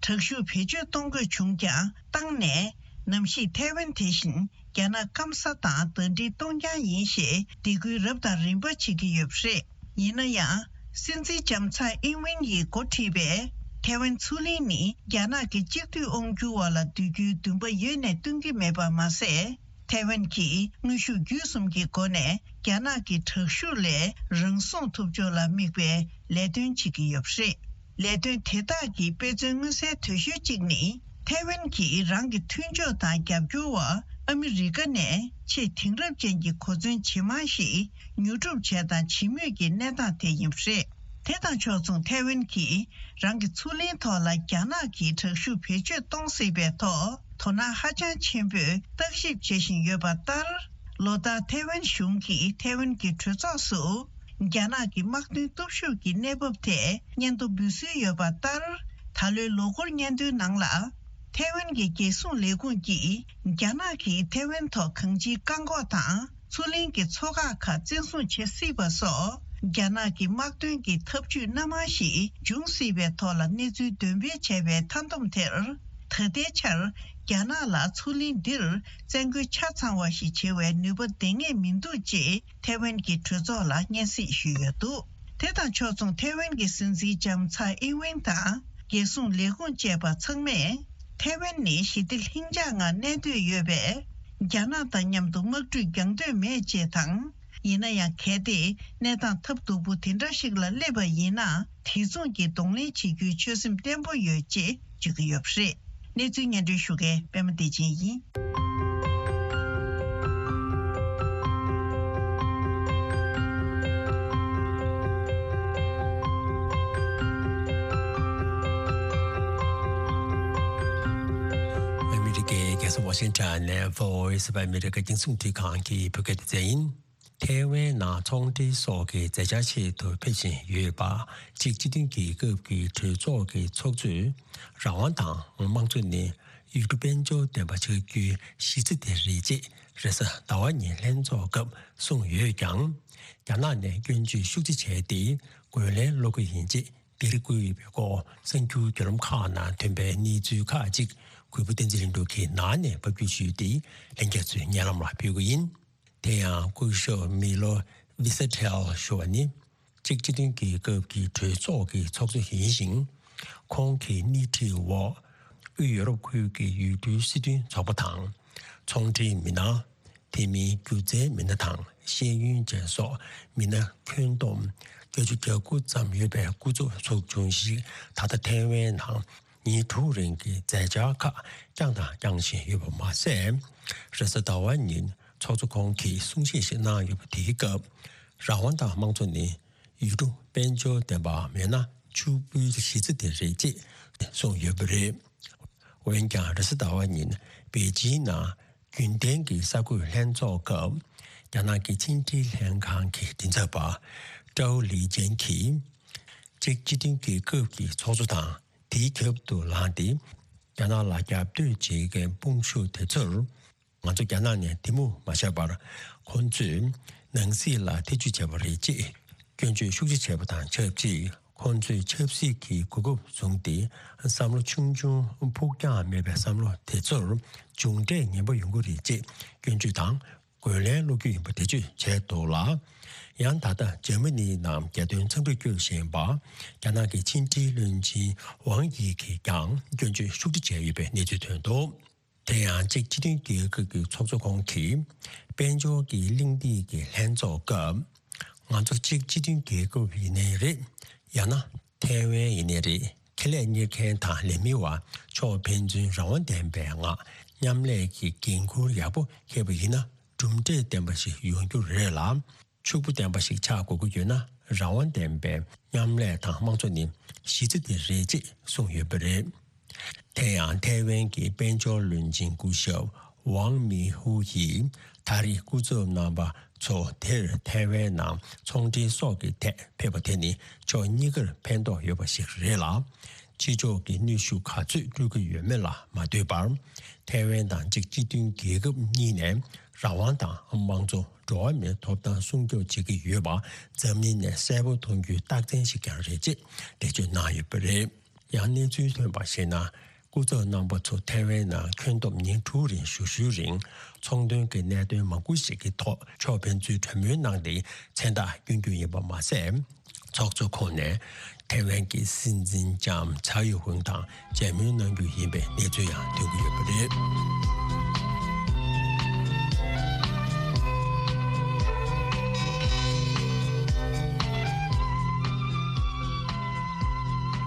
དྲག་ཤུགས་བེད་སྤྱོད་གཏོང་དགོས་བྱུང་ཀྱང་བཏང་ནས། ནམ་ཞིག་ཐའེ་ཝན་དེ་བཞིན་རྒྱ་ནག་སྐམ་ས་དང་ཟླ་སྒྲིལ་གཏོང་རྐྱང་ཡིན་ཞེས་སྡིགས་སྐུལ་རབ་དང་རིམ་པ་བྱེད་ཀྱི་ཡོད་པ་རེད། ཡིན་ན་ཡང་། སྲིད་འཛིན་ལྕམ་ཚའེ་ཨིན་ཝེན་ཡིས་འགོ་ཁྲིད་པའི་ཐའེ་ཝན་མཚོ་གླིང་ནི་རྒྱ་ནག་གི་གཅིག་སྡུད་དབང་སྒྱུར་བ་ལ་འདོད་རྒྱུའི་འདུན་པ་ཡོད་ནས་སྟོན་གྱི་མེད་པ་མ་ཟད། ཐའེ་ཝན་གྱིས་དངོས་ཤུགས་བརྒྱུད་གསུམ་གྱི་སྒོ་ནས་རྒྱ་ནག་གི་དྲག་ཤུགས་ལས་རང་སྲུང་ཐུབ་ཕྱོགས་ལ་དམིགས་པའི་ལས་དོན་བྱེད་ཀྱི་ཡོད་པ་རེད། ལས་དོན་དེ་དག་གི་དཔེ་མཚོན་མངོན་གསལ་དོད་ཤོས་གཅིག་ནི། ཐའེ་ཝན་གྱིས་རང་གི་མཐུན་ཕྱོགས་དང་རྒྱབ་སྐྱོར་བ་ཨ་མི་རི་ཀ་ནས་ཆེས་དེང་རབས་ཅན་གྱི་གོ་མཚོན་ཇེ་མང་ཞིག་ཉོ་སྒྲུབ་བྱས་དང་བྱེད་མུས་ཀྱི་གནས་སྟངས་དེ་ཡིན་པ་རེད། དེ་དང་ཕྱོགས་མཚུངས་ཐའེ་ཝན་གྱིས་རང་གི་མཚོ་གླིང་ཐོག་ལ་རྒྱ་ནག་གིས་དྲག་ཤུགས་བེད་སྤྱོད་གཏོང་སྲིད་པའི་ཐོག་དོ་སྣང་ཧ་ཅང་ཆེན་པོས་བརྟག་ཞིབ་བྱེད་བཞིན་ཡོད་པ་ལྟར། ལོ་ལྟར་ཐའེ་ཝན་གཞུང་གིས་ཐའེ་ཝན་གྱི་གྲོས་ཚོགས་སུ་རྒྱ་ནག་གི་དམག་དོན་སྟོབས་ཤུགས་ཀྱི་གནས་བབ་ཐད་སྙན་ཐོ་འབུལ་སྲོལ་ཡོད་པ་ལྟར། ད་ལོའི་ལོ་འཁོར་སྙན་ཐོའི་ནང་ལ། ཐའེ་ཝན་གྱི་རྒྱལ་སྲུང་ལས་ཁུངས་ཀྱིས་རྒྱ་ནག་གིས་ཐའེ་ཝན་ཐོག་གང་ཅིའི་བཀག་འགོག་དང་། མཚོ་གླིང་གི་མཚོ་འགག་ཁག་བཙན་བཟུང་བྱེད་སྲིད་པ་སོགས། རྒྱ་ནག་གི་དམག་དོན་གྱི་ཐབས་ཇུས་སྣ་མང་ཞིག་འབྱུང་སྲིད་པའི་ཐོག་ལ་གནས་ཚུལ་འདོན་སྤེལ་བྱས་པའི་མཐའ་བསྡོམས་དེར། ད་ལྟའི་ཆར་རྒྱ་ནག་ལ་མཚོ་གླིང་འདིར་བཙན་རྒོལ་ཆ་ཚང་བ་ཞིག་བྱེད་པའི་ནུས་པ་ལྡན་ངེས་མི་འདུག་ཅེས་ཐའེ་ཝན་གྱི་གྲོས་ཚོགས་ལ་སྙན་སེང་ཞུས་ཡོད་འདུག་དེ་དང་ཕྱོགས་མཚུངས་ཐའེ་ཝན་གྱི་སྲིད་འཛིན་ལྕམ་ཚའེ་ཨིན་ཝེན་དང་། རྒྱལ་སྲུང་ལས་ཁུངས་བཅས་པ་ཚང་མས། ཐའེ་ཝན་ནི་ཞི་བདེ་ལྷིང་འཇགས་ངང་གནས་འདོད་ཡོད་པས། རྒྱ་ནག་དང་མཉམ་དུ་དམག་འཁྲུག་རྒྱག་འདོད་མེད་ཅེས་དང་། ཡིན་ན་ཡང་། གལ་ཏེ་གནས་སྟངས་ཐབས་སྡུག་པོ་དེ་འདྲ་ཞིག་ལ་སླེབས་པ་ཡིན་ན། དེ་མཚུངས་ཀྱི་གདོང་ལེན་བྱེད་རྒྱུའི་ཆོད་སེམས་བརྟན་པོ་ཡོད་ཅེས་བརྗོད་ཀྱི་ཡོད་པ་རེད། གནས་ཚུལ་སྙན་སྒྲོན་ཞུ་མཁན་པད་མ་བདེ་ཆེན་ཡིན། ཨ་མི་རི་ཀའི་རྒྱལ་ས་ཝ་ཤིང་ཊོན་ནས་Voice of America་རྒྱང་སྲིང་འཕྲིན་ཁང་གི་བོད་སྐད་སྡེ་ཚན་ཡིན། ཐའེ་ཝན་ནང་ཚོང་འབྲེལ་སོགས་ཀྱི་མཛད་འཆར་ཆེད་དུ་ཕེབས་བཞིན་ཡོད་པ། གཅིག་སྤྱི་མཐུན་རྒྱལ་ཁབ་ཀྱི་གྲོས་ཚོགས་ཀྱི་ཚོགས་གཙོས། རང་དབང་དང་དམངས་གཙོ་ནི་ཡུལ་གྲུ་དཔལ་འབྱོར་ལྡན་པ་ཆགས་རྒྱུའི་གཞི་རྩ་དེ་རེད་ཅེས་རེས་གཟའ་ཟླ་བ་ཉིན་ལྷན་ཚོགས་སྐབས་གསུངས་ཡོད་ཀྱང་། རྒྱ་ནག་ནས་སྐྱོན་བརྗོད་ཤུགས་ཆེ་བྱས་ཏེ་རྒོལ་ལན་སློག་གི་ཡིན་ཅེས་འདིར་བཀོད་ཡོད་པའི་སྐོར། གསར་འགྱུར་བརྒྱུད་ལམ་ཁག་ནང་ཐོན་པའི་གནས་ཚུལ་ཁག་ཅིག་གུས་པ་བསྟན་འཛིན་ལྷུན་གྲུབ་ཀྱིས་ནང་ནས་ཕབ་སྒྱུར་ཞུས་ཏེ། ལྷན་རྒྱས་ཚོའི་སྙན་ལམ་ལ་ཕུལ་གྱི་ཡིན། དེ་ཡང་སྐུ་ཞབས་མི་ལོ་ཝི་ས་ཐེལ་ཞུ་བ་ནི། གཅིག་སྤྱི་མཐུན་རྒྱལ་ཁབ་ཀྱི་གྲོས་ཚོགས་ཀྱི་ཚོགས་གཙོ་ཡིན་ཞིང་། ཁོང་གི་སྣེ་ཁྲིད་འོག་དབུས་ཡོ་རོབ་ཁུལ་གྱི་ཡུལ་གྲུའི་སྲིད་དོན་ཚོགས་པ་དང་། ཚོང་འབྲེལ་མི་སྣ། དེ་མིན་སྒྱུ་རྩལ་མི་སྣ་དང་ཤེས་ཡོན་ཅན་སོགས་མི་སྣ་ཁྱོན་བསྡོམས་བརྒྱད་ཅུ་གྱ་དགུ་ཙམ་ཡོད་པའི་སྐུ་ཚབ་ཚོགས་ཆུང་ཞིག་ད་ལྟ་ཐའེ་ཝན་ནང་ཉིན་དྲུག་རིང་གི་མཛད་འཆར་ཁག་བསྐྱངས་དང་བསྐྱང་བཞིན་ཡོད་པ་མ་ཟད། རེས་གཟའ་ཟླ་བ་ཉིན་ཚོགས་གཙོ་ཁོང་གིས་གསུང་བཤད་ཞིག་གནང་ཡོད་པ་དེའི་སྐབས། རང་དབང་དང་དམངས་གཙོ་ནི་ཡུལ་གྲུ་དཔལ་འབྱོར་ལྡན་པ་མེད་ན་ཕྱུག་པོའི་གཞི་རྩ་དེ་རེད་ཅེས་གསུངས་ཡོད་པ་རེད། འོན་ཀྱང་། རེས་གཟའ་ཟླ་བ་ཉིན་པེ་ཅིང་ནང་རྒྱུན་ལྡན་གྱི་གསར་འགོད་ལྷན་ཚོགས་སྐབས། རྒྱ་ནག་གི་ཕྱི་འབྲེལ་ལྷན་ཁང་གི་མགྲིན་ཚབ་པ་ཀྲའོ་ལི་ཅན་གྱིས། གཅིག་སྤྱི་མཐུན་རྒྱལ་ཁབ་ཀྱི་ཚོགས་གཙོ་དང་། དེའི་ཁྱབ་ཏུ་ལངས་ཏེ། རྒྱ་ནག་ལ་རྒྱབ་གཏོད་བྱེད་མཁན་དཔུང་ཤུགས་དེ་ཚོར། ང་ཚོ་རྒྱ་ནག་ནས་གཏི་མུག་མ་བྱས་པར། ཁོང་ཚོས་ནང་སྲིད་ལ་ཐེ་ཇུས་བྱས་པ་རེད་ཅེས་སྐྱོན་བརྗོད་ཤུགས་ཆེ་བྱས་པ་དང་ཆབས་ཅིག་ཁོང་ཚོས་ཆབ་སྲིད་ཀྱི་གོ་སྐབས་བཟུང་སྟེ། བསམ་བློ་ཆུང་ཆུང་། ཕུགས་རྒྱང་མེད་པའི་བསམ་བློ་དེ་ཚོར་མཇུག་འབྲས་ངན་པ་ཡོང་གི་རེད་ཅེས་སྐྱོན་བརྗོད་དང་རྒོལ་ལན་སློག་རྒྱུ་ཡིན་པ་འགྲེལ་བརྗོད་བྱས་འདུག་ལ། ཡང་ད་ལྟ་འཇར་མ་ནིའི་ནང་རྒྱལ་དོན་འཚམས་འདྲིར་བསྐྱོད་བཞིན་པ། རྒྱ་ནག་གི་ཕྱི་འབྲེལ་བློན་ཆེན་ཝང་དབྱི་གིས་ཀྱང་སྐྱོན་བརྗོད་ཤུགས་ཆེ་བྱས་ཡོད་པའི་གནས་ཚུལ་ཐོན་འདུག་དེ་ཡང་གཅིག་སྤྱི་མཐུན་རྒྱལ་ཁབ་ཀྱི་ཚོགས་གཙོ་ཁོང་གིས། དཔལ་འབྱོར་གྱི་གླེང་སྟེགས་ཀྱི་ལྷན་ཚོགས་སྐབས། ང་ཚོ་གཅིག་སྤྱི་མཐུན་རྒྱལ་ཁབ་ཡིན་ནའི་རེད། ཡང་ན་ཐའེ་ཝན་ཡིན་ནའི་རེད། ཁེ་ལས་གཉེར་མཁན་དང་ལས་མི་བ་ཕྱོགས་ཕན་ཚུན་རང་དབང་ལྡན་པའི་ངང་མཉམ་ལས་ཀྱི་འགན་ཁུར་ཡག་པོ་འཁྱེར་བ་ཡིན་ན། གྲུབ་འབྲས་ལྡན་པ་ཞིག་ཡོང་རྒྱུ་རེད་ལ། ཕྱུག་པོ་ལྡན་པ་ཞིག་ཆགས་དགོས་ཀྱི་ཡོད་ན། རང་དབང་ལྡན་པའི་མཉམ་ལས་དང་དམངས་གཙོ་ནི་གཞི་རྩ་དེ་རེད་ཅེས་གསུངས་ཡོད་པ་རེད། དེ་ཡང་ཐའེ་ཝན་གྱི་དཔལ་འབྱོར་བློན་ཆེན་སྐུ་ཞབས་ཝང་མི་ཧུ་ཡིས། ད་རེས་སྐུ་ཚབ་རྣམ་པ་ཚོ་དེར་ཐའེ་ཝན་ནང་ཚོང་འབྲེལ་སོགས་ཀྱི་ཐད་ཕེབས་པ་དེ་ནི་ཕྱོགས་གཉིས་ཀར་ཕན་ཐོགས་ཡོད་པ་ཞིག་རེད་ལ། ཕྱི་ཕྱོགས་ཀྱི་གནོན་ཤུགས་ག་ཚོད་སྤྲོད་ཀྱི་ཡོད་མེད་ལ་མ་ལྟོས་པར། ཐའེ་ཝན་དང་གཅིག་སྤྱི་མཐུན་རྒྱལ་ཁབ་གཉིས་ནས་རང་དབང་དང་དམངས་གཙོ། འགྲོ་བ་མིའི་ཐོབ་ཐང་སྲུང་སྐྱོབ་བྱེད་ཀྱི་ཡོད་པ་འཛམ་གླིང་ནས་གསལ་པོ་མཐོང་རྒྱུའི་རྟགས་མཚན་ཞིག་ཀྱང་རེད་ཅེས་འགྲེལ་བརྗོད་གནང་ཡོད་པ་རེད། ཡང་གནས་ཚུལ་ཐོན་པར་གཞིགས་ན། སྐུ་ཚབ་རྣམ་པ་ཚོ་ཐའེ་ཝན་ནང་ཁྱོན་བསྡོམས་ཉིན་དྲུག་རིང་བཞུགས་ཞུའི་རིང་། ཚོང་དོན་གྱི་གནད་དོན་མང་པོ་ཞིག་གི་ཐོག་ཕྱོགས་ཕན་ཚུན་གྲོས་མོལ་གནང་སྟེ་མཚན་རྟགས་བསྐྱོན་རྒྱུ་ཡིན་པ་མ་ཟད། ཚོགས་གཙོ་ཁོང་ནས་ཐའེ་ཝན་གྱི་སྲིད་འཛིན་ལྕམ་ཚའེ་ཡུན་ཧུང་དང་མཇལ་མོལ་གནང་རྒྱུ་ཡིན་པའི་གནས་ཚུལ་ཡང་ཐོན་གྱི་ཡོད་པ་རེད།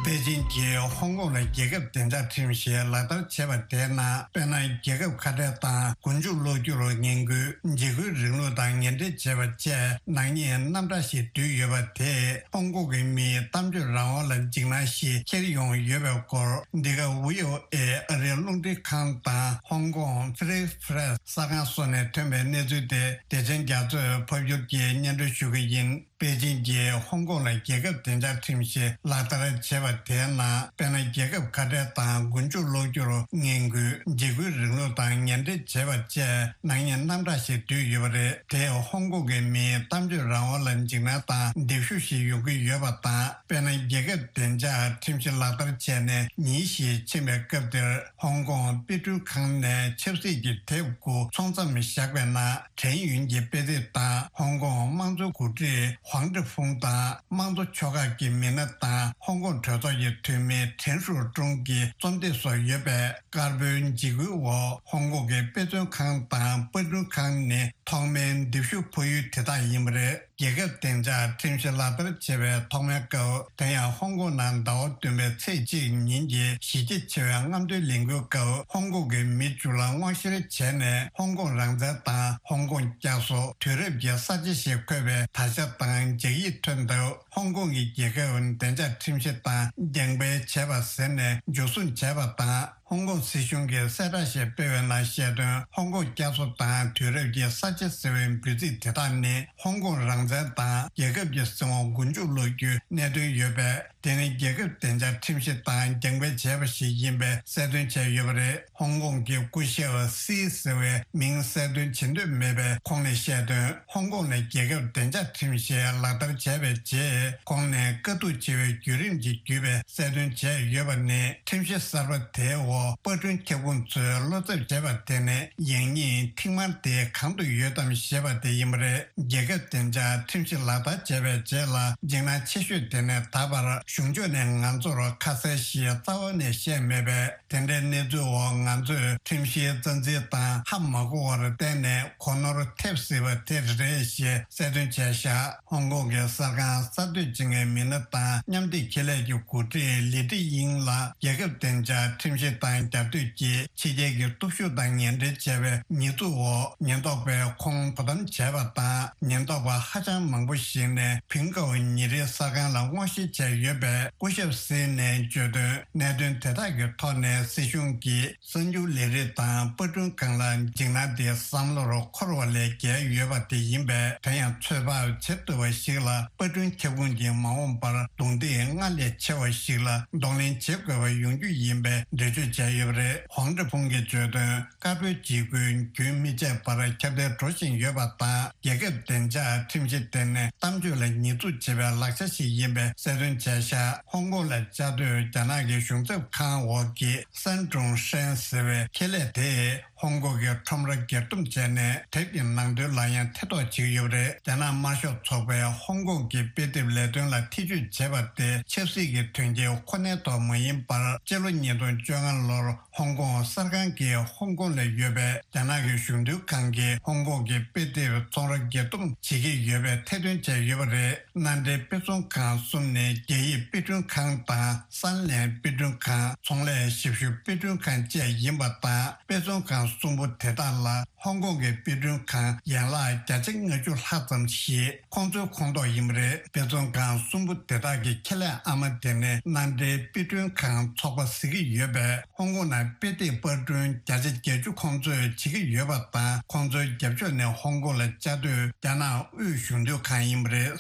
པེ་ ཅིན་གྱིས་ཧོང་ཀོང་ལ་རྒྱལ་ཁབ་བདེ་འཇགས་ཁྲིམས་གཞི་ལག་བསྟར་བྱས་པ་དེའི་ནང་དཔེར་ན། རྒྱལ་ཁབ་ཁ་བྲལ་དང་མགོ་མཇུག་སློག་རྒྱུར་ངན་སྐུལ། འཇིགས་སྐུལ་རིང་ལུགས་དང་ངན་འབྲེལ་བྱས་པ་བཅས་ནག་ཉེས་རྣམ་གྲངས་ཤིག་འདུས་ཡོད་པ་དེས་ཧོང་ཀོང་གི་མིའི་གཏམ་བརྗོད་རང་དབང་ལ་འཇིགས་སྣང་ཞིག་འཁྱེར་ཡོང་ཡོད་པའི་སྐོར། འདི་ག་བྷི་ཨོ་ཨེ་ཨ་རིའི་རླུང་འཕྲིན་ཁང་དང་ཧོང་ཀོང་Free Press གསར་ཁང་སོགས་ནས་ཐོན་པའི་གནས་ཚུལ་དེ་བདེ་ཆེན་རྒྱ་མཚོས་ཕབ་སྒྱུར་གྱིས་སྙན་སྒྲོན་ཞུ་གི་ཡིན། པེ་ཅིན་གྱིས་ཧོང་ཀོང་ལ་རྒྱལ་ཁབ་བདེ་འཇགས་ཁྲིམས་གཞི་ལག་བསྟར་བྱས་པ་དེའི་ནང་དཔེར་ན། རྒྱལ་ཁབ་ཁ་བྲལ་དང་མགོ་མཇུག་སློག་རྒྱུར་ངན་སྐུལ། འཇིགས་སྐུལ་རིང་ལུགས་དང་ངན་འབྲེལ་བྱས་པ་བཅས་ནག་ཉེས་རྣམ་གྲངས་ཤིག་འདུས་ཡོད་པ་རེད། དེས་ཧོང་ཀོང་གི་མིའི་གཏམ་བརྗོད་རང་དབང་ལ་འཇིགས་སྣང་དང་འདེབས་ཤོག་ཞིག་ཡོང་གི་ཡོད་པ་དང་། དཔེར་ན། རྒྱལ་ཁབ་བདེ་འཇགས་ཁྲིམས་གཞི་ལག་བསྟར་བྱས་ནས་ཉིན་ཞིག་ཕྱིན་པའི་སྐབས་དེར། ཧོང་ཀོང་དཔེ་སྐྲུན་ཁང་ནས་ཆབ་སྲིད་ཀྱི་དེབ་དགུ་ཚོང་མཚམས་བཞག་པའི་ནང་། ཁྲེན་ཡུན་གྱི་དཔེ་དེབ་དང་། ཧོང་ཀོང་དམངས་གཙོའི་འགོ་ཁྲིད་ཧུང་ཀྲི་ཕུང་དང་། དམངས་གཙོ་ཕྱོགས་ཁག་གི་མི་སྣ་དང་། ཧོང་ཀོང་གྲོས་ཚོགས་ཀྱི་འཐུས་མི་ཁྲེན་ཧྲུའུ་ཀྲུང་གི་རྩོམ་དེབ་སོགས་ཡོད་པས། དཀར་པོའི་འཇིགས་སྐུལ་འོག་ཧོང་ཀོང་གི་དཔེ་མཛོད་ཁང་དང་པར་སྐྲུན་ཁང་ནི་ཐོག་མའི་འདེབས་ཤོག་ཕབ་ཡུལ་དེ་དག་ཡིན་པ་རེད། རྒྱལ་ཁབ་བདེ་འཇགས་ཁྲིམས་གཞི་ལག་བསྟར་བྱས་པའི་ཐོག་མའི་སྐབས། དེ་ཡང་ཧོང་ཀོང་ནང་ཟླ་བ་བདུན་པའི་ཚེས་གཅིག་ཉིན་གྱི་གཞི་རྒྱ་ཆེ་བའི་རྔམ་སྟོན་ལས་འགུལ་སྐབས། ཧོང་ཀོང་གི་མི་བཅུ་ལ་སྔོག་བཤེར་བྱས་ནས། ཧོང་ཀོང་རང་བཙན་དང་ཧོང་ཀོང་བསྐྱར་གསོ། དུས་རབས་ཀྱི་གསར་བརྗེ་ཞེས་འཁོད་པའི་དར་ཆ་དང་རྒྱག་ཡིག་ཐོན་སྟབས། ཧོང་ཀོང་གི་རྒྱལ་ཁབ་བདེ་འཇགས་ཁྲིམས་གཞི་དང་རྒྱང་འཕེན་བྱས་པ་ཟེར་ནས་འཇུ་བཟུང་བྱས་པ་དང་། ཧོང་ཀོང་སྲིད་གཞུང་གིས་གསལ་བསྒྲགས་ཤིག་སྤེལ་བའི་ནང་བཤད་དོན། ཧོང་ཀོང་བསྐྱར་གསོ་དང་དུས་རབས་ཀྱི་གསར་བརྗེ་ཟེར་བའི་འབོད་ཚིག་དེ་དག་ནི། ཧོང་ཀོང་རང་བཙན་དང་རྒྱལ་ཁབ་ཀྱི་སྲིད་དབང་མགོ་མཇུག་སློག་རྒྱུའི་གནད་དོན་ཡོད་པས། དེ་ནི་རྒྱལ་ཁབ་བདེ་འཇགས་ཁྲིམས་གཞི་དང་རྒྱང་འཕེན་བྱས་པ་ཞིག་ཡིན་པའི་གསལ་སྟོན་བྱས་ཡོད་པ་རེད། ཧོང་ཀོང་གི་སྐུ་ཞབས་སི་ཟེར་བའི་མིང་གསལ་སྟོན་བྱེད་འདོད་མེད་པས། ཁོང་ནས་བཤད་དོན། ཧོང་ཀོང་ནས་རྒྱལ་ཁབ་བདེ་འཇགས་ཁྲིམས་གཞི་ལག་བསྟར་བྱས་པའི་རྗེས། ཁོང་ནས་དཀའ་སྡུག་ཆེ་བའི་བརྒྱུད་རིམ་གྱི་བརྒྱུད་པའི་གསལ་སྟོན་བྱས་ཡོད་པ་ནི། ཁྲིམས་གཞི་གསར་པ་དེའི་འོག་པར་སྐྲུན་ཁྱབ་ཁོངས་ཚོས་བློ་འཚབ་བྱས་པ་དེ་ནི། ཡང་སྙིང་ཐིག་དམར་དེ་གང་དུ་ཡོད་དམ་ཞེས་པ་དེ་ཡིན་པ་རེད། རྒྱལ་ཁབ་བདེ་འཇགས་ཁྲིམས་གཞི་ལག་བསྟར་བྱས་པའི་རྗེས་ལ། འཇིགས་སྣང་ཆེ་ཤོས་དེ་ནི། ད་བར་གཞུང་ཕྱོགས་ནས་ང་ཚོར་ཁ་གསལ་ཞིག་རྩ་བ་ནས་བཤད་མེད་པས། དེ་འདྲའི་གནས་ཚུལ་འོག་ང་ཚོས་ཁྲིམས་གཞིའི་རྩ་འཛིན་དང་ཧ་མ་གོ་བར་བརྟེན་ནས་གོ་ནོར་ཐེབས་སྲིད་པ་དེ་རེད་ཞེས་གསལ་སྟོན་བྱས་བཞག་ཧོང་ཀོང་གི་གསར་ཁང་གསར་གཏོད་བྱེད་མཁན་མི་སྣ་དང་མཉམ་འབྲེལ་ཁེ་ལས་ཀྱི་འགོ་ཁྲིད་ལི་ཏི་དབྱིང་ལ་རྒྱལ་ཁབ་བདེ་འཇགས་ཁྲིམས་གཞི་དང་རྒྱབ་གཏོད་ཀྱིས་ཕྱི་རྒྱལ་གྱི་སྟོབས་ཤུགས་དང་ངན་འབྲེལ་བྱས་པའི་ཉེས་འཛུགས་འོག་ཉེན་རྟོག་པས་ཁོང་དོ་དམ་བྱས་པ་དང་། ཉེན་རྟོག་པ་ཧ་ཅང་མང་པོ་ཞིག་ནས་ཕིང་ཀའོ་ཉིན་རེའི་གསར་ཁང་ལ་སྔོག་བཤེར་བྱས་ཡོད་པས། སྐུ་ཞབས་སི་ནས་བརྗོད་དོན། གནད་དོན་དེ་དག་གི་ཐོག་ནས་སྲིད་གཞུང་གིས་གསར་འགྱུར་ལས་རིགས་དང་པར་སྐྲུན་ཁང་ལ་འཇིགས་སྣང་དེ་བསམ་བློར་འཁོར་བ་ལས་བརྒལ་ཡོད་པ་དེ་ཡིན་པས། དེ་ཡང་ཚོད་དཔག་བྱེད་ཐུབ་པ་ཞིག་ལ། པར་སྐྲུན་ཁྱབ་ཁོངས་ཀྱི་མ་འོངས་པར་རྡུང་རྡེག་སྔར་ལས་ཆེ་བ་ཞིག་ལ་གདོང་ལེན་བྱེད་དགོས་པ་ཡོང་རྒྱུ་ཡིན་པའི་འགྲེལ་བརྗོད་བྱས་ཡོད་པ་རེད། ཧོང་ཀྲི་ཕུང་གིས་བརྗོད་དོན། དཀར་པོའི་འཇིགས་སྐུལ་རྒྱུན་མི་ཆད་པར་ཁྱབ་གདལ་འགྲོ་བཞིན་ཡོད་པ་དང་། རྒྱལ་ཁབ་བདེ་འཇགས་ཁྲིམས་གཞི་དེ་ནི་གཏམ་བརྗོད་ལ་ཉེས་འཛུགས་བྱེད་པའི་ལག་ཆ་ཞིག་ཡིན་པའི་གསལ་སྟོན་བྱས་ཤག་ཧོང་ཀོང་ལ་བཅའ་སྡོད་རྒྱ་ནག་གི་གཞུང་ཚབ་ཁང་འོག་གི་སན་ཀྲུང་ཧྲན་ཟེར་བའི་ཁེ་ལས་དེས་ཧོང་ཀོང་གི་ཁྲོམ་ར་སྒེར་སྡོམ་བྱས་ནས། དེབ་ཀྱི་ནང་དོན་ལ་ཡང་ཐེ་གཏོགས་བྱེད་ཀྱི་ཡོད་པ་རེད། རྒྱ་ནག་དམར་ཤོག་ཚོགས་པས་ཧོང་ཀོང་གི་དཔེ་དེབ་ལས་དོན་ལ་ཐེ་བྱུས་བྱས་པ་དེ་ཆབ་སྲིད་ཀྱི་དོན་རྐྱེན་ཁོ་ནའི་ཐོག་མ་ཡིན་པར། སྤྱི་ལོ་ཉིས་སྟོང་བཅོ་ལྔ་ལོར། ཧོང་ཀོང་གསར་ཁང་གིས་ཧོང་ཀོང་ལ་ཡོད་པའི་རྒྱ་ནག་གི་གཞུང་དོན་ཁང་གིས་ཧོང་ཀོང་གི་དཔེ་དེབ་ཚོང་ར་སྒེར་སྡོམ་བྱེད་ཀྱི་ཡོད་པའི་ཐེར་འདོན་བྱས་ཡོད་པ་རེད། མནའ་འབྲེལ་དཔེ་ཚོང་ཁང་གསུམ་ནི་རྒྱ་ཡིག་དཔེ་སྐྲུན་ཁང་དང་། སན་ལན་དཔེ་སྐྲུན་ཁང་། ཚོང་ལས་ཞབས་ཞུ་དཔེ་སྐྲུན་ཁང་བཅས་ཡིན་པ་དང་། དཔེ་ཚོང་ཁང་གསུམ་པོ་དེ་དག་ལ་ཧོང་ཀོང་གི་དཔེ་སྐྲུན་ཁང་ཡན་ལག་བརྒྱ་ཆ་ལྔ་བཅུ་ལྷག་ཙམ་ཞིག་ཁོང་ཚོའི་ཁོངས་གཏོགས་ཡིན་པ་རེད། དཔེ་ཚོང་ཁང་གསུམ་པོ་དེ་དག་གི་ཁེ་ལས་ཨ་མ་དེ་ནི་མནའ་འབྲེལ་དཔེ་སྐྲུན་ཁང་ཚོགས་པ་ཟེར་གྱི་ཡོད་པས། ཧོང་ཀོང་ནང་དཔེ་དེབ་པར་སྐྲུན་བརྒྱ་ཆ་བརྒྱད་ཅུ་ཁོང་ཚོས་བྱེད་ཀྱི་ཡོད་པ་དང་། ཁོང་ཚོའི་རྒྱབ་ཕྱོགས་ནས་ཧོང་ཀོང་ལ་བཅའ་སྡོད་རྒྱ་ནག་དབུས་གཞུང་དོན་ཁང་ཡིན་པ་རེད།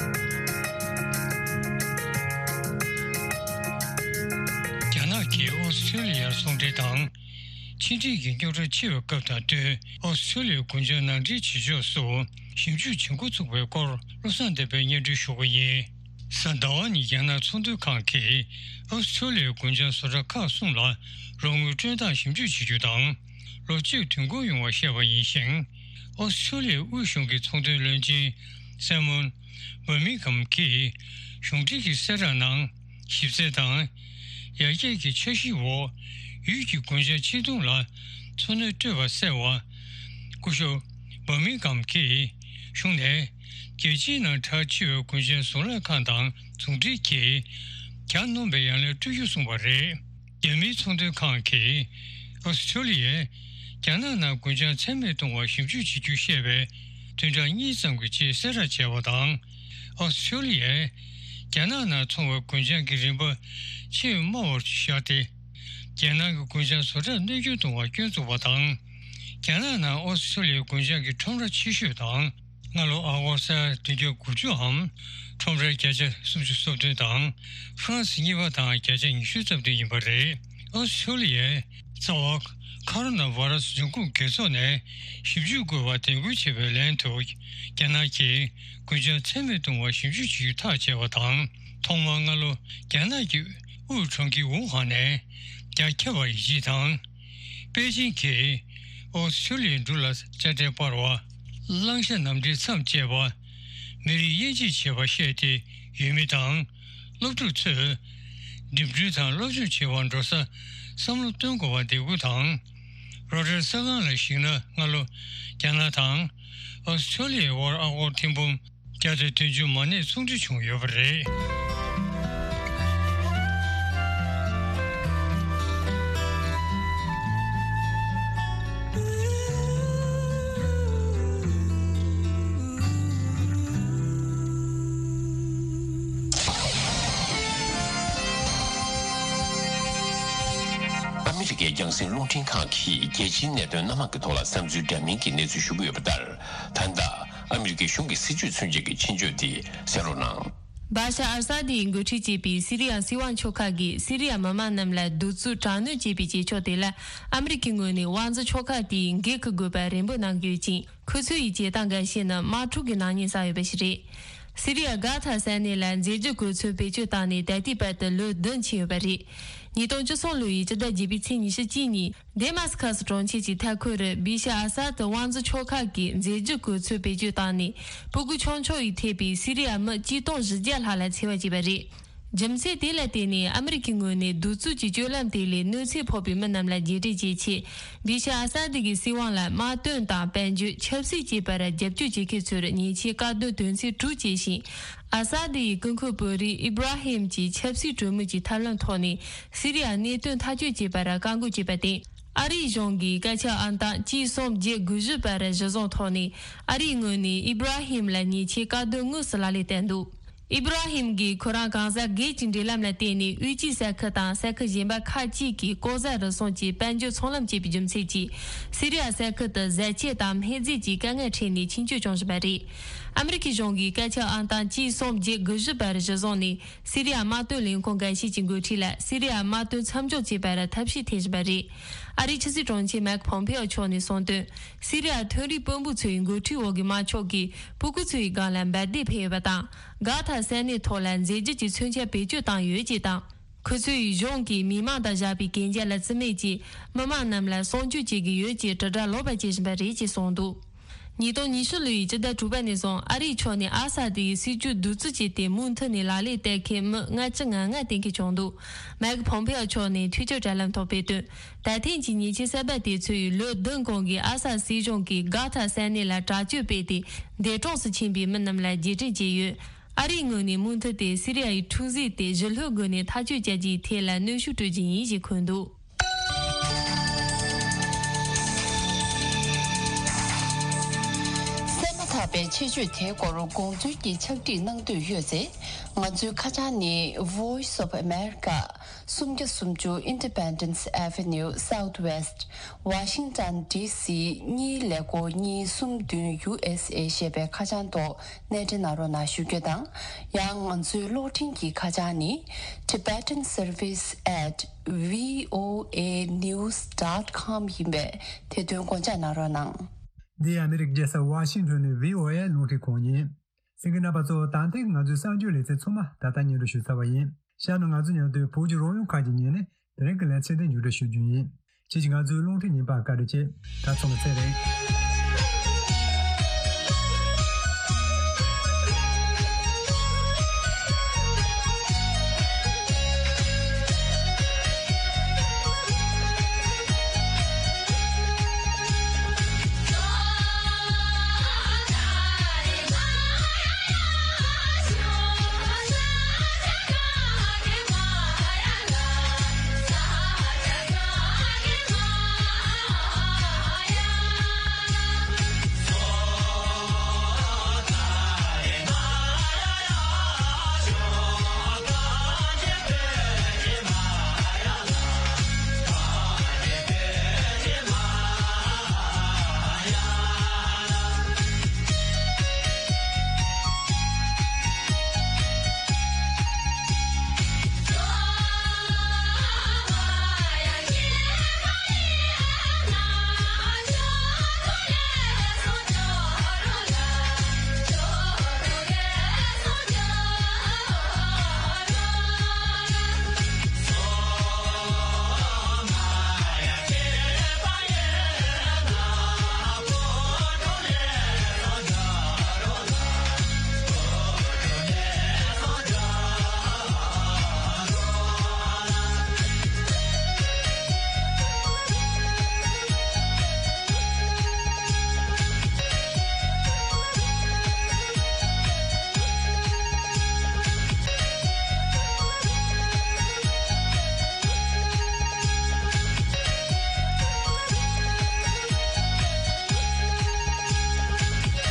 རྒྱ་ནག་གིས་ཨོ་སི་ཁྲུ་ལི་ཡར་ཚོང་འབྲེལ་དང་། ཕྱི་འབྲེལ་གྱི་རྙོག་དྲ་ཆེ་བའི་སྐབས་དང་བསྟུན། ཨོ་སི་ཁྲུ་ལི་ཡའི་གུང་ཁྲན་ནང་འདྲེན་བྱེད་ཕྱོགས་སུ་ཞིབ་འཇུག་བྱེད་འགོ་ཚུགས་པའི་སྐོར། བློ་བཟང་བསྟན་པས་སྙན་སྒྲོན་ཞུ་གི་ཡིན། གཟའ་ཟླ་བ་ཉིན་རྒྱ་ནག་ཚོང་དོན་ཁང་གིས་ཨོ་སི་ཁྲུ་ལི་ཡའི་གུང་ཁྲན་བཟོ་གྲྭ་ཁག་གསུམ་ལ་རོགས་དངུལ་སྤྲོད་སྟངས་ཞིབ་འཇུག་བྱེད་རྒྱུ་དང་། ལོ་གཅིག་དུས་འགོར་ཡོང་བ་བཤད་པ་ཡིན་ཞིང་། ཨོ་སི་ཁྲུ་ལི་ཡའི་དབུས་གཞུང་གི་ཚོང་དོན་བློན་ཆེན་སེ་མོན་བྷར་མིང་ཧམ་གྱིས་གཞུང་འབྲེལ་གྱི་གསལ་བསྒྲགས་ནང་། ཞིབ་འཚོལ་དང་། ཡར་རྒྱས་ཀྱི་འཆར་གཞིའི་འོག་ཡུལ་གྱི་གུང་ཁྲན་སྤྱི་མཐུན་ལ་འཚོ་སྣོན་སྤྲོད་པ་གསལ་བ། སྐུ་ཞབས་བྷར་མིང་ཧམ་གྱིས་གཞུང་ནས་རྒྱལ་སྤྱིའི་ནང་གྲགས་ཆེ་བའི་གུང་ཁྲན་གཟུངས་བསླབ་ཁང་དང་ཟུང་འབྲེལ་གྱིས། རྒྱ་ གྱ་ནོམ་པའི་ཡང་ལན་སྤྲོད་རྒྱུ་གསུངས་པ་རེད། རྒྱ་མིའི་ཚོང་དོན་ཁང་གིས་ཨོ་སི་ཁྲུ་ལི་ཡས་རྒྱ་ནག་ནང་རྒུན་ཆང་ཚད་མེད་གཏོང་བར་ཞིབ་འཇུག་བྱེད་རྒྱུ་བཤད་པའི་བདུན་ཕྲག་གཉིས་ཙམ་གྱི་རྗེས་གསལ་བསྒྲགས་བྱས་པ་དང་། ཨོ་སི་ཁྲུ་ལི་ཡས་རྒྱ་ནག་ནང་འཚོང་བའི་རྒུན་ཆང་གི་རིན་པ་ཆེས་དམའ་བར་བཞག་སྟེ། རྒྱལ་ནང་གི་རྒུན་ཆང་བཟོ་གྲྭར་གནོད་སྐྱོན་གཏོང་བར་སྐྱོན་བཙུགས་པ་དང་། རྒྱ་ནག་ནང་ཨོ་སི་ཁྲུ་ལི་ཡའི་རྒུན་ཆང་གི་ཁྲོམ་ར་ཆེ་ཤོས་དང་། སྔ་ལོ་ཨ་སྒོར་ས་ཡ་བདུན་བརྒྱ་དགུ་བཅུའམ་ཁྲོམ་རའི་བརྒྱ་ཆ་སུམ་ཅུ་སོ་བདུན་དང་ཧྥ་རན་སི་གཉིས་པ་དང་བརྒྱ་ཆ་ཉི་ཤུ་རྩ་བདུན་ཡིན་པ་རེད། ཨོ་སི་ཁྲུ་ལི་ཡའི་རྩ་བ་ཁ་རོ་ན་བྷ་ར་སི་འབྱུང་ཁུངས་རྒྱལ་ཚོགས་ནས་ཞིབ་འཇུག་དགོས་པར་དན་འབུལ་བྱས་པའི་ལན་དུ། རྒྱ་ནག་གིས་རྒུན་ཆང་ཚད་མེད་གཏོང་བར་ཞིབ་འཇུག་བྱེད་རྒྱུ་ཐག་བཅད་པ་དང་། ཐོག་མར་སྔ་ལོ་རྒྱ་ནག་གི་དབུས་གྲོང་ཁྱེར་ཝུ་ཧན་ནས་རྒྱ་ཁྱབ་པར་ཡིད་ཆེས་དང་། པེ་ཅིང་གིས་ཨོ་སི་ཁྲུ་ལི་ཡའི་འབྲུག་ལ་དཔྱ་ཁྲལ་སྤར་བ། གླང་ཤ་ནམ་ཕྲའི་མཚམས་བཅད་པ། མི་རིགས་དབྱེ་འབྱེད་བྱས་པར་བཤད་དེ། ཡུལ་མི་དང་སློབ་ཕྲུག་ཚོས་འགྲིམ་འགྲུལ་དང་སློབ་སྦྱོང་བྱེད་པར་འགྲོ་ས་བསམ་བློ་གཏོང་དགོས་པར་འདེད་སྐུལ་དང་། རོའི་ཊར་གསར་ཁང་ལ་གཞིགས་ན། སྔ་ལོ་རྒྱ་ནག་དང་ཨོ་སི་ཁྲུ་ལི་ཡའི་དབར་ཨ་སྒོར་ཐེར་འབུམ་བརྒྱ་དང་བདུན་ཅུ་མ་གནས་ཚོང་འབྲེལ་བྱུང་ཡོད་པ་རེད། ཨ་མི་རི་ཀའི་རྒྱང་སྲིང་རླུང་འཕྲིན་ཁང་གིས་རྒྱལ་སྤྱིའི་གནད་དོན་སྣ་མང་གི་ཐོག་ལ་བསམ་ཚུལ་འདྲ་མིན་གྱི་གནས་ཚུལ་ཞུ་གི་ཡོད་པ་ལྟར། ད་ལྟ་ཨ་མི་རི་ཀའི་གཞུང་གི་སྲིད་བྱུས་མཚོན་བྱེད་ཀྱི་ཆེད་བརྗོད་དེ་གསན་རོགས་གནང་། བཱ་ཤར་ཨལ་ས་དིའི་འགོ་ཁྲིད་བྱས་པའི་སི་རི་ཡ་སྲིད་དབང་ཆོལ་ཁ་གིས་སི་རི་ཡ་མི་མང་རྣམས་ལ་གདུག་རྩུབ་དྲག་གནོན་བྱས་པའི་བྱེད་ཕྱོགས་དེ་ལ་ཨ་མི་རི་ཀའི་ངོས་ནས་དབང་འཛིན་ཆོལ་ཁ་དེས་འགན་འཁུར་དགོས་པར་རེ་འབོད་གནང་གི་ཡོད་ཅིང་། ཁོ་ཚོ་ཡི་བྱེད་སྟངས་འགའ་ཤས་ནི་དམག་འཁྲུག་གི་ནག་ཉེས་བསགས་ཡོད་པ་ཞིག་རེད། སི་རི་ཡ་གྷ་ཐ་ས་གནས་ལ་མཛད་རྗེས་གོ་མཚོན་བེད་སྤྱོད་བཏང་ནས་ད་ལྟའི་བར་དུ་ལོ་བདུན་ཕྱིན་ཡོད་པ་རེད། ཉིས་སྟོང་བཅུ་གསུམ་ལོ་ཡི་སྤྱི་ཟླ་བརྒྱད་པའི་ཚེས་ཉི་ཤུ་གཅིག་ཉིན། དེ་མཱ་སི་ཁ་སི་གྲོང་ཁྱེར་གྱི་མཐའ་འཁོར་རུ་བི་ཤ་ཨ་ས་ཏི་དབང་འཛིན་ཆོལ་ཁ་གིས་མཛད་རྗེས་གོ་མཚོན་བེད་སྤྱོད་བཏང་ནས། སྤུ་གུ་ཆུང་ཆུང་ཡིས་ཐེ་བའི་སི་རི་ཡ་མི་གཅིག་སྟོང་བཞི་བརྒྱ་ལྷག་ལ་འཚེ་བ་བྱས་པ་རེད། རྒྱུ་མཚན་དེ་ལ་བརྟེན་ནས་ཨ་མི་རི་ཀའི་ངོས་ནས་གདུག་རྩུབ་ཀྱི་སྤྱོད་ལམ་དེ་ལས་གནོད་འཚེ་ཕོག་པའི་མི་རྣམས་ལ་རྒྱས་སྤྲོས་བྱེད་ཆེད། བི་ཤ་ཨ་ས་དི་གི་སྲིད་དབང་ལ་དམག་དོན་དང་དཔལ་འབྱོར་ཆབ་སྲིད་བཅས་པར་རྒྱབ་སྐྱོར་བྱེད་མཁན་ཚོར་ཉེས་ཆད་བཀག་སྡོམ་དོན་ཚན་དྲུག་བཅད་ཤིང་། ཨ་ས་དི་ཡི་སྐུ་འཁོར་བོད་རིགས་ཨི་བྷ་ར་ཧིམ་གྱི་ཆབ་སྲིད་གྲོས་མོལ་གྱི་ཐབས་ལམ་ཐོག་ནས་སི་རི་ཡ་གནད་དོན་ཐག་གཅོད་བྱེད་པར་བཀག་འགོག་བྱས་པར་བརྟེན། ཨ་རིའི་གཞུང་གིས་སྐད་ཆ་ཨང་དང་གཅིག་གསུམ་བརྒྱད་དགུ་བཞི་བར་གཞི་བཟུང་ཐོག་ནས་ཨ་རིའི་ངོས་ནས་ཨི་བྷ་ར་ཧིམ་ལ་ཉེས་ཆད་བཀག་སྡོམ་དངོས་སུ་ལག་ལེན་བསྟར་འདུག་ཨི་བྷ་ར་ཧིམ་གྱིས་ཁོ་རང་གང་ཟག་སྒེར་གྱི་འབྲེལ་ལམ་ལ་བརྟེན་ནས་དབུས་སྤྱིའི་ས་ཁུལ་དང་ས་ཁུལ་གཞན་པ་ཁག་ཅིག་གི་ལྐོག་ཟ་རུལ་སུངས་ཀྱི་དཔལ་འབྱོར་ཚོང་ལམ་བཅད་པའི་རྒྱུ་མཚན་གྱིས་སི་རི་ཡ་ས་ཁུལ་དུ་བཟའ་ཆས་དང་སྨན་རྫས་ཀྱི་དཀའ་ངལ་འཕྲད་ནས་ཆིངས་བཅད་བྱུང་བཞིན་པ་རེད། ཨ་མི་རི་ཁའི་གཞུང་གིས་སྐད་ཆ་ཨང་དང་གཅིག་གསུམ་བརྒྱད་དགུ་བཞི་བར་གཞི་བཟུང་ནས་སི་རི་ཡ་དམག་དོན་ལས་ཁུངས་འགའ་ཤས་ཀྱི་འགོ་ཁྲིད་ལ་སི་རི་ཡ་དམག་དོན་མཚམས་འཇོག་བྱེད་པར་ཐབས་ཤེས་འཐེན་བཞིན་པ་རེད། ཨ་རིའི་ཕྱི་སྲིད་དྲུང་ཆེ་མེག་ཕོམ་ཕེ་ཨོ་མཆོག་ནས་གསུངས་དོན། སི་རི་ཡ་མཐོ་རིམ་དཔོན་པོ་ཚོའི་འགོ་ཁྲིད་འོག་གི་དམར་ཕྱོགས་ཀྱིས་སྤུ་གུ་ཚོའི་སྒང་ལ་འབར་མདེལ་འཕེན་ཡོད་པ་དང་། གྷ་ཐ་ས་གནས་ཐོག་ལ་མཛད་རྗེས་ཀྱི་མཚོན་ཆ་བེད་སྤྱོད་བཏང་ཡོད་ཅེས་དང་། ཁོ་ཚོས་གཞུང་གིས་མི་མང་དང་བཞག་པའི་གན་རྒྱ་ལ་བརྩི་མེད་ཀྱིས་མི་མང་རྣམས་ལ་སྲུང་སྐྱོབ་བྱེད་ཀྱི་ཡོད་ཅེས་དྲིལ་བསྒྲགས་ལོག་པ་བྱེད་བཞིན་པ་རེད་ཅེས་གསུངས་འདུག་ཉིས་སྟོང་ཉི་ཤུ་ལོའི་ཕྱི་ཟླ་དྲུག་པ་ནས་བཟུང་ཨ་རིའི་ཕྱོགས་ནས་ཨ་ས་དེ་ཡི་སྲིད་བྱུས་གདུག་རྩུབ་བྱས་ཏེ་མུ་མཐུད་ནས་ལག་ལེན་བསྟར་མཁན་མི་ལྔ་བཅུ་ང་ལྔ་བསྟེན་མཁན་བྱུང་འདུག་མེག་ཕོམ་ཕེ་ཨོ་མཆོག་ནས་ཐུགས་ཁུར་དྲ་ལམ་ཐོག་སྤེལ་དོན། ད་ཐེངས་ཀྱི་ཉེས་ཆད་གསར་པ་དེ་ཚོས་ལོ་བདུན་གོང་གི་ཨ་ས་སྲིད་གཞུང་གིས་གྷ་ཐ་ས་གནས་ལ་དྲག་སྤྱོད་སྤེལ་ཏེ་འདས་གྲོངས་སུ་ཕྱིན་པའི་མི་རྣམས་ལ་རྗེས་དྲན་བྱས་ཡོད། ཨ་རིའི་ངོས་ནས་མུ་མཐུད་དེ་སི་རི་ཡ་ཡི་འཁྲུག་རྩོད་དེ་ཞི་ལྷོད་སྒོ་ནས་ཐག་གཅོད་བྱ་རྒྱུའི་ཐད་ལ་གནོན་ཤུགས་སྤྲོད་རྒྱུ་ཡིན་ཞེས་འཁོད་འདུག་གསན་མ་ཐག་པའི་ཆེད་བརྗོད་དེའི་སྐོར་དགོངས་ཚུལ་གྱི་ཕྱག་བྲིས་གནང་འདོད་ཡོད་ཚེ། ང་ཚོའི་ཁ་བྱང་ནི་Voice of America། སུམ་བརྒྱ་སུམ་ཅུ་Independence Avenue Southwest Washington D C གཉིས་ཀླད་ཀོར་གཉིས་གསུམ་བདུན་U S A ཞེས་པའི་ཁ་བྱང་ཐོག་གནས་འབྲེལ་གནང་རོགས་གནང་ཞུ་རྒྱུ་དང་། ཡང་ང་ཚོའི་གློག་འཕྲིན་གྱི་ཁ་བྱང་ནི་Tibetan Service at V O A News dot com ཡིན་པས་དེ་དོན་དགོངས་འཇགས་གནང་རོགས་གནང་། འདི་ཨ་མི་རི་ཀའི་རྒྱལ་ས་ཝ་ཤིང་ཊོན་ནས་V O A གློག་འཕྲིན་ཁང་ཡིན། གསན་མཁན་རྣམ་པ་ཚོ། ད་ཐེངས་ང་ཚོའི་གསར་འགྱུར་ལེ་ཚན་ཚང་མ་ད་ལྟ་སྙན་སྒྲོན་ཞུ་ཚར་བ་ཡིན། ཤར་ནས་ང་ཚོ་མཉམ་དུ་བོད་ཀྱི་རོལ་དབྱངས་ཁག་ཅིག་ཉན་ནས་དེ་རིང་གི་ལེ་ཚན་དེ་མཇུག་སྒྲིལ་ཞུ་རྒྱུ་ཡིན། ཁྱེད་ཀྱིས་ང་ཚོའི་རླུང་འཕྲིན་ཉན་པར་བཀའ་དྲིན་ཆེ། ད་ཚང་མ་ཚེ་རིང་།